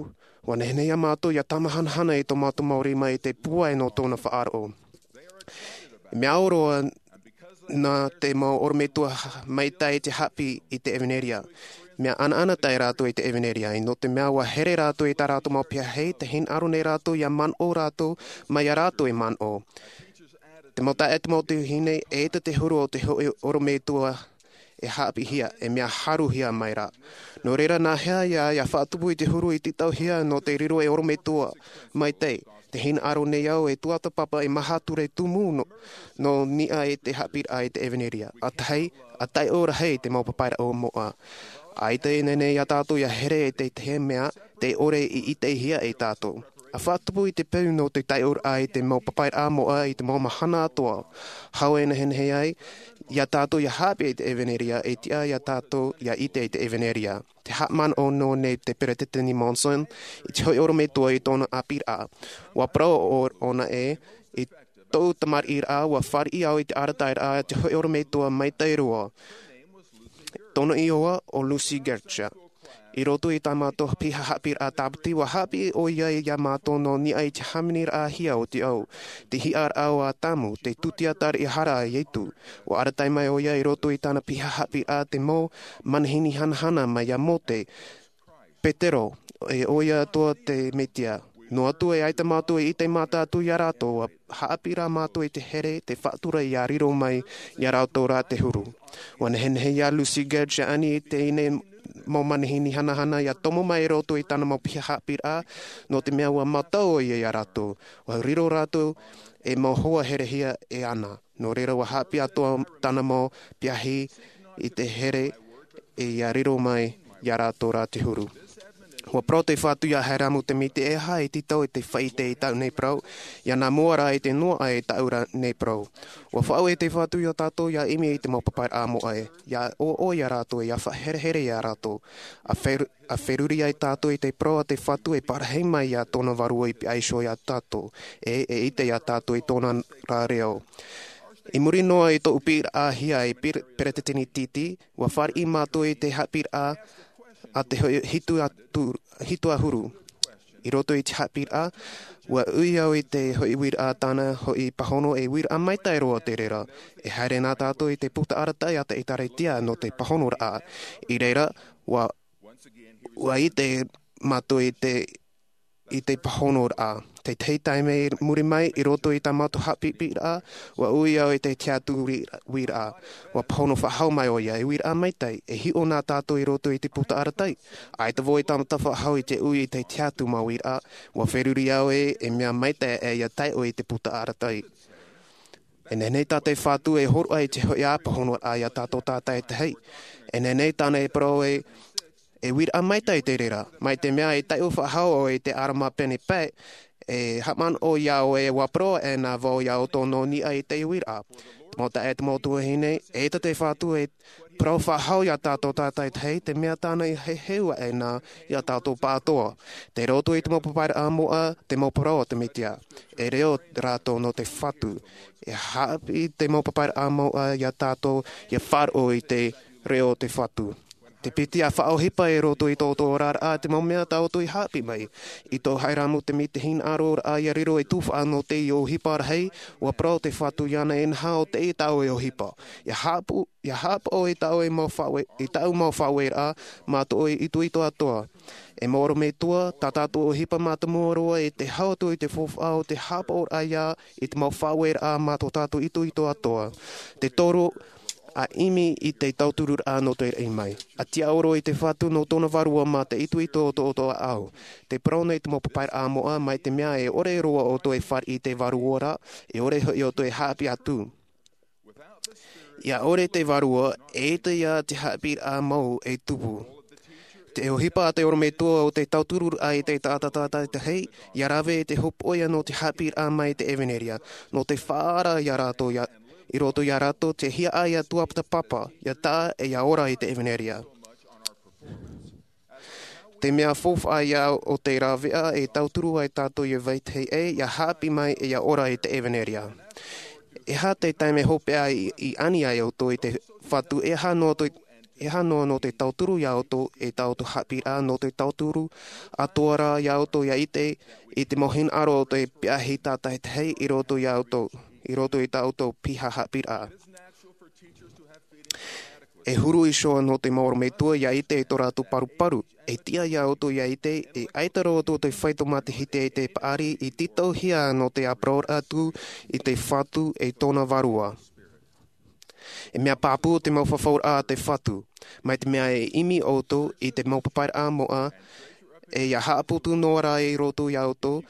ʻua nehenehe ia mātou ia tāmāhanahana i tō mātou mau rima i te pūai nō tōna faʻaroʻo. Mea au roa nā te mau orometua maitaʻi te haʻapiʻi i te ʻevanelia. Mea ʻanaʻanatae rātou i te ʻevanelia, ʻe nō te mea ʻua here rātou i tā rātou mau piahi, tē hinaʻaro nei rātou ia manaʻo rātou, mai ia rātou e manaʻo. Te mau taeaʻe, te mau tuahine, eʻita te huru o te hoʻi orometua e haʻapiʻihia, e mea haruhia mai rā. Nō reira, nāhea ia, ia faʻatupu i te huru i tītauhia nō te riro e orometua maitaʻi, tē hinaʻaro nei au e tuatāpapa e maha ture tumu nō, nō niʻa i te haʻapiʻiraʻa i te ʻevanelia. ʻA tahi, ʻa taiʻo rahi te mau papairaʻa moʻa. ʻAita e nehenehe ia tātou ia here i te, te mea, tē ʻore i ʻitehia e tātou. ʻA faʻatupu i te peu nō te taiʻoraʻa i te mau papairaʻa moʻa i te mau mahana atoʻa. Hau e nehenehe ai, ia tātou ia haʻapiʻi i te ʻevanelia, e tiʻa ia tātou ia ʻite i te ʻevanelia. Tē haʻamanaʻo noa nei te Peretiteni Monson i te hoʻi orometua i tōna ʻāpīraʻa. ʻUa parau ʻo, ʻōna ē, i tōʻu tamariʻiraʻa, ʻua fāriʻi au i te arataʻiraʻa a te hoʻi orometua maitaʻi roa. Tōna iʻoa ʻo Lucy Gertler. I roto i tā mātou piha haʻapiʻiraʻa tāpiti, ʻua haʻapiʻi ʻoia ia mātou nō niʻa i te hāmaniraʻahia o te ʻau, te hiʻaraʻa o Atamu, te tūtia taraʻehara a Ietu. ʻUa arataʻi mai ʻoia i roto i tāna piha haʻapiʻiraʻa te mau manihini hanahana mai iā Mōte, Petero, e ʻoia atoʻa te Mesia. Noa atu e ʻaita mātou e ʻite mata atu iā rātou, ʻua haʻapiʻi rā mātou i te here, te faʻatura ia riro mai iā rātou rā te huru. ʻUa nehenehe iā Lucy Gertler ia ani i teie nei mau manihini hanahana ia tomo mai i roto i tāna mau piha haʻapiʻiraʻa, nō te mea ʻua mātau ʻoia iā rātou. ʻUa riro rātou e mau hoa herehia e ana. Nō reira, ʻua haʻapiʻi atoʻa tāna mau piahi i te here, e ia riro mai iā rātou rā te huru. ʻUa parau te Fatu iā Hyrum Temiti, e aha e tītau i te faʻaʻite i tāʻu nei parau, ia nā mua rā i te noaʻa i tāʻu rā nei parau. ʻUa faʻaue te Fatu iā tātou ia ʻimi i te mau papairaʻa moʻa, ia ʻoaʻoa iā rātou, ia faʻaherehere iā rātou. ʻA fer-, ʻa feruri ai tātou i te parau a te Fatu e parahi mai iā tōna vārua i pihaʻi iho iā tātou, e, e ʻite iā tātou i tōna rā reo. I muri noa i tōʻu piʻiraʻahia e peresideni titi, ua fāriʻi mātou i te haʻapiʻiraʻa a te hoʻi hitu atu hitu ʻahuru. I roto i te haʻapiʻiraʻa, ua ui au i te hoʻi uiraʻa tāna hoʻi pāhono e uiraʻa maitaʻi roa te reira. E haere nā tātou i te puta arataʻi a te ʻēkālesia nō te pāhonoraʻa. I reira, ua ua ʻite mātou i te i te pāhonoraʻa. Te tahi taime muri mai i roto i tā mātou haʻapiʻiraʻa, ua ui au i te tiʻaturi uiraʻa. Ua pāhono faʻahou mai ʻoia e uiraʻa maitaʻi e hiʻo nā tātou i roto i te puta arataʻi. ʻAita vau e tāmata faʻahou i te ui i te tiʻaturi mau uiraʻa, ua feruri au e e mea maitaʻi e ia taiʻo i te puta arataʻi. E nehenehe tā te fatu e horoʻa i te hoʻi ā pāhonoraʻa iā tātou tātaitahi. E nehenehe tāna e parau e e uiraʻa maitaʻi te reira. Mai te mea e taiʻo faʻahou ʻoe i te ʻarama pene pae, e haʻamanaʻo iā ʻoe ua parau ʻē nā vau iā ʻoutou nō niʻa i te uiraʻa. Te mau taeaʻe, te mau tuahine, eita te fatu e parau faʻahou iā tātou tātaitahi te mea tāna i heheu aʻe nā iā tātou pāʻatoʻa. Te roto i te mau papairaʻa moʻa, te mau parau o te mesia, e reo rātou nō te fatu. E haʻapiʻi te mau papairaʻa moʻa iā tātou ia faʻaroʻo i te reo o te fatu. Te piti a faʻaʻohipa i roto i tō ʻoutou oraraʻa te mau mea tā ʻoutou i haʻapiʻi mai. I tō haʻiramu te mea te hinaʻaroraʻa ia riro e tufaʻa nō te ʻohipa rahi, ua parau te fatu iāna e naha o te taʻu e ʻohipa. Ia haʻapaʻo ia haʻapaʻo i taʻu e mau faʻaue i taʻu mau faʻaueraʻa, mā tō ʻoe itoito atoa. E mau ʻorometua, tā tātou ʻohipa mātāmua roa e te hau atu i te faufaʻa o te haʻapaʻoraʻa ia i te mau faʻaueraʻa mā tō tātou itoito atoa. Te toru, a ʻimi i te tautururaʻa nō te raʻi mai. A tiaʻoro i te fatu nō tōna vārua mā te itoito o tō ʻoutou ʻāʻau. Te parau nei te mau papairaʻa moʻa mai te mea e ʻore roa ʻoutou e fāriʻi i te vārua ra, e ʻore hoʻi ʻoutou e haʻapiʻi atu. Ia ʻore te vārua, eita ia te haʻapiʻiraʻa mau e tupu. Te ʻohipa a te ʻorometua o te tautururaʻa i te taʻata tātaitahi, ia rave i te hopoʻia nō te haʻapiʻiraʻa mai i te ʻevanelia, nō te faʻaara iā rātou ia i roto iā rātou te hiaʻai atu a te papa, ia taʻa e ia ora i te ʻevanelia. Te mea faufaʻa ia o te rāveʻa e tauturu ai tātou ia vetahi ʻē ia haʻapiʻi mai e ia ora i te ʻevanelia. E aha te taime hopeʻa i ani ai ʻoutou i te fatu e aha noa te e aha noa nō te tauturu iā ʻoutou e tā ʻoutou haʻapiʻiraʻa nō te tauturu atoʻa rā iā ʻoutou ia ʻite i te mau hinaʻaro o te piahi tātaitahi i roto iā ʻoutou i roto i tā ʻoutou piha haʻapiʻiraʻa. E huru iho nō te mau ʻorometua ia ʻite i tō rātou paruparu. E tiʻa iā ʻoutou ia ʻite e ʻaita roa ʻoutou te faito matahiti i te paʻari i tītauhia nō te aparoraʻa atu i te fatu e tōna vārua. E mea pāpū te mau fafauraʻa a te fatu. Mai te mea e ʻimi ʻoutou i te mau papairaʻa moʻa, e ia haʻaputu noa rā i roto iā ʻoutou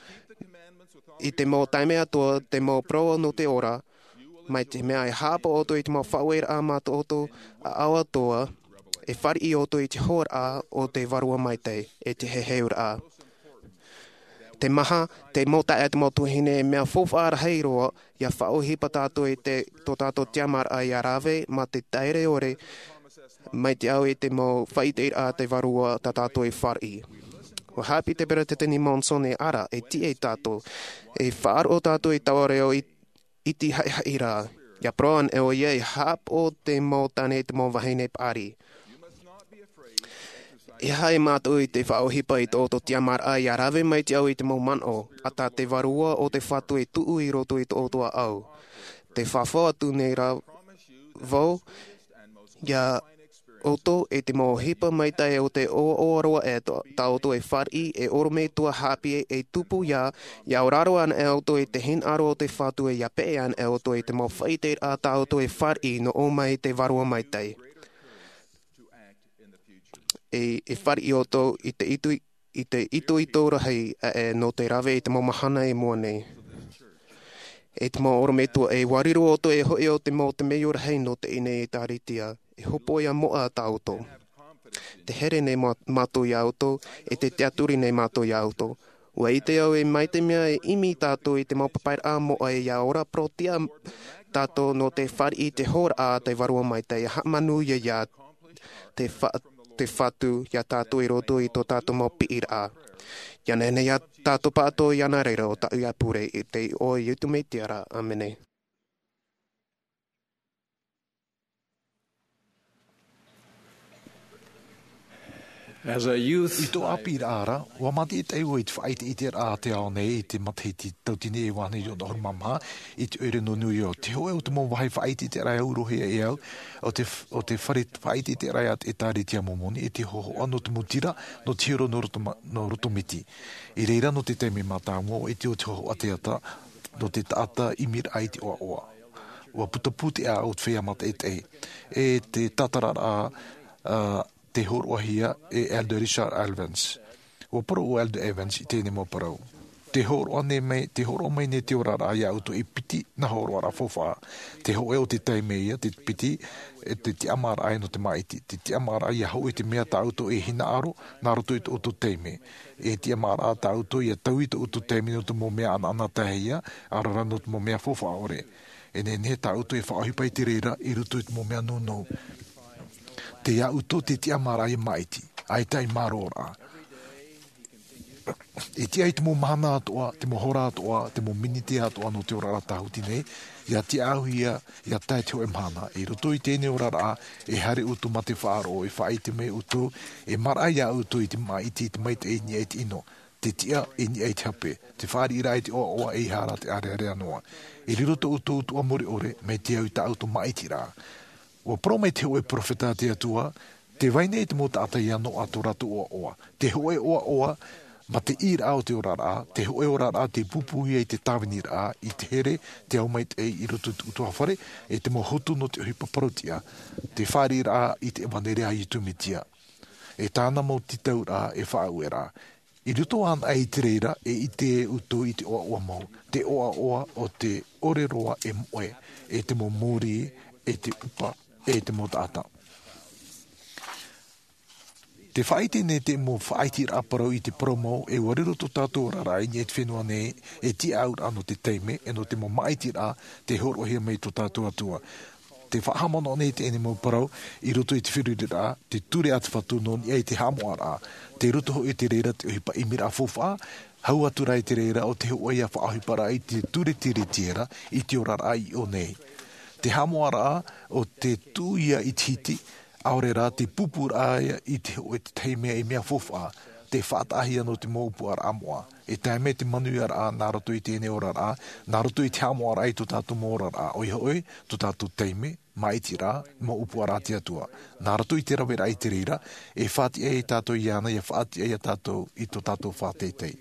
i te mau taime atoʻa te mau parau nō te ora. Mai te mea e haʻapaʻo ʻoutou i te mau faʻaueraʻa mā tō ʻoutou ʻāʻau atoʻa, e fāriʻi ʻoutou i te hōroʻa o te vārua maitaʻi e te heheuraʻa. Te maha, te mau taeaʻe, te mau tuahine, e mea faufaʻa rahi roa ia faʻaʻohipa tātou i te tō tātou tiamaraʻa ia rave mā te taere ʻore mai te au i te mau faʻaʻiteraʻa a te vārua tā tātou e fāriʻi. Ua haʻapiʻi te peresideni Monson e ara e tiʻa iā tātou, e faʻaroʻo tātou i taua reo i iti haʻihaʻi rā. Ia parau ana ʻoia e haʻapaʻo te mau tāne te mau vahine paʻari. E aha e mātou i te faʻaʻohipa i tō ʻoutou tiamaraʻa ia rave mai te au i te mau manaʻo a tā te vārua o te fatu e tuʻu i roto i tō ʻoutou ʻāʻau. Te fafau atu nei rā vau iā ʻoutou e te mau ʻohipa maitaʻi o te ʻoaʻoa roa e tā ʻoutou e fāriʻi e ʻorometua haʻapiʻi e tupu ia ia auraro ana ʻoutou i te hinaʻaro o te fatu e ia peʻe ana ʻoutou i te mau faʻaʻiteraʻa tā ʻoutou e fāriʻi nō ʻō mai i te vārua maitaʻi. E e fāriʻi ʻoutou i te itoito i te itoito rahi aʻe nō te rave i te mau mahana i mua nei. E te mau ʻorometua e ua riro ʻoutou e hoʻi o te mau temeio rahi nō teie nei ʻēkālesia e hopoʻia moʻa tā ʻoutou. Te here nei mātou iā ʻoutou e te tiʻaturi nei mātou iā ʻoutou. Ua ʻite au e mai te mea e ʻimi tātou i te mau papairaʻa moʻa ia ora parau tiʻa tātou nō te fāriʻi i te hōroʻa a te vārua maitaʻi e haʻamāuruuru ia te te fatu iā tātou i roto i tō tātou mau piʻiraʻa. Ia nehenehe iā tātou pāʻatoʻa ia nā reira o tāʻu ia pure i te iʻoa o iesu mesia. Āmene. I tō ʻāpīraʻa ra, ua mātaʻitaʻi au i te faʻaʻiteʻiteraʻa a te ao nei i te matahiti tauatini e vaʻu i te ono ʻahuru mā maha, i te ʻoire nō New York. Te hōʻē o te mau vāhi faʻaʻiteʻiteraʻa e aurohia e au, o te, o te fare faʻaʻiteʻiteraʻa a te ʻĒtārētia Mōmoni, e te hōhoʻa nō te mau tira, nō te hiero nō roto ma-, nō roto miti. I reira nō te taime mātāmua, ʻua ʻite o te hōhoʻa te ata, nō te taʻata ʻimiraʻa i te ʻoaʻoa. Ua puta pūteʻa au te feiā mātaʻitaʻi. E te tātararaʻa, ā, tei hōroʻahia e Elder Richard Evans. Ua parau ʻo Elder Evans i teie nei mau parau. Tē hōroʻa nei mai, tē hōroʻa mai nei te oraraʻa iā ʻoutou e piti nā hōroʻaraʻa faufaʻa. Te hōʻē o te taime ia, te piti, e te tiʻamāraʻa nō te māʻiti. Te tiʻamāraʻa ʻia hōʻē i te mea tā ʻoutou e hinaʻaro, nā roto i tō ʻoutou taime. E tiʻamāraʻa tā ʻoutou ʻia taui tō ʻoutou taime nō te mau mea anaanatae ia, ʻaore rā nō te mau mea faufaʻa ʻore. E nehenehe tā ʻoutou e faʻaʻohipa i te reira, i roto i te mau mea nounou. Tei iā ʻoutou te tiʻamāraʻa ʻia māʻiti, ʻaita i mārōraʻa. E tiʻa i te mau mahana atoʻa, te mau hora atoʻa, te mau miniti atoʻa nō te oraraʻa tāhuti nei, ʻia tiʻa au ia, ʻia tae te hōʻē mahana. I roto i teie nei oraraʻa, e haere ʻoutou mā te faʻaroʻo, e faʻaʻite mai ʻoutou, e maraʻa iā ʻoutou i te māʻiti, i te maitaʻi i niʻa i te ʻino, te tiʻa i niʻa i te hape, te fāriʻiraʻa i te ʻoaʻoa ʻeiaha rā te ʻārearea noa. E riro tō ʻoutou utuʻa mure ʻore, mai te au i tā ʻoutou māʻitiraʻa. Ua parau mai te hōʻē perofeta a te Atua, tē vai nei te mau taʻata ʻia noaʻa tō rātou ʻoaʻoa. Te hōʻē ʻoaʻoa, mā te ʻīraʻa o te oraraʻa, te hōʻē oraraʻa tei pūpūhia i te tāviniraʻa, i te here, te ao maitaʻi i roto i te ʻutuāfare, e te mau hotu nō te ʻohipa parau-tiʻa, te fāriʻiraʻa i te ʻevaneria a Iesu Mesia. E tāna mau tītauraʻa e faʻaueraʻa. I roto anaʻe i te reira, e ʻite ʻoutou i te ʻoaʻoa mau, te ʻoaʻoa o te ʻore roa e moʻe, e te mau mōrī, e te ʻupa, e te mau taʻata. Tē faʻaʻite nei te mau faʻaʻiteraʻa parau i te parau mau, e ua riro tō tātou oraraʻa i niʻa i te fenua nei, e tiʻauraʻa nō te taime, e nō te mau māʻitiraʻa, tē hōroʻahia mai tō tātou Atua. Tē faʻahaʻamanaʻo nei teie nei mau parau, i roto i te feruriraʻa, te ture a te Fatu nō niʻa i te haʻamoʻaraʻa. Tei roto hoʻi i te reira te ʻohipa ʻimiraʻa faufaʻa, hau atu rā i te reira ʻo te hōʻē ia faʻaʻohiparaʻa i te ture tiriti ra, i te oraraʻa i ʻō nei. Te haʻamoʻaraʻa, ʻo te tuʻu ia i te hiti, ʻaore rā te pūpūraʻa ia i te hōʻē te tahi mea i mea faufaʻa, tē faʻataʻahia nō te mau ʻōpuaraʻa moʻa. E tae mai te manuiaraʻa nā roto i teie nei oraraʻa, nā roto i te haʻamoʻaraʻa i tō tātou mau oraraʻa, ʻoia hoʻi, tō tātou taime, māʻitiraʻa, mau ʻōpuaraʻa a te Atua. Nā roto i te raveraʻa i te reira, e faʻatiʻa ia tātou iāna, ʻia faʻatiʻa ia tātou i tō tātou faʻateitei.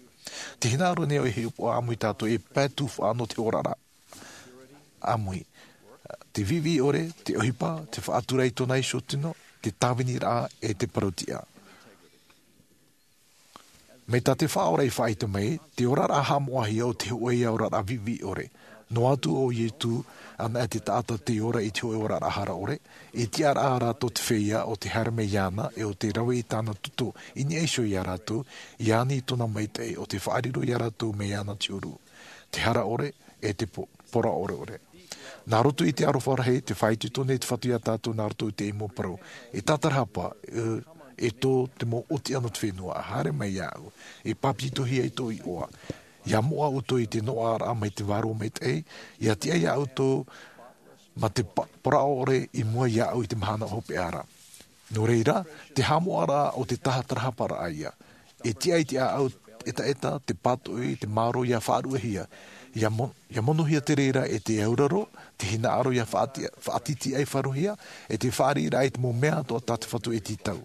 Tē hinaʻaro nei au e hiʻopoʻa ʻāmui tātou e pae tufaʻa nō te oraraʻa ʻāmui. Te viʻiviʻi ʻore, te ʻohipa, te faʻatura i tōna iho tino, te tāviniraʻa, e te parau-tiʻa. Mai tā te Faʻaora i faʻaʻite mai, te oraraʻa haʻamoʻahia ʻo te hōʻē ia oraraʻa viʻiviʻi ʻore. Noa atu ʻo Iesu, ʻanaʻe te taʻata tei ora i te hōʻē oraraʻa hara ʻore, e tiʻaraʻa rātou te feiā ʻo tē haere mai iāna, e ʻo tē rave i tāna toto i niʻa iho iā rātou, ʻia ani i tōna maitaʻi ʻo tē faʻariro iā rātou mai iāna te ʻuru. Te hara ʻore, e te po-, poroʻa ʻoreʻore. Nā roto i te aroha rahi, tē faʻaitoito nei te Fatu iā tātou nā roto i teie mau parau. E tātarahapa, e, e tō te mau ʻōtiʻa nō te fenua, haere mai iāʻu, e pāpetitohia i tōʻu iʻoa. ʻIa moʻa ʻoutou i te noaʻaraʻa mai te Vārua Maitaʻi, ʻia tiʻa iā ʻoutou mā te pa-, poroʻa ʻore i mua iāʻu i te mahana hopeʻa ra. Nō reira, te haʻamoʻaraʻa ʻo te tātarahaparaʻa ia. E tiʻa i te ʻāʻau ʻetaʻeta, te pātoʻi, te mārō ʻia faʻaruʻehia. ʻIa mo-, ʻia monohia te reira e te auraro, te hinaʻaro ʻia faʻati-, faʻatītīʻaifarohia, e te fāriʻiraʻa i te mau mea atoʻa tā te Fatu e tītau.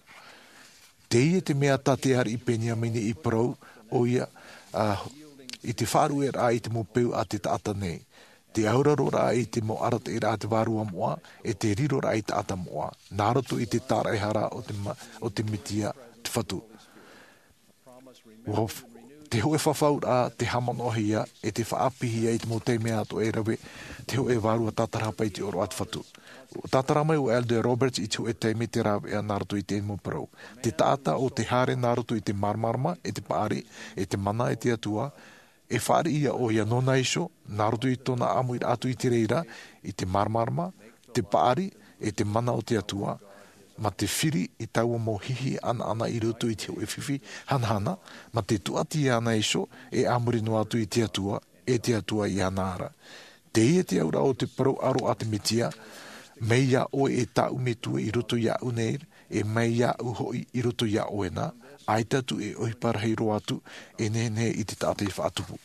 Teie te mea tā te ariʻi Peniamina i parau, ʻoia, ā, i te faʻaruʻeraʻa i te mau peu a te taʻata nei. Te auraroraʻa i te mau arataʻiraʻa a te Vārua Moʻa, e te riroraʻa i taʻata moʻa, nā roto i te tāraʻehara o te ma-, o te Mesia te Fatu. Ua f-, te hōʻē fafauraʻa, te haʻamanaʻohia, e te faʻaʻāpīhia i te mau taime atoʻa e rave, te hōʻē vārua tātarahapa i te ʻōroʻa a te Fatu. Tātara mai ʻo Elder Roberts i te hōʻē taime te rāveʻa nā roto i teie mau parau. Te taʻata ʻo tē haere nā roto i te māramarama, e te paʻari, e te mana e te Atua, e fāriʻi ʻoia nōna iho, nā roto i tōna ʻāmuiraʻa atu i te reira, i te māramarama, te paʻari, e te mana o te Atua, mā te firi i taua mau hihi ʻanaʻana i roto i te hōʻē fifi hanahana, mā te tūʻati iāna iho, e a muri noa atu i te Atua, e te Atua iāna ra. Teie te auraʻa o te parau ʻaro a te Mesia, mai iā ʻoe e tāʻu Metua i roto iāʻu nei, E mai iāʻu hoʻi i roto iā ʻoe na, ʻaita atu e ʻohipa rahi roa atu e nehenehe i te taʻata i faʻatupu.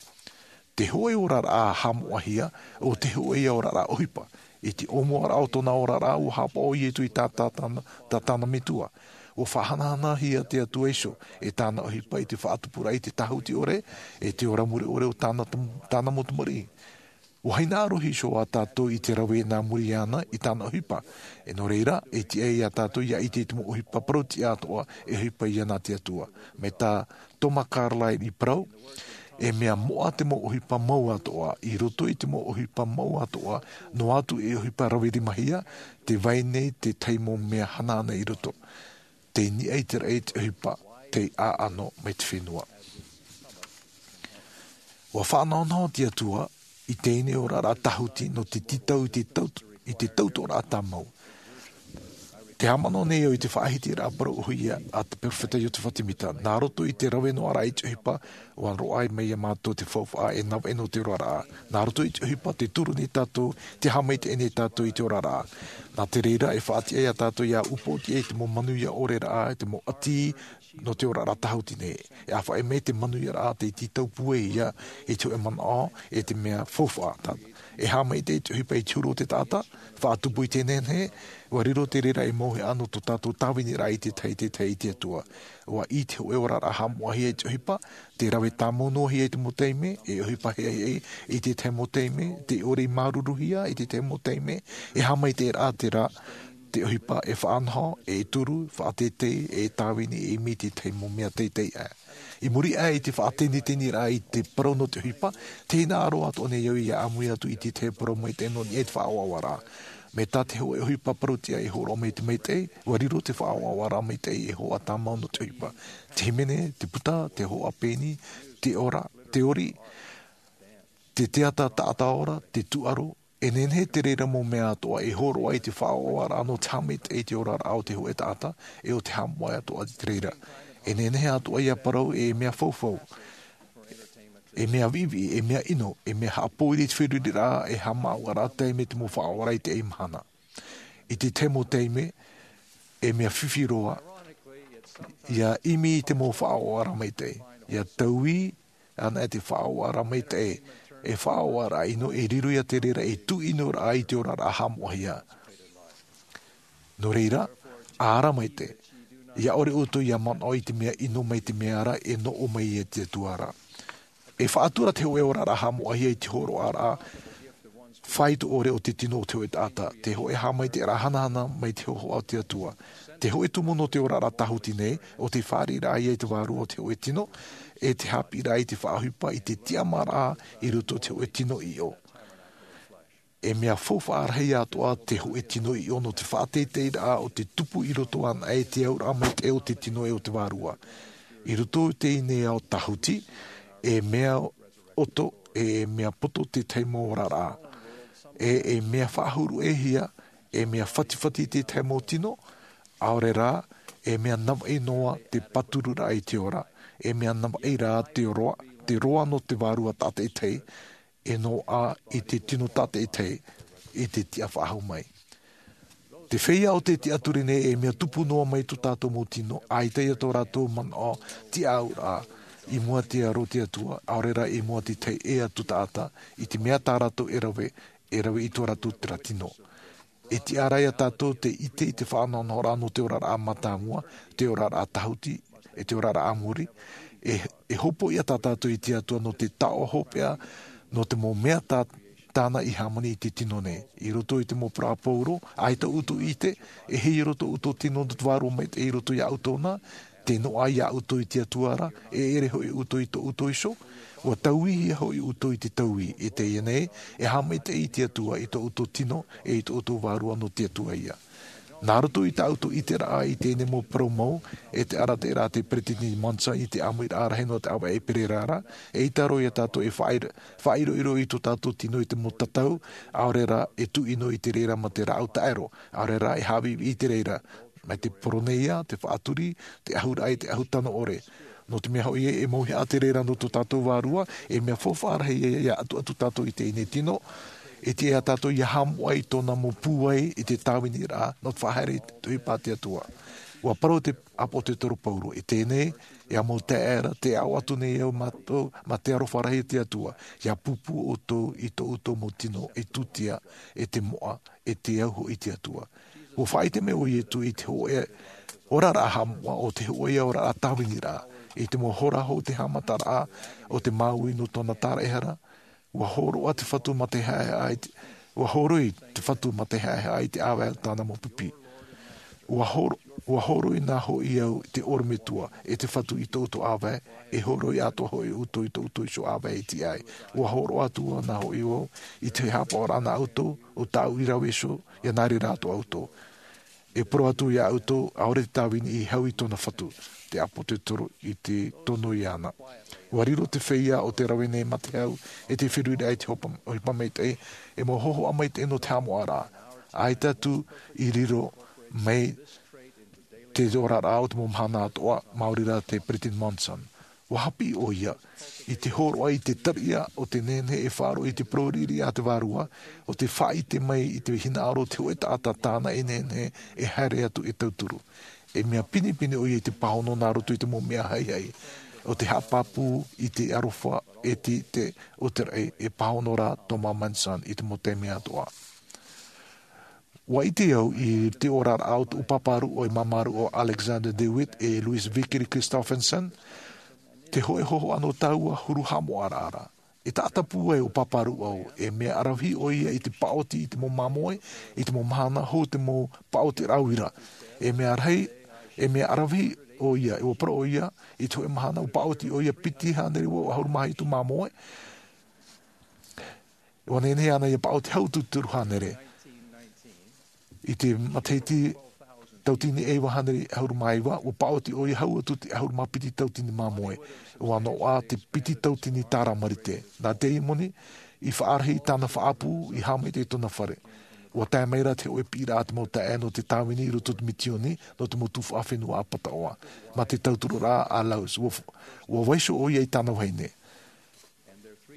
Te hōʻē oraraʻa haʻamoʻahia, ʻo te hōʻē ia oraraʻa ʻohipa. I te ʻōmuaraʻa o tōna oraraʻa, ua haʻapaʻo ʻo Iesu i tā tāna, tā tāna metua. Ua faʻahanahanahia te Atua iho e tāna ʻohipa i te faʻatupuraʻa i te tāhuti ʻore, e te ora mure ʻore o tāna tam-, tāna mau tamariʻi. Ua hinaʻaro iho ā tātou i te rave nā muri iāna i tāna ʻohipa. E nō reira, e tiʻa iā tātou ʻia ʻite i te mau ʻohipa parau-tiʻa atoʻa e ʻohipa iāna te Atua. Mai tā Thomas Carlyle i parau, e mea moʻa te mau ʻohipa mau atoʻa, i roto i te mau ʻohipa mau atoʻa, noa atu e ʻohipa rave rimahia, tē vai nei te tahi mau mea hanahana i roto. Tei niʻa i te raʻi te ʻohipa, tei ʻāʻano mai te fenua. Ua faʻanahonaho te Atua i teie nei oraraʻa tāhuti nō te tītau i te tau-, i te tautoʻoraʻa tāmau. Tē haʻamanaʻo nei au i te faʻahitiraʻa parau ʻōhie a te peropheta Iosefa Semita, nā roto i te rave noa ra i te ʻohipa, ua roaʻa mai iā mātou te faufaʻa e navaʻi nō te oraraʻa. Nā roto i te ʻohipa, tē turu nei tātou, tē haʻamaitaʻi nei tātou i te oraraʻa. Nā te reira, e faʻatiʻa iā tātou ʻia upoʻotiʻa i te mau manuia ʻore ra, te mau ʻati, nō te oraraʻa tāhuti nei. E ʻāfaʻi mai te manuiaraʻa tei tītau pūai ia i te hōʻē manaʻo e te mea faufaʻa. E haʻamaitaʻi te ʻohipa i te huru o te taʻata, faʻatupu i te nehenehe, ua riro te reira ei mauhaʻa nō tō tātou tāviniraʻa i te tahi, te tahi i te Atua. Ua ʻī te hōʻē oraraʻa haʻamoʻahia i te ʻohipa, tē rave tāmau noa hia i te mau taime, e ʻohipa hiʻahiʻa i te tahi mau taime, tē ʻore i māuruuruhia i te tahi mau taime, e haʻamaitaʻiraʻa terā, te ʻohipa e faʻanaho, e turu, faʻateitei, e tāvini, e ʻimi i te tahi mau mea teitei aʻe. I muri aʻe i te faʻateniteniraʻa i te parau nō te ʻohipa, tē hinaʻaro atoʻa nei au ʻia ʻāmui atu i te tahi parau maitaʻi nō niʻa i te faʻaʻoaʻoaraʻa. Mai tā te hōʻē ʻohipa parau-tiʻa e hōroʻa mai te maitaʻi, ua riro te faʻaʻoaʻoaraʻa maitaʻi ei hōhoʻa tāmau nō te ʻohipa. Te hīmene, te puta, te hōhoʻa pēni, te ora, te ori, te teata taʻata ora, te tūʻaro, e nehenehe te reira mau mea atoʻa e hōroʻa i te faʻaʻoaʻoaraʻa nō te haʻamaitaʻi i te oraraʻa o te hōʻē taʻata, e ʻo te haʻamoʻe atoʻa i te reira. E nehenehe atoʻa ʻia parau e mea faufaʻa, e mea viʻiviʻi, e mea ʻino, e mea haʻapōiri i te feruriraʻa, e haʻamāuʻaraʻa taime te mau faʻaʻoaʻoaraʻa i teie mahana. I te tahi mau taime, e mea fifi roa, ʻia ʻimi i te mau faʻaʻoaʻoaraʻa maitaʻi, ʻia taui anaʻe te faʻaʻoaʻoaraʻa maitaʻi, e faʻaʻoaʻoaraʻa ʻino, e riro ia te reira ei tuʻinoraʻa i te oraraʻa haʻamoʻahia. Nō reira, ara maitaʻi, ʻia ʻore ʻoutou ʻia manaʻo i te mea ʻino mai te mea ra e noʻo mai e te Atua ra. E faʻatura te hōʻē oraraʻa haʻamoʻahia i te hōroʻaraʻa faito ʻore o te tino o te hōʻē taʻata, te hōʻē haʻamaitaʻiraʻa hanahana mai te hōhoʻa o te Atua. Te hōʻē tumu nō te oraraʻa tāhuti nei, ʻo te fāriʻiraʻa ia i te vārua o te hōʻē tino, e te haʻapiʻiraʻa i te faʻaʻohipa i te tiʻamāraʻa i roto i te hōʻē tino ʻiʻo. E mea faufaʻa rahi atoʻa te hōʻē tino ʻiʻo nō te faʻateiteiraʻa o te tupu i roto anaʻe i te auraʻa maitaʻi o te tino e o te vārua. I roto i teie nei ao tāhuti, e mea ʻoto, e mea poto te tahi mau oraraʻa. E, e mea faʻahuru-ʻē-hia, e mea fatifati te tahi mau tino, ʻaore rā, e mea navaʻi noa te pātururaʻa i te ora, e mea navaʻi rā te roa, te roa nō te vārua tātaʻitahi, e noaʻa i te tino tātaʻitahi, i te tiʻa faʻahou mai. Te feiā o te tiʻaturi nei e mea tupu noa mai tō tātou mau tino, ʻaita ia tō rātou manaʻo tiʻaʻauraʻa, i mua te aro o te Atua, ʻaore rā i mua te tahi ʻē atu taʻata, i te mea tā rātou e rave, e rave i tō rātou terā tino. E tiʻa ra ia tātou te ʻite i te faʻanahonahoraʻa nō te oraraʻa mātāmua, te oraraʻa tāhuti, e te oraraʻa a muri, e, e hopoiʻa tā tātou i te Atua nō te taoʻa hopeʻa, nō te mau mea tā, tāna i hāmani i te tino nei. I roto i te mau parau a Paulo, ʻaita ʻoutou i ʻite, e hiʻo i roto ʻoutou tino nō te vārua maitaʻi i roto iā ʻoutou na, te noaʻa iā ʻoutou i te Atua ra, e ʻere hoʻi ʻoutou i tō ʻoutou iho, ʻua tauihia hoʻi ʻoutou i te taui, i teie nei, e haʻamaitaʻi i te Atua i tō ʻoutou tino, e i tō ʻoutou vārua nō te Atua ia. Nā roto i tā ʻoutou ʻiteraʻa i teie nei mau parau mau, e te arataʻiraʻa a te Peresideni Monson i te ʻāmuiraʻa rahi nō te ʻāvaʻe i Pererā ra, e ʻita roa ia tātou e faʻaʻiro-, faʻaʻiroʻiro i tō tātou tino i te mau tatau, ʻaore rā e tuʻino i te reira mā te rāʻau taʻero, ʻaore rā e haʻaviʻiviʻi i te reira, mai te poroneia, te faʻaturi, te ʻahuraʻa i te ʻahu tano ʻore. Nō te mea hoʻi ē, e mauhaʻa te reira nō tō tātou vārua, e mea faufaʻa rahi ia, ia ʻatuʻatu tātou i teie nei tino, e tiʻa ia tātou ʻia haʻamoʻa i tōna mau pūai i te tāviniraʻa, nō te faʻahaere i te ʻohipa a te Atua. Ua parau te ʻāpōsetolo Paulo, e teie nei, e ʻamu taʻata, te aʻo atu nei au mātou, mā te aroha rahi o te Atua, ia pūpū ʻoutou i tō ʻoutou mau tino, e tūtia, e te moʻa, e te au hoʻi i te Atua. Ua faʻaʻite mai ʻo Iesu i te hōʻē oraraʻa haʻamoʻa, ʻo te hōʻē oraraʻa tāviniraʻa, i te mau hora hou te haʻamataraʻa o te māuiui nō tōna taraehara. Ua hōroʻa te Fatu mā te haʻehaʻa i te, ua hōroi te Fatu mā te haʻehaʻa i te ʻāvae o tāna mau pipi. Ua hōro-, ua hōroi nā hoʻi au i te ʻorometua, e te Fatu i tō ʻoutou ʻāvae, e hōroi atoʻa hoʻi ʻoutou i tō ʻoutou iho ʻāvae e tiʻa ai. Ua hōroʻa atu nā hoʻi au i te haʻapaʻoraʻa nā ʻoutou, ʻo tāʻu i rave iho, ia nā reira atoʻa ʻoutou. E parau atu ia ʻoutou, ʻaore te tāvini i hau i tōna Fatu, te ʻāpōsetolo i te tono iāna. Ua riro te feiā o te rave nei mā te hau, e te feruriraʻa i te hopa-, ʻohipa maitaʻi, e mau hōhoʻa maitaʻi nō te haʻamoʻaraʻa. ʻAita atu i riro mai te oraraʻa o te mau mahana atoʻa, maori rā te Peresideni Monson. Ua haʻapiʻi ʻoia, i te hōroʻa i te tariʻa o te nehenehe e faʻaroʻo i te parau riʻiriʻa a te Vārua, ʻo te faʻaʻite mai i te hinaʻaro o te hōʻē taʻata tāna e nehenehe e haere atu e tauturu. E mea pinepine ʻoia i te pāhono nā roto i te mau mea haihai, ʻo te haʻapāpū i te aroha e te, te, o te raʻi, e pāhono rā Thomas Monson i te mau taime atoʻa. Ua ʻite au i te oraraʻa o tōʻu pāpā rūʻau, e māmā rūʻau Alexander DeWitt, e Louis Vickery Christofferson, te hōʻē hōhoʻa nō tāua huru haʻamoʻaraʻa. E taʻata pūai ʻo pāpā rūʻau, e mea ʻaravihi ʻoia i te paʻoti i te mau māmoe, i te mau mahana hou te mau paʻotiraʻa uira. E mea rahi, e mea ʻaravihi ʻoia, e ua parau ʻoia, i te hōʻē mahana ua paʻoti ʻoia piti hānere vaʻu ʻahuru mā hitu māmoe. Ua nehenehe ana ia paʻoti hau atu i te toru hānere. I te matahiti tauatini e iva hānere ʻahuru mā iva, ua paʻoti ʻoia hau atu i te ʻahuru mā piti tauatini māmoe. Ua noaʻa te piti tauatini tāra marite. Nā te ia moni, i faʻarahi tāna faʻaʻapu, i haʻamaitaʻi tōna fare. Ua tae mai rā te hōʻē piʻiraʻa a te mau taeaʻe nō te tāvini i roto i te misioni, nō te mau tuhaʻa fenua ʻāpataʻoa. Mā te tautururaʻa a Laus, ua, ua vaiiho ʻoia i tāna vahine.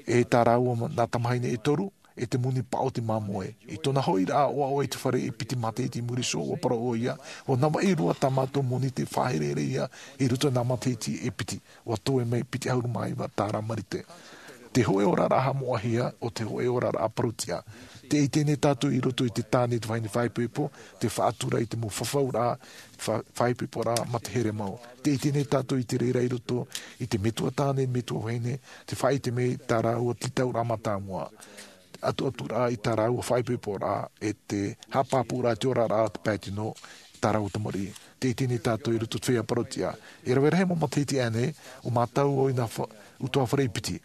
E tā rāua nā tamahine e toru, e te moni paʻoti māmoe. I tōna hoʻiraʻa ʻoaʻoa i te fare e piti matahiti i muri iho, ua parau ʻoia, ua navaʻi roa tā mātou moni tei faʻaherehere ia i roto i nā matahiti e piti, ua toe mai piti ʻahuru mā iva tāra marite. Te hōʻē oraraʻa haʻamoʻahia, ʻo te hōʻē oraraʻa parau-tiʻa. Tē ʻite nei tātou i roto i te tāne i te vahine faʻaipoipo, te faʻatura i te mau fafauraʻa, fa-, faʻaipoiporaʻa mā te here mau. Tē ʻite nei tātou i te reira i roto i te metua tāne, metua vahine, te faʻaʻite mai tā rāua tītauraʻa mātāmua. Te ʻatuʻaturaʻa i tā rāua faʻaipoiporaʻa, e te haʻapāpūraʻa i te oraraʻa o te pae tino, tā rāua tamariʻi. Tē ʻite nei tātou i roto i te feiā parau-tiʻa. E rave rahi mau matahiti aʻe nei, ʻua mātau au i nā fa-, ʻutuāfare e piti.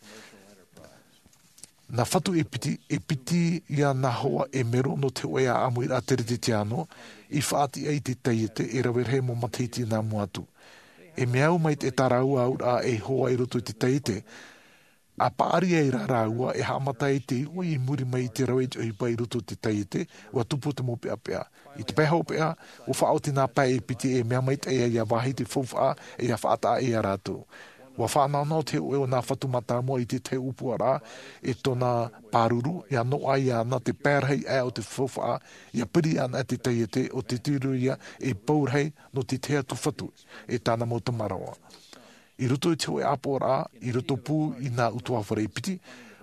Nā Fatu e piti, e piti ia nā hoa e mero nō te hōʻē ʻāʻamuiraʻa teretetiāno, i faʻatiʻa i te taiete, e rave rahi mau matahiti nā mua atu. E mea au mai te tā rāua auraʻa e hoa i roto i te taiete, ʻa paʻari ai rā rāua e haʻamata i te uʻi i muri mai i te rave i te ʻohipa i roto i te taiete, ua tupu te mau peʻapeʻa. I te pae hopeʻa, ua faʻaoti nā pae e piti e mea maitaʻi ia vāhi te faufaʻa, e ia faʻataʻa ia rātou. Ua faʻanahonaho te hōʻē o nā Fatu mātāmua i te tahi ʻōpuaraʻa, e tōna pāruru, ia noaʻa iāna te pae rahi aʻe o te faufaʻa, ia piri ana te taiete, ʻo te tiro ia e pou rahi nō te tahi atu Fatu, e tāna mau tamaroa. I roto i te hōʻē ʻāpoʻoraʻa, i roto pū i nā ʻutuāfare e piti,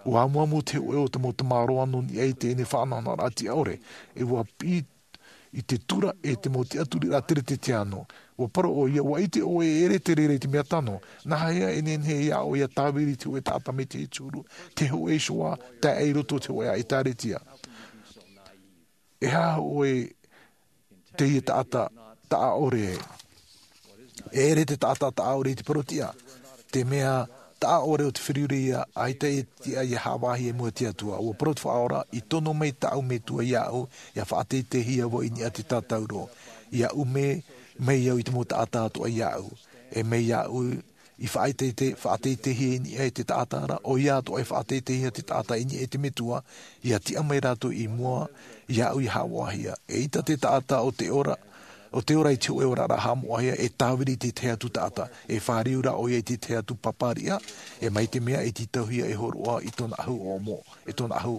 ua amuamu te hōʻē o te mau tamaroa nō niʻa i teie faʻanahonahoraʻa tiʻa ʻore, e ua piʻi i te tura e te mau tiʻaturiraʻa teretetiāno. Ua parau ʻoia, ua ʻite ʻoe e ʻere te reira i te mea tano, nāhea e nehenehe ia ʻoe ia tāviri i te hōʻē taʻata mai te huru, te hōʻē iho ā, tae i roto i te hōʻē ʻĒtārētia. E aha ʻoe teie taʻata taʻa ʻore? E ʻere te taʻata taʻa ʻore i te parau-tiʻa. Te mea taʻa ʻore o te feruriraʻa, ʻaita e tiʻa ia haʻavāhi i mua i te Atua. Ua parau te Faʻaora, i tono mai tāʻu Metua iāʻu, ia faʻateiteihia vau i niʻa i te tātauro. Ia ʻume mai au i te mau taʻata atoʻa iāʻu. E mai iāʻu i faʻateitei-, faʻateiteihia i niʻa i te taʻata ra, ʻoia atoʻa e faʻateiteihia te taʻata i niʻa i te Metua, ia tiʻa mai rātou i mua iāʻu ia haʻavāhia. ʻEita te taʻata o te ora, o te ora i te hōʻē oraraʻa haʻamoʻahia, e tāviri i te tahi atu taʻata, e fāriu rā ʻoia i te tahi atu pāpāriʻa, e mai te mea e tītauhia e hōroʻa i tōna ʻahu ʻōmoʻa, e tōna ʻahu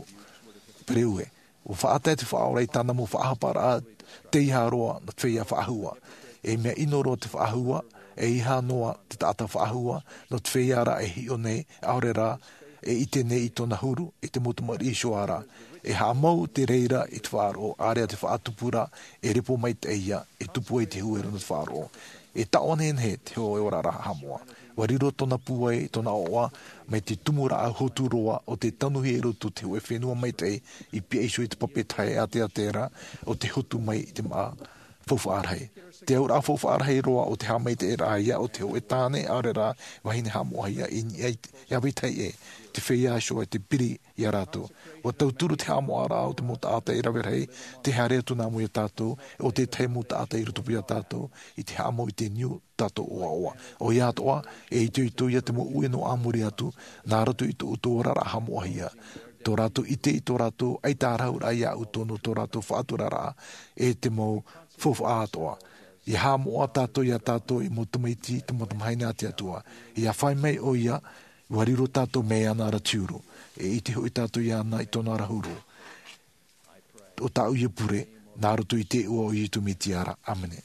pereue. Ua faʻatae te Faʻaora i tāna mau faʻahaparaʻa teiaha roa nā te feiā faʻahua. E mea ʻino roa te faʻahua, e ʻeiaha noa te taʻata faʻahua nō te feiā rā e hiʻo nei, ʻaore rā e ʻite nei i tōna huru, i te mau tamariʻi Ihoā ra. E haʻamau te reira i te faʻaroʻo, ʻāreʻa te faʻatupu ra, e repo maitaʻi ia, e tupu ai te huero nō te faʻaroʻo. E taʻonenehe te hōʻē oraraʻa haʻamoʻa. ʻUa riro tōna pūai, tōna ʻoaʻoa, mai te tumu rāʻau hotu roa o te tanuhia i roto i te hōʻē fenua maitaʻi, i pihaʻi iho i te pape tahe ʻāteatea ra, o te hotu mai i te māʻa faufaʻa rahi. Te auraʻa faufaʻa rahi roa o te haʻamaitaʻiraʻa ia o te hōʻē tāne ʻaore rā vahine haʻamoʻahia i niʻa i te, i ʻāvaʻe tahi ʻē, te feiā Ihoā i te piri ia rātou. ʻUa tauturu te haʻamoʻaraʻa o te mau taʻata i rave rahi, tē haere atu nā mua ia tātou, ʻo te tahi mau taʻata i rotopū ia tātou, i te haʻamau i te niu tātou ʻoaʻoa. ʻOia atoʻa, e itoito ia te mau ue nō ā muri atu, nā roto i tō ʻoutou oraraʻa haʻamoʻahia. Tō rātou ʻite i tō rātou ʻaita ā rāhuraʻa iāʻu tō, nō tō rātou faʻaturaraʻa, e te mau faufaʻa atoʻa. ʻIa haʻamoʻa tātou ia tātou ei mau tamaiti, te mau tamahine a te Atua. ʻIa fai mai ʻoia, ʻua riro tātou mai iāna ra te huru. E ʻite hoʻi tātou iāna i tōna ra huru. ʻO tāʻu ia pure, nā roto i te iʻoa o Iesu Mesia ra. ʻĀmene.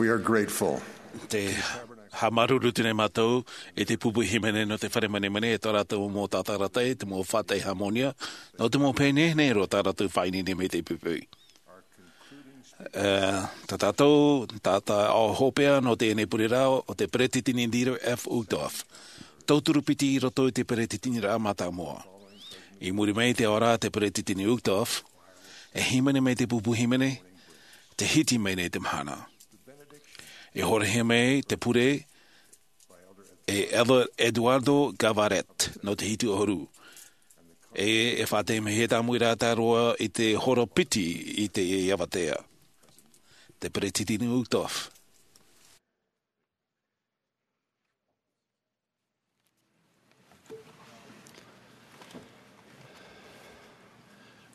We are grateful. Te haʻamāuruuru atu nei mātou i te pupu hīmene nō te fare manemanea, e tō rātou mau tātaratae, te mau faʻatae hāmōnia, nō te mau pēnei nei roa tā rātou faʻaineine mai te pupu. E, tā tātou, tā tā ʻo hopeʻa nō teie nei pure rā, ʻo te peretiteni Dieter F. Uchtdorf. Tauturu piti i roto i te peretiteniraʻa mātāmua. I muri mai i te ao ra te peretiteni Uchtdorf, e hīmene mai te pupu hīmene, te hiti mai nei te mahana. E horahia mai te pure, e Elder Eduardo Gavaret, nō te hitu ʻahuru. E, e faʻatae mai e tāmau i rātou roa i te hora piti i te avatea. Te peretiteni Uchtdorf.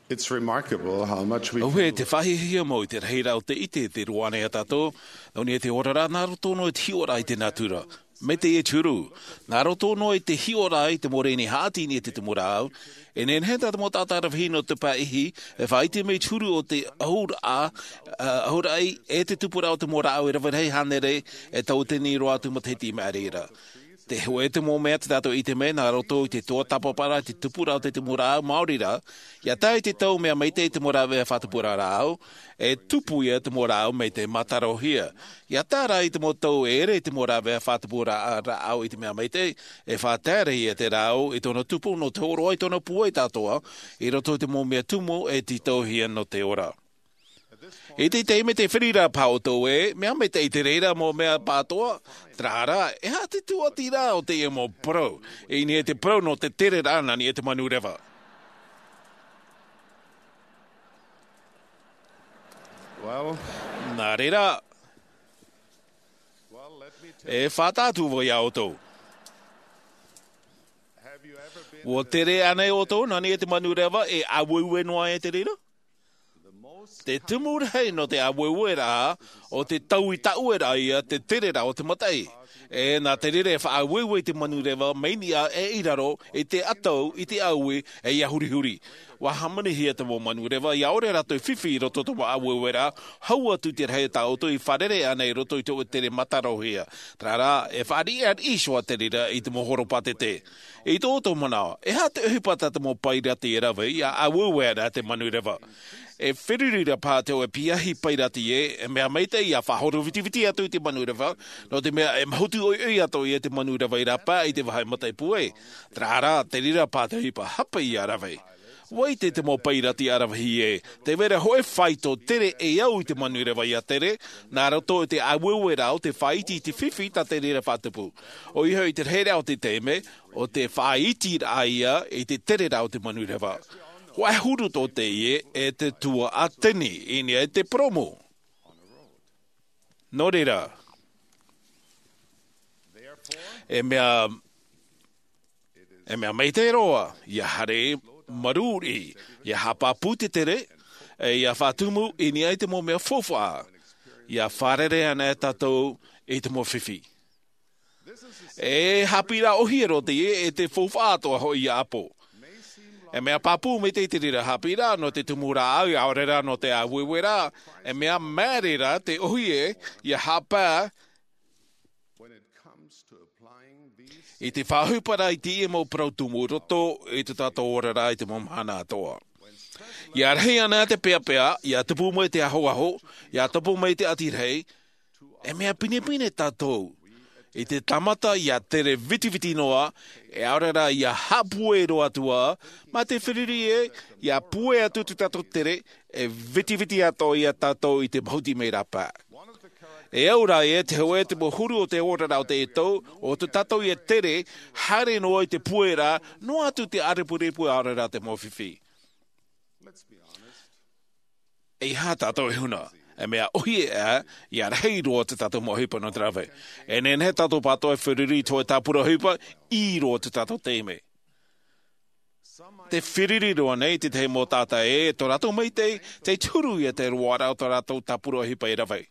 It's remarkable how much we Auē, te faʻahiahia mau i te rahi rā o te ʻite, te roa nei a tātou, nō niʻa i te ora rā, nā roto noa i te hiʻoraʻa i te natura. Mai te huru, nā roto noa i te hiʻoraʻa i te mau reni haʻati i niʻa i te tumu rāʻau, e nehenehe tā te mau taʻata rāveʻa nō te pae ʻihi, e faʻaʻite mai te huru o te ʻahuraʻa, ā, ʻahuraʻi, e te tupu rā o te mau rāʻau e rave rahi hānere, e tauatini roa atu matahiti i maʻiri ra. Te hōʻē te mau mea tā tātou i ʻite mai, nā roto i te tuatāpaparaʻa, te tupu rā o te tumu rāʻau maori rā, ʻia tae i te tau mea maitaʻi te mau rāveʻa faʻatupuraʻa rāʻau, e tupu ia te mau rāʻau mai te mātarohia. ʻIa tae rā i te mau tau e ʻere te mau rāveʻa faʻatupuraʻa rāʻau i te mea maitaʻi, e faʻataeraʻa ia te rāʻau i tōna tupu nō te hōroʻa i tōna puai atoʻa, i roto i te mau mea tumu e tītauhia nō te ora. I te taime tē feruri ra paha ʻoutou ē, mea maitaʻi te reira mau mea pāʻatoʻa, terā rā, e aha te tūʻatiraʻa o teie mau parau, i niʻa i te parau nō te tereraʻa nā niʻa i te manu reva. Well, nā reira, well, let me tell e faʻataʻa atu vau iā ʻoutou. Have you ever been ʻUa tere ānei ʻoutou nā niʻa i te manu reva, e ʻāueue noa e te reira? Te tumu rahi nō te ʻāueueraʻa, ʻo te taui taʻueraʻa ia te tereraʻa o te mataʻi. E nā te reira e faʻaʻāueue te manu reva mai niʻa e i raro, i te ʻatau, i te ʻaui, e ʻia hurihuri. ʻUa hāmanihia te mau manu reva, ʻia ʻore rātou fifi i roto i te mau ʻāueueraʻa, hau atu te rahi tā ʻoutou i fārerei ānei i roto i te hōʻē tere mātarohia. Terā rā, e fāriʻi ʻāriʻi iho ā te reira i te mau horopātete. I tō ʻoutou manaʻo, e aha te ʻohipa tā te mau pairati e rave, ʻia ʻāueue ana te manu reva? E feruri ra paha te hōʻē piahi pairati ē, e mea maitaʻi ʻia faʻahoro vitiviti atu i te manu reva, nō te mea e mahutu ʻoiʻoi atoʻa ia te manu reva i rāpae i te vāhi mataʻi puai. Terā rā, te reira paha te ʻohipa hape ʻia rave. ʻUa ʻite te mau pairati ʻaravihi ē, tē vai ra hōʻē faito tere e au i te manu reva ʻia tere, nā roto i te ʻāueueraʻa o te faʻaiti i te fifi tā te reira faʻatupu. ʻOia hoʻi te rahiraʻa o te taime, ʻo te faʻaitiraʻa ia i te tereraʻa o te manu reva. Hōʻē huru tō teie e te tuaʻatini i niʻa i te purōmu. Nō reira, e mea, e mea maitaʻi roa, ʻia haere marū riʻi, ʻia haʻapāpū te tere, e ʻia faʻatumu i niʻa i te mau mea faufaʻa, ʻia fārerei ana e tātou i te mau fifi. E haʻapiʻiraʻa ʻōhie roa teie, e te faufaʻa atoʻa hoʻi ia ʻāpō. E mea pāpū maitaʻi te reira haʻapiʻiraʻa nō te tumu rāʻau, ʻaore rā nō te ʻāueueraʻa, e mea māere rā te ʻōhie ʻia haʻapae i te faʻaʻohiparaʻa i teie mau parau tumu i roto i tō tātou oraraʻa i te mau mahana atoʻa. ʻIa rahi ana te peapea, ʻia tupu mai te ahoaho, ʻia tupu mai te ʻati rahi, e mea pinepine tātou i te tāmata ʻia tere vitiviti noa, e ʻaore rā ʻia haʻapuai roa atu ā, mā te feruri ē, ʻia puai atu tō tātou tere, e vitiviti atoʻa ia tātou i te mahuti mai rāpae. E au rā ē, te hōʻē te mau huru o te oraraʻa o teie tau, ʻo tō tātou ia tere, haere noa i te puai ra, noa atu te ʻārepurepu ʻaore rā te mau fifi. E aha tātou e huna, e mea ʻōhie ā, ʻia rahi roa tō tātou mau ʻohipa nō te rave. E nehenehe tātou pāʻatoʻa e feruri i te hōʻē tāpura ʻohipa, ʻī roa tō tātou taime. Tē feruri roa nei te tahi mau taʻata ē, tō rātou maitaʻi, tē huru ia te roaraʻa o tō rātou tāpura ʻohipa e rave.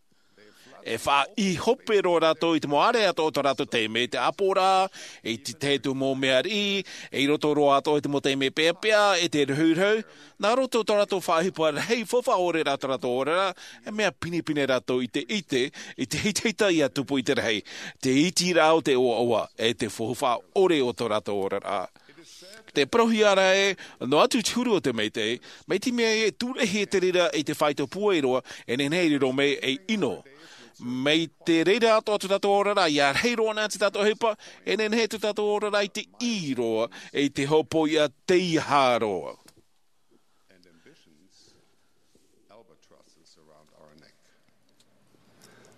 E faʻaʻī hope roa rātou i te mau ʻāreʻa atoʻa o tō rātou taime, te ʻāpoʻoraʻa, i te tahi atu mau mea riʻi, i roto roa atoʻa i te mau taime peapea, e te rahuhuru, nā roto tō rātou faʻaʻohipa rahi, faufaʻa ʻore rā tō rātou oraraʻa, e mea pinepine rātou i te ʻite, i te hitahita ia tupu i te rahi, te iti rā o te ʻoaʻoa, e te faufaʻa ʻore o tō rātou oraraʻa. Te parauhia ra ē, noa atu te huru o te maitaʻi, mai te mea e tūrehi te reira i te faito pūai roa, e nehenehe e riro mai ei ʻino. Mai te reira atoʻa tō tātou oraraʻa, ia rahi roa na te tātou ʻohipa, e nehenehe tō tātou oraraʻa i te ʻī roa, i te hopoiʻa teiaha roa.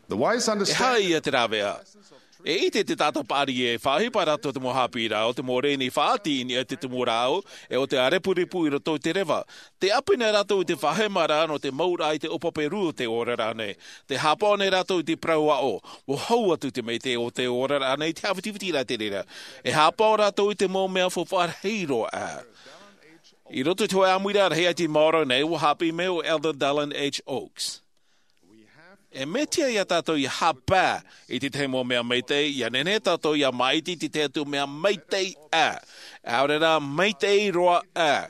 The wise E understand haʻi ia te rāveʻa. E ʻite te taʻata paʻari e faʻaʻohipa rātou te mau haʻapiʻiraʻa o te mau reni faʻaʻati i niʻa i te tumu rāʻau, e o te ʻārepurepu i roto i te reva. Te ʻāpī nei rātou i te faʻahema ra nō te mau ra i te ʻōpape rū o te oraraʻa nei. Te haʻapaʻo nei rātou i te parau aʻo, ʻua hau atu te maitaʻi o te oraraʻa nei, te haʻavitiviti ra te reira. E haʻapaʻo rātou i te mau mea faufaʻa rahi roa ā. I roto i te hōʻē ʻāmuiraʻa rahi i te maoro nei, ʻua haʻapiʻi mai ʻo Elder Dallin H. Oaks. E mea tiʻa ia tātou ia haʻapaʻo i te tahi mau mea maitaʻi, ia nehenehe tātou ia māʻiti i te tahi atu mea maitaʻi ā. ʻAore rā, maitaʻi roa ā.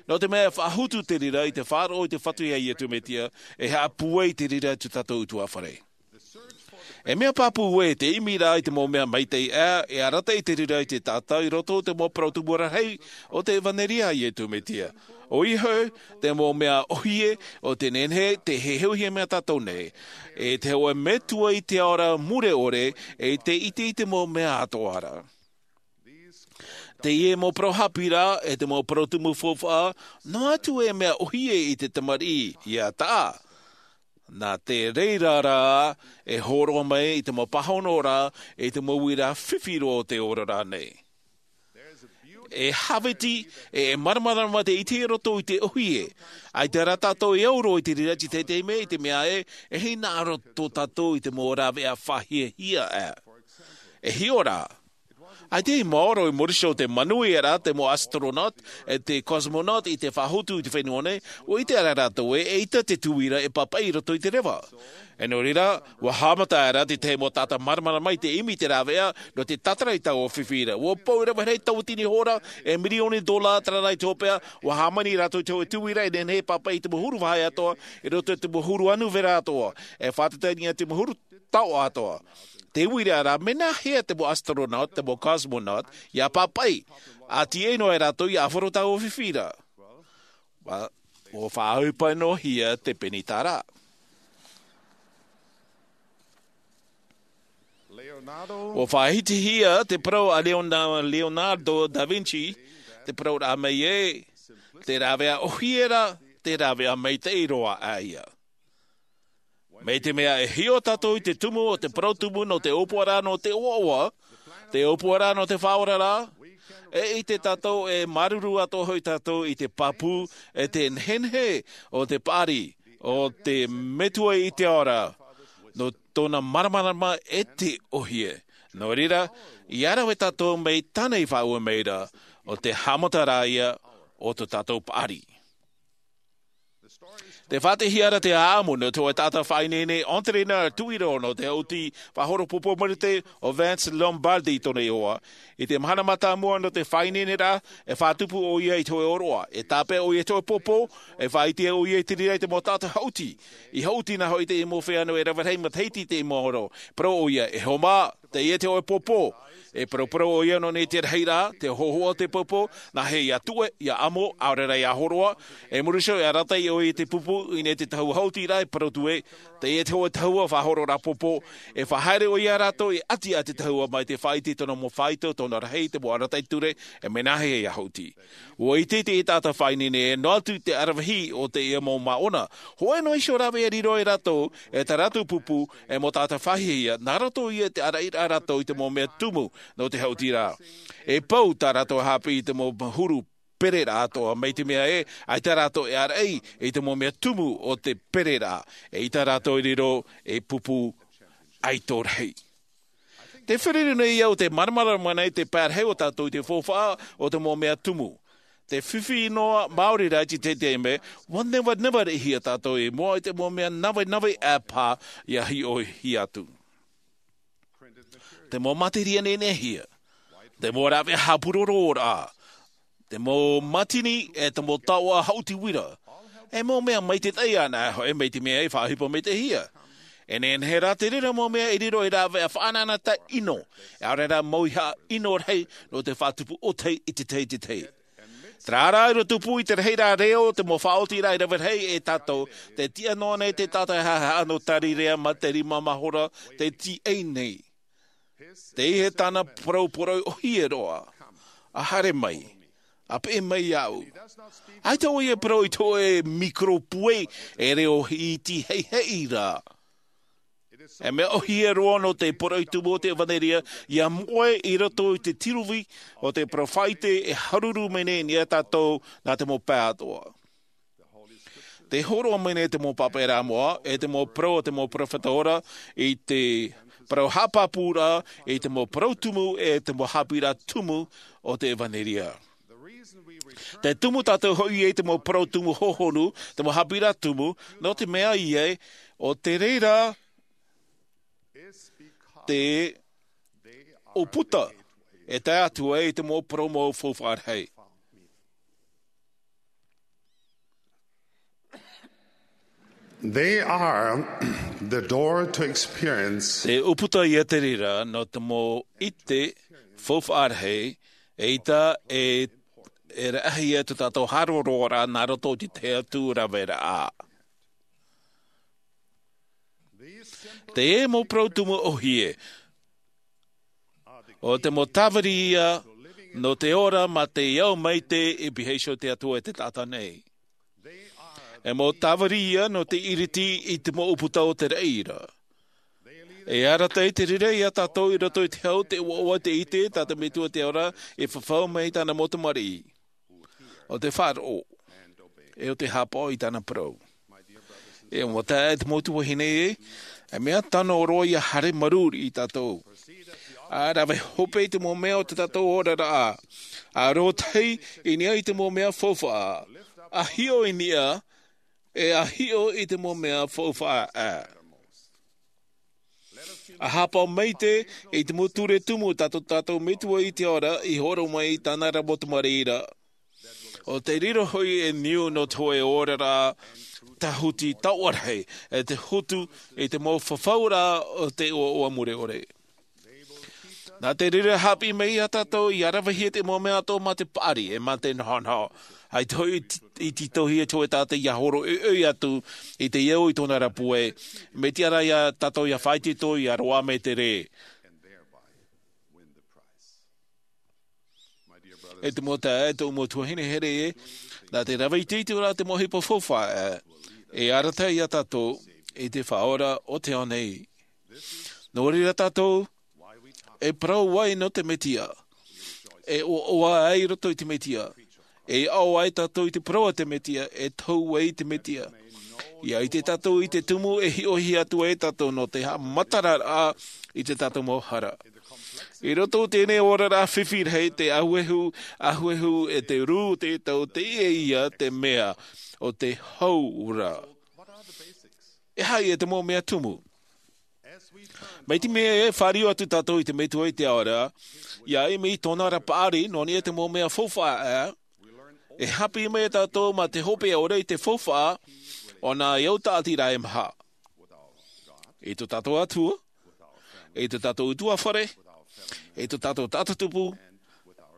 Nō te mea e faʻahotu te reira i te faʻaroʻo i te Fatu ia Iesu Mesia, e haʻapūai te reira i tō tātou ʻutuāfare. E mea pāpū ē, te ʻimi ra i te mau mea maitaʻi ā, e arataʻi te reira i te taʻata i roto i te mau parau tumu rahi o te ʻevanelia a Iesu Mesia. ʻOia hoʻi, te mau mea ʻōhie, ʻo te nehenehe, te heheuhia mai tātou nei. E te hōʻē metua i te ao ra mure ʻore, e te ʻite i te mau mea atoʻa ra. Teie mau parau haʻapiʻiraʻa, e te mau parau tumu faufaʻa, noa atu e mea ʻōhie i te tamariʻi, ʻia taʻa. Nā te reira rā, e hōroʻa mai i te mau pāhonoraʻa, i te mau uiraʻa fifi roa o te oraraʻa nei. E hāviti, e māramarama te ʻite i roto i te ʻōhie. ʻAita rā tātou e au roa i te reira i te taime, i te mea ē, e hinaʻaro tō tātou i te mau rāveʻa faʻahiahia ā. E hiʻo rā, ʻaita i maoro i muri iho o te manuia ra te mau astronaut, e te cosmonaut i te faʻahotu i te fenua nei, ʻua ʻite ra rātou ē, eʻita te tuira e pāpaʻi i roto i te reva. E nō reira, ʻua haʻamata ra te tahi mau taʻata māramarama i te ʻimi i te rāveʻa, nō te tātara i taua fifi ra. ʻUa pou rave rahi tauatini hora, e mirioni dola terā rā i te hopeʻa, ʻua hāmani rātou i te hōʻē tuira, e nehenehe e pāpaʻi i te mau huru vāhi atoʻa, i roto i te mau huru anu vera atoʻa, e faʻatatani i te mau huru taoʻa atoʻa. Te uiraʻa ra, mea nāhea te mau astronaut, te mau cosmonaut, ʻia pāpaʻi, ʻa tīaʻi noa ai rātou ʻia ʻāfaro taua fifi ra. ʻUa, ʻua faʻaʻohipa noa hia te penitara. ʻUa faʻahitihia te parau a Leona-, Leonardo da Vinci, te parau ra mai ē, te rāveʻa ʻōhie ra, te rāveʻa maitaʻi roa ā ia. Mai te mea e hiʻo tātou i te tumu o te parau tumu nō te ʻōpuaraʻa nō te ʻoaʻoa, te ʻōpuaraʻa nō te faʻaoraraʻa, e ʻite tātou e māuruuru atoʻa hoʻi tātou i te pāpū, e te nehenehe o te paʻari, o te Metua i te ao ra, nō tōna māramarama e te ʻōhie. Nō reira, ʻia rave tātou mai tāna i faʻaue mai ra, ʻo te haʻamataraʻa ia o tō tātou paʻari. Tē faʻaʻitehia ra te ʻāʻamu nō te hōʻē taʻata faʻaineine, entraîneur tuʻiro nō te haʻuti faʻahoro pōpō marite ʻo Vince Lombardi tōna iʻoa. I te mahana mātāmua nō te faʻaineineraʻa, e faʻatupu ʻoia i te hōʻē ʻōroʻa, e tāpeʻa ʻoia i te hōʻē pōpō, e faʻaʻite ʻoia i te reira i te mau taʻata haʻuti. I haʻuti na hoʻi te mau feiā nō e rave rahi matahiti i te mau ʻōroʻa. Parau ʻoia, e hoa mā, teie te hōʻē pōpō. E paraparau ʻoia nō nei te rahiraʻa, te hōhoʻa o te pōpō, nāhea ʻia tuʻe, ʻia ʻamo, ʻaore rā ʻia hōroʻa. E muri iho e arataʻi ʻoia i te pupu, i niʻa i te tahua haʻuti ra, e parau atu ē, teie te hōʻē tahua faʻahoro ra pōpō. E faʻahaere ʻoia ia rātou i ʻati i te tahua mai te faʻaʻite i tōna mau faito, tōna rahi, te mau arataʻi ture, e mea nāhea ʻia haʻuti. ʻUa ʻite te taʻata faʻaineine ē, noa atu te aravihi o teie mau māʻona. Hōʻē noa iho rāveʻa e riro ai rātou, e tā rātou pupu, e mau taʻata faʻahiahia, nā roto ia i te ʻaraʻiraʻa rātou i te mau mea tumu nō te haʻuti ra. E pau tā rātou haʻapiʻi i te mau huru pereraʻa atoʻa, mai te mea ē, ʻaita rātou e ʻaraʻi i te mau mea tumu o te pereraʻa, eʻita rātou e riro ei pupu ʻaito rahi. Tē fārerei nei au te māramarama nei te pae rahi o tātou i te faufaʻa o te mau mea tumu. Te fifi noa maori rā i te teitei mea, ua nevaneva rehia tātou i mua i te mau mea navenave ʻāpā ia hiʻohia atu. Te mau materia nenehia, te mau rāveʻa hāpūroro rā, te mau mātini e te mau taoʻa haʻuti uira. E mau mea maitaʻi ana hoʻi mai te mea e faʻaʻohipa maitaʻihia. E nehenehe rā te reira mau mea e riro ei rāveʻa faʻanahonahoraʻa ʻino, e ʻaore rā mau iho ʻino rahi nō te faʻatupu ʻōtahi i te tahi i te tahi. Terā rā i roto pū i te rahi rā reo o te mau faʻaotiraʻa i rave rahi e tātou, te tiʻa noa nei te taʻata e haʻehaʻa nō Tarirea mā te rima mahora te tiʻa nei. Teie tāna parau poroʻi ʻōhie roa. A haere mai. A peʻe mai iāʻu. ʻAita ʻoia e parau i te hōʻē microphone e reo iti heihei rā. E mea ʻōhie roa nō te poroʻi tumu o te ʻevanelia, ia moʻe i roto i te tiruvi o te peropheta e haruru mai nei ia tātou nā te mau pae atoʻa. Te hōroʻa mai nei te mau pāpaʻiraʻa moʻa, e te mau parau o te mau peropheta ora, i te parau haʻapāpūraʻa, i te mau parau tumu, e te mau haʻapiʻiraʻa tumu o te ʻevanelia. Te tumu tātou hoʻi i te mau parau tumu hohonu, te mau haʻapiʻiraʻa tumu, nō te mea ia, ʻo te reira te ʻūputa e tae atu ai i te mau parau mau faufaʻa rahi. They are the door to experience. Te ʻūputa ia te reira nō te mau ʻite faufaʻa rahi, eʻita e, e rahi ia tō tātou haroroʻa nā roto i te tahi atu raveraʻa. Te mau parau tumu ʻōhie, ʻo te mau tāviri ia nō te ora mā te ao maitaʻi e pihaʻi iho te Atua i te taʻata nei. E mau tāviri ia nō te ʻiriti i te mau ʻūputa o te reira. E arataʻi te reira ia tātou i roto i te hau, te ʻoaʻoa, te ʻite tā te Metua te Ao ra e fafau mai i tāna mau tamariʻi. ʻO te faʻaroʻo, e ʻo te haʻapaʻo i tāna parau. E mau taeaʻe, e te mau tuahine ē, e mea tano roa ia haere marū riʻi tātou. A rave hope i te mau mea o tō tātou oraraʻa. A rōtahi i niʻa i te mau mea faufaʻa. A hiʻo i niʻa, e a hiʻo i te mau mea faufaʻa. A haʻapaʻo maitaʻi i te mau ture tumu tā tō tātou Metua i te Ao ra i hōroʻa mai i tāna ra mau tamariʻi ra. ʻO te reira hoʻi e niu nō te hōʻē oraraʻa tāhuti taoʻa rahi, e te hotu i te mau fafauraʻa o te ʻoaʻoa mure ʻore. Nā te reira e haʻapiʻi mai ia tātou ia ravehia te mau mea atoʻa mā te paʻari, e mā te nohonoho. ʻAita hoʻi i t-, i tītauhia te hōʻē taʻata ia hōroʻa ʻoiʻoi atu i te au i tōna ra puai. Mea tiʻa rā ia tātou ia faʻaitoito ia roaʻa mai te rē. E te mau taeaʻe, e tōʻu mau tuahine here ē, nā te rave iti atu ra te mau ʻohipa faufaʻa, e arataʻi ia tātou i te Faʻaora o te ao nei. Nō reira tātou e parau ai nō te Mesia, e ʻoaʻoa ai i roto i te Mesia, e aʻo ai tātou i te parau a te Mesia, e tohu ai i te Mesia. Ia ʻite tātou i te tumu e hiʻohia atu ai tātou nō te haʻamataraʻa i tō tātou mau hara. I roto i teie oraraʻa fifi rahi, te ahuehu, ahuehu e te rū o te tau, teie ïa te mea o te hau ra. E aha ïa te mau mea tumu? Mai te mea e fāriu atu tātou i te Metua i te Ao ra, ʻia ʻimi i tōna ra paʻari, nō niʻa i te mau mea faufaʻa, e haʻapiʻi mai tātou mā te hopeʻa ʻore i te faufaʻa o nā au tāʻatiraʻa e maha. I tō tātou Atua, i tō tātou ʻutuāfare, i tō tātou taʻata tupu,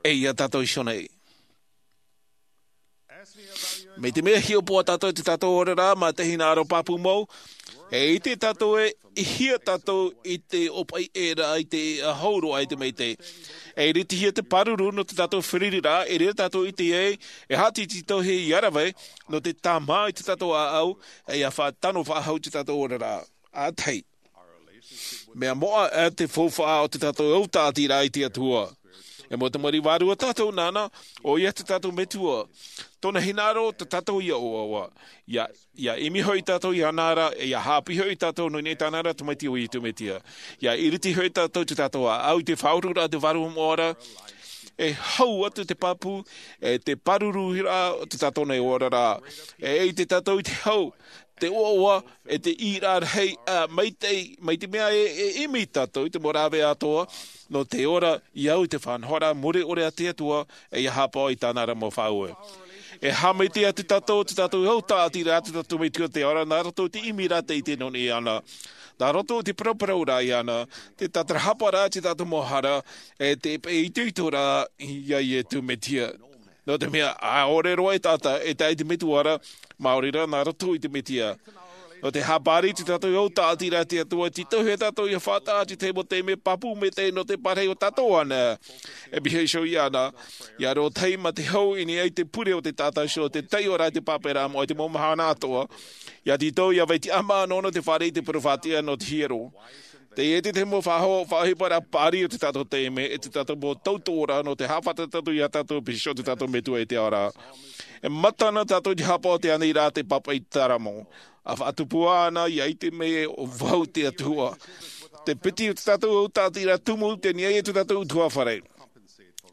e ia tātou iho nei. Mai te mea e hiʻopoʻa tātou i tō tātou oraraʻa mā te hinaʻaro pāpū mau, e ʻite tātou ē, ʻī hia tātou i te ʻōpaʻi ʻē ra i te hau roa i te maitaʻi. E iritihia te pāruru nō tō tātou fārereiraʻa, i reira tātou e ʻite ai, e haʻatītauhia ʻia rave, nō te tāmā i tō tātou ʻāʻau, e ʻia faʻatano faʻahou i tō tātou oraraʻa. ʻA tahi. Mea moʻa ā te faufaʻa o tō tātou au tāʻatiraʻa i te Atua. E mau tamariʻi vārua tātou nāna, ʻoia tō tātou Metua. Tōna hinaʻaro tō tātou ïa ʻoaʻoa. ʻIa, ʻia ʻimi hoʻi tātou iāna ra, ʻia haʻapiʻi hoʻi tātou nō niʻa i tāna ra Tamaiti ʻo Iesu Mesia. ʻIa iriti hoʻi tātou i tō tātou ʻāʻau i te faʻaururaʻa te Vārua Moʻa ra, E hau atu te pāpū, e te pāruru rā o te tātou nei oraraʻa. E ʻite tātou i te hau, te ʻoaʻoa, e te ʻīraʻa rahi, ā, mai te, mai te mea e, e ʻimi tātou i te mau rāveʻa atoʻa, nō te ora i au i te faʻanahoraʻa mure ʻore a te Atua, e ia haʻapaʻo i tāna ra mau faʻaue. E haʻamaitaʻi atu tātou, te tātou hau tāʻatiraʻa, te tātou Metua te Atua, nā roto i te ʻimi ra te ʻite nō niʻa iāna. Nā roto i te parauparau ra iāna, te tātarahapa ra te tātou mau hara, e te peʻapeʻa ra iā Iesu Mesia. Nō te mea, ʻaore roa e taʻata, e tae i te Metua ra, maori rā nā roto i te Mesia. Nō te haʻapaʻari i te tātou hau tāʻatiraʻa te Atua, titauhia tātou ia faʻataʻa i te mau taime pāpū maitaʻi nō te parahi o tātou anaʻe. E piha iho iāna, ia rōtahi mā te hau i niʻa i te pure o te taʻata iho, te taiʻo ra i te pāpū ra, mō te mau mahana atoʻa. Ia tītau, ia vai tiʻamā noa nō te fāriʻi i te parau faʻatiʻa nō te hiero. Teie te tahi mau faʻaho-, faʻaʻohipa ra paʻari o te tātou taime, e te tātou mau tautoʻoraʻa nō te haʻafātata tātou iā tātou, piha iho te tātou Metua i te ao ra. E mata na tātou i te haʻapaʻo i te aniraʻa te pāpaʻi taramo. ʻA faʻatupu ana, ia ʻite mai ē ʻo vau te Atua. Te piti o te tātou hau tāʻatiraʻa tumu, tei niʻa i te tātou ʻutuāfare.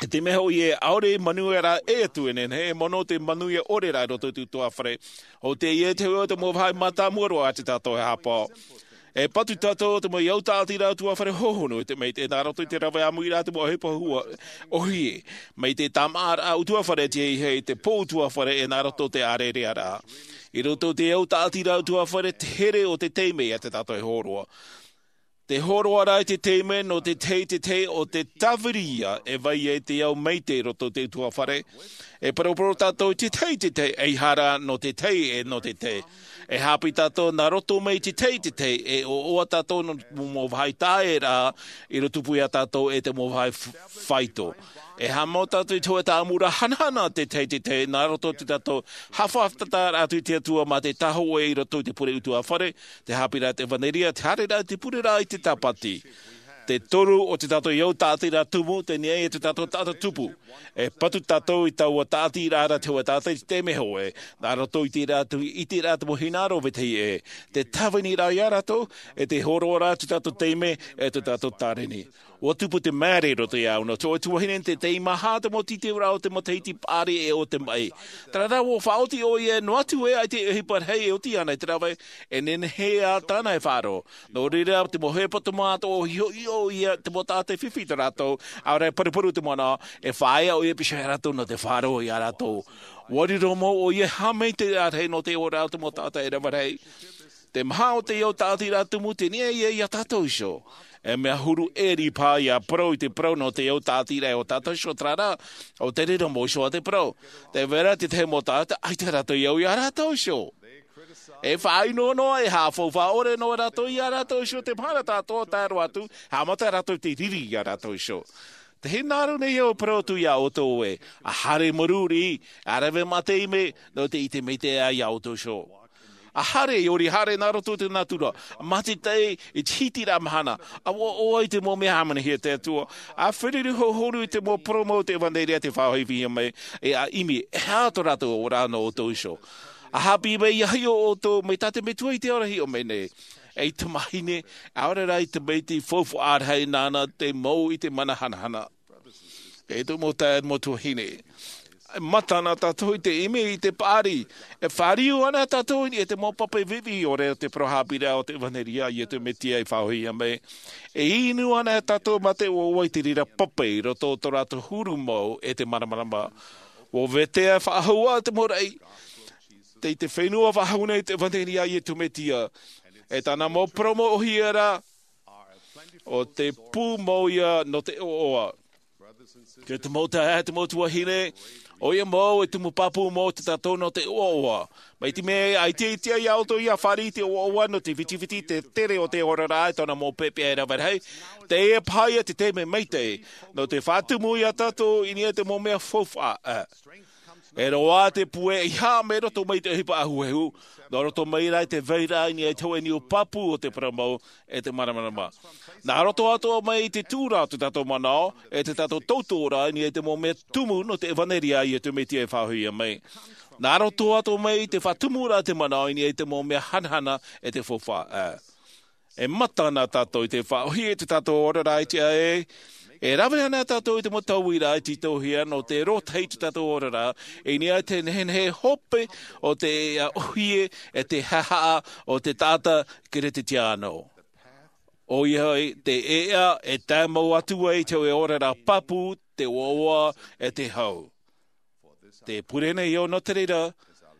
E te mea hoʻi ē, ʻaore e manuia ra e atu e nehenehe, e mono te manuia ʻore ra i roto i te ʻutuāfare. ʻO teie te hau o te mau vāhi mātāmua roa a te tātou e haʻapaʻo. E patu tātou te mau hau tāʻatiraʻa ʻutuāfare hohonu, e te maitaʻi nā roto i te rave ʻāmuiraʻa te mau ʻohipa hua, ʻōhie, mai te tāmāʻaraʻa ʻutuāfare, te ʻeiaha i te pō ʻutuāfare, e nā roto i te ʻārerearaʻa. I roto i te hau tāʻatiraʻa ʻutuāfare, te here o te taime ia te tātou e hōroʻa. Te hōroʻa ra i te taime nō te tahi i te tahi o te tāviri ia e vai ai te ao maitaʻi i roto i te ʻutuāfare. E paraparau tātou i te tahi i te tahi, ʻaita rā nō te tahi e nō te tahi. E haʻapiʻi tātou nā roto mai i te tahi i te tahi, e ʻoaʻoa tātou nō te mau vāhi taeraʻa i tupu iā tātou e te mau vāhi f-, faito. E haʻamau tātou i te hōʻē tāʻamuraʻa hanahana te tahi i te tahi, nā roto i te tātou haʻafātata atu i te Atua mā te tāhōʻē i roto i te pure ʻutuāfare, te haʻapiʻiraʻa i te ʻevanelia, te haereraʻa i te pureraʻa i te tāpati. Te toru o te tātou hau tāʻatiraʻa tumu, tei niʻa i te tātou taʻata tupu. E patu tātou i taua tāʻatiraʻa ra te hōʻē taʻata i te taime hōʻē, nā roto i te ʻiteraʻa, ʻiteraʻa te mau hinaʻaro vetahi ē. Te tāviniraʻa iā rātou, e te hōroʻa ra te tātou taime, e te tātou tāreni. ʻUa tupu te māere i roto iāʻu, nō te hōʻē tuahine tei maha te mau tītauraʻa o te matahiti paʻari e o te maʻi. Terā rā, ʻua faʻaoti ʻoia, noa atu ē ʻaita e ʻohipa rahi e oti ana i te rave, e nehenehe ā tāna e faʻaroʻo. Nō reira, te mau hepetoma atoʻa, ʻua hiʻo ʻoia, te mau taʻata e fifi tā rātou, ʻaore rā e paruparu te manaʻo, e faʻaea ʻoia piha iā rātou nō te faʻaroʻo iā rātou. ʻUa riro mau ʻoia e haʻamaitaʻi rahi nō te ora o te mau taʻata e rave rahi. Te maha o te hau tāʻatiraʻa tumu, tei niʻa ia iā tātou iho. E mea huru ʻē paha ʻia parau i te parau nō te hau tāʻatiraʻa o tātou iho, terā rā, ʻua riro mau iho ā te parau. Tē vai ra te tahi mau taʻata, ʻaita rātou i au iā rātou iho. E faʻaʻino noa, e haʻafaufaʻa ʻore noa rātou iā rātou iho, te mahana tātou e tae roa atu, haʻamata rātou i te riri iā rātou iho. Te hinaʻaro nei au e parau atu iā ʻoutou ē, ʻa haere i te mau riri, ʻa rave mā te taime, nō te ʻite maitaʻi iā ʻoutou iho. ʻA haere, ʻia ʻore haere nā roto i te natura, mā te tahi i te hitiraʻa mahana, ʻa ʻoaʻoa i te mau mea hāmanihia e te Atua, ʻa feruri hohonu i te mau parau mau o te ʻevanelia tei faʻahoʻihia mai, e ʻa ʻimi, e aha tō rātou ora nō ʻoutou iho. ʻA haʻapiʻi mai ʻia hiʻo ʻoutou, mai tā te Metua i te ao ra e hiʻo mai nei. Ei tamahine, ʻaore rā i te maitaʻi faufaʻa rahi nāna te mau i te mana hanahana. E tō mau taeaʻe, mau tuahine. E mata na tātou i te ʻimi i te paʻari. E fāriu ana tātou i te mau pape viʻiviʻi ʻore o te parau haʻapiʻiraʻa o te ʻevanelia a Iesu Mesia i faʻahoʻihia mai. E inu ana tātou mā te ʻoaʻoa i te reira pape i roto i tō rātou huru mau e te māramarama. ʻUa vetea faʻahou ā te mau raʻi. Tei te fenua faʻahou nei te ʻevanelia a Iesu Mesia. E tāna mau parau mau ʻōhie ra, ʻo te pū mau ia nō te ʻoaʻoa. Te mau taeaʻe, te mau tuahine, ʻoia mau e tumu pāpū mau tā tātou nō te ʻoaʻoa. Mai te mea ʻaita e tiʻa iā ʻoutou ʻia fāriʻi i te ʻoaʻoa nō te vitiviti, te tere o te oraraʻa e tōna mau pepeʻa e rave rahi, teie paha ia te taime maitaʻi, nō te faʻatumu iā tātou i niʻa i te mau mea faufaʻa. E roaʻa te puʻe ʻeiaha mai roto mai i te ʻohipa ʻahuʻahu, nō roto mai rā i te vairaʻa i niʻa i te hōʻē niu pāpū o te parau mau, e te māramarama. Nā roto atoʻa mai i te tūraʻa o tō tātou manaʻo, e tō tātou tautoʻoraʻa i niʻa i te mau mea tumu nō te ʻevanelia a Iesu Mesia i faʻahoʻihia mai. Nā roto atoʻa mai i te faʻatumuraʻa o te manaʻo i niʻa i te mau mea hanahana e te faufaʻa. E mata na tātou i te faʻaʻōhie i tō tātou oraraʻa i te ʻae, E rave ana tātou i te mau tauira e tītauhia nō te rōtahi i tō tātou oraraʻa, i niʻa i te nehenehe hope o te ʻohie e te haʻahaʻa o te taʻata Kerisetiano. ʻOia hoʻi te ʻēʻa e tae mau atu ai i te oraraʻa pāpū, te ʻoaʻoa e te hau. Tē pure nei au nō te reira,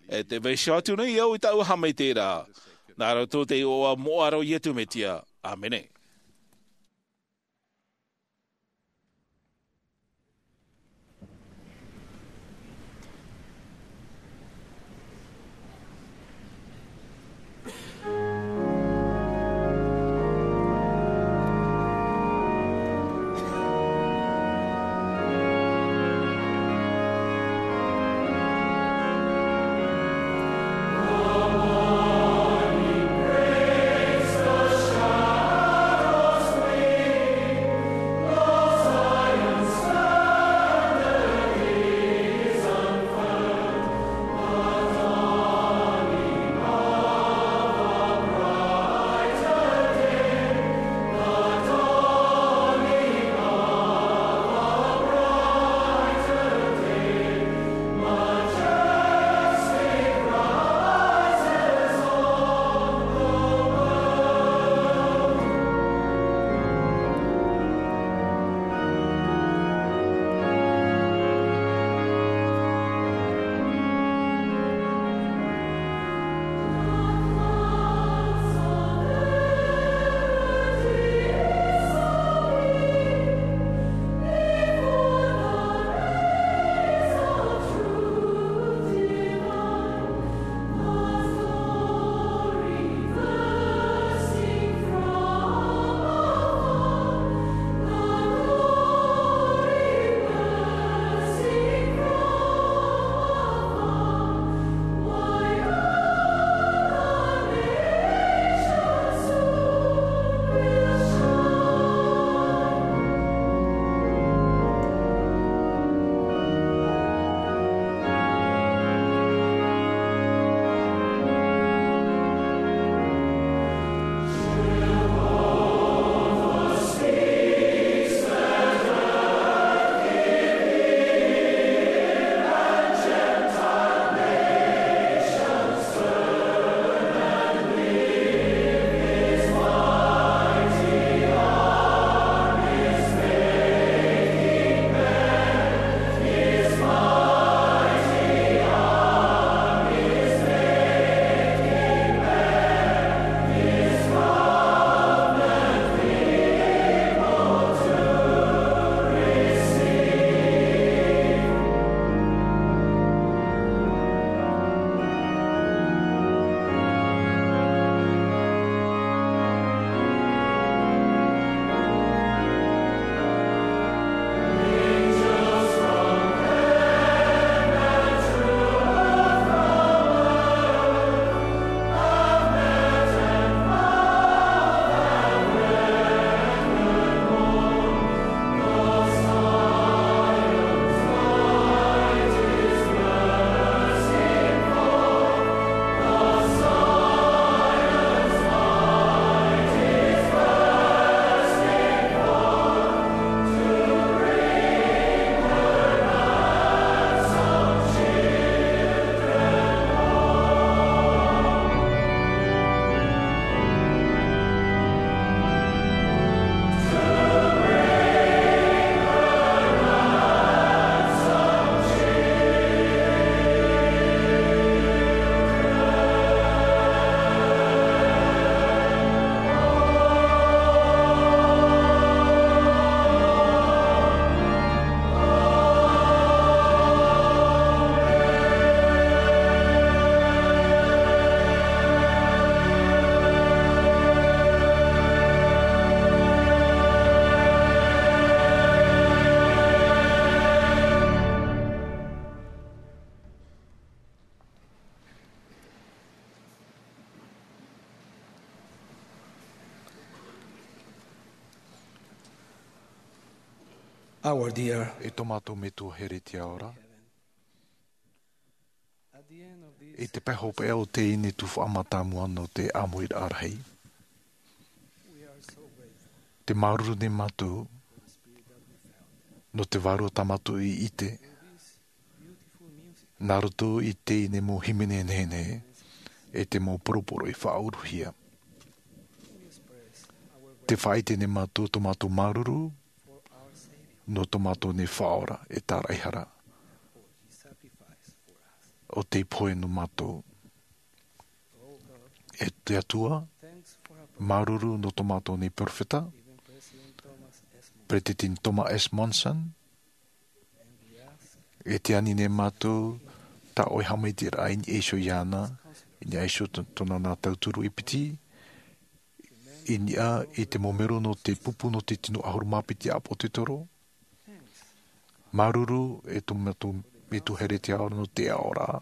e tē vaiiho atu nei au i tāʻu haʻamaitaʻiraʻa. Nā roto i te iʻoa moʻa o Iesu Mesia. ʻĀmene. Our dear E tō mātou Metua here i te ao ra, i te pae hopeʻa o teie nei tuhaʻa mātāmua nō te ʻāmuiraʻa rahi, te māuruuru nei mātou Nō te vārua tā mātou i ʻite, nā roto i teie mau hīmene nehenehe, e te mau poroporo i faʻauruhia. Tē faʻaʻite nei mātou tō mātou māuruuru, nō tō mātou nei Faʻaora e tāraʻehara. ʻO tei pohe nō mātou. E te Atua, māuruuru nō tō mātou nei perofeta, Peresideni Thomas S. Monson, e tē ani nei mātou, tā ʻoe haʻamaitaʻiraʻa i niʻa iho iāna, i niʻa iho tō-, tōna nā tauturu e piti, i niʻa i te mau melo nō te pupu nō te tino ʻahuru mā piti ʻāpotetoro. Māuruuru e tō mātou metua here te ao nō te aʻoraʻa.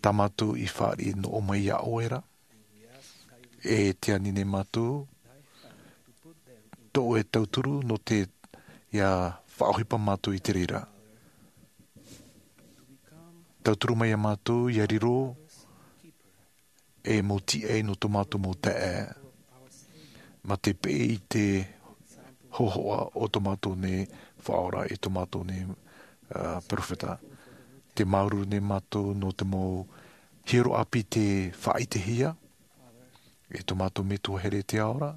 Tā mātou i fāriʻi nō ʻō mai iā ʻoe ra. E tē ani nei mātou, tō ʻoe tauturu nō te, ʻia faʻaʻohipa mātou i te reira. Tauturu mai iā mātou, ʻia riro, e mau tīaʻi nō tō mātou mau taeaʻe. Mā te peʻe i te hōhoʻa o tō mātou nei Faʻaora e tō mātou nei, ā, perofeta. Tē māuruuru nei mātou nō te mau hiero ʻāpī tē faʻaʻitehia, e tō mātou metua here te ao ra.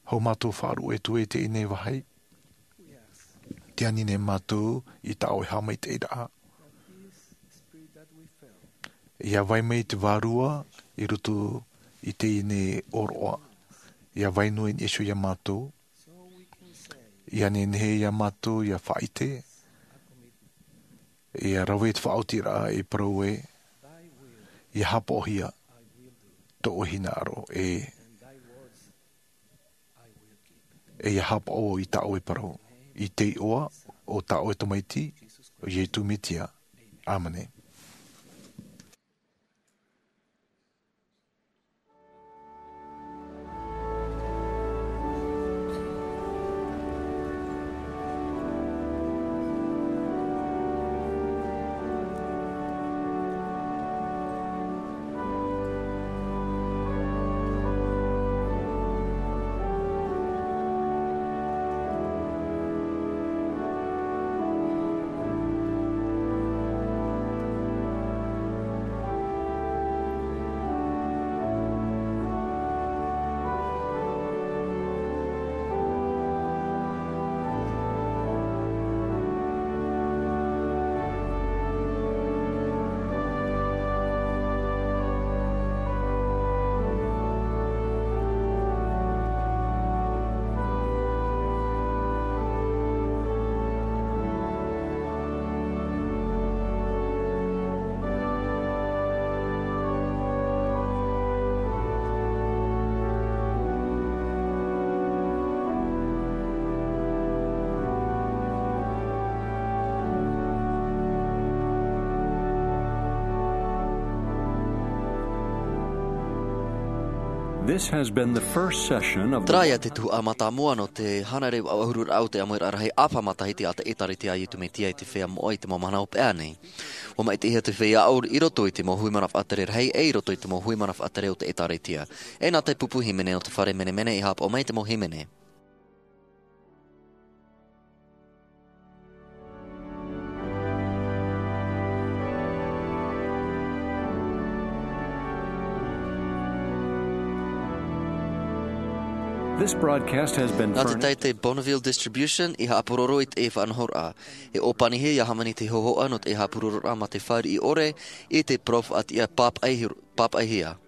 Hou mātou faʻaruʻe atu i teie nei vāhi. Tē ani nei mātou i tā ʻoe haʻamaitaʻiraʻa. ʻIa vai mai te Vārua i roto i teie nei ʻōroʻa. ʻIa vai noa i niʻa iho iā mātou. ʻIa nehenehe iā mātou ʻia faʻaʻite. ʻIa rave te faʻaotiraʻa e parau ē. ʻIa haʻapaʻohia tō ʻoe hinaʻaro ē. ʻIa haʻapaʻo i tā ʻoe parau. I te iʻoa o tā ʻoe Tamaiti, ʻo Iesu Mesia. ʻĀmene. This has been the first session of the Terā ia te tuhaʻa mātāmua nō te hānere faʻaʻuhururaʻa o te ʻāmuiraʻa rahi ʻāpī matahiti a te ʻĒtārētia a Iesu Mesia i te feiā moʻa i te mau mahana hopeʻa nei. ʻUa maitaʻihia te feiā ʻāuri i roto i te mau huimana faʻatere rahi, e i roto i te mau huimana faʻatere o te ʻĒtārētia. E nā te pupu hīmene o te fare menemene i haʻapaʻo mai te mau hīmene. This broadcast has been Nā te furnished. Taite Bonneville Distribution i haʻapuroro i te faʻanahoraʻa. E ʻōpanihia ia hāmani te hōhoʻa nō te haʻapurororaʻa mā te fāriʻi ʻore i te parau faʻatiʻa pāpaʻi-, pāpaʻihia.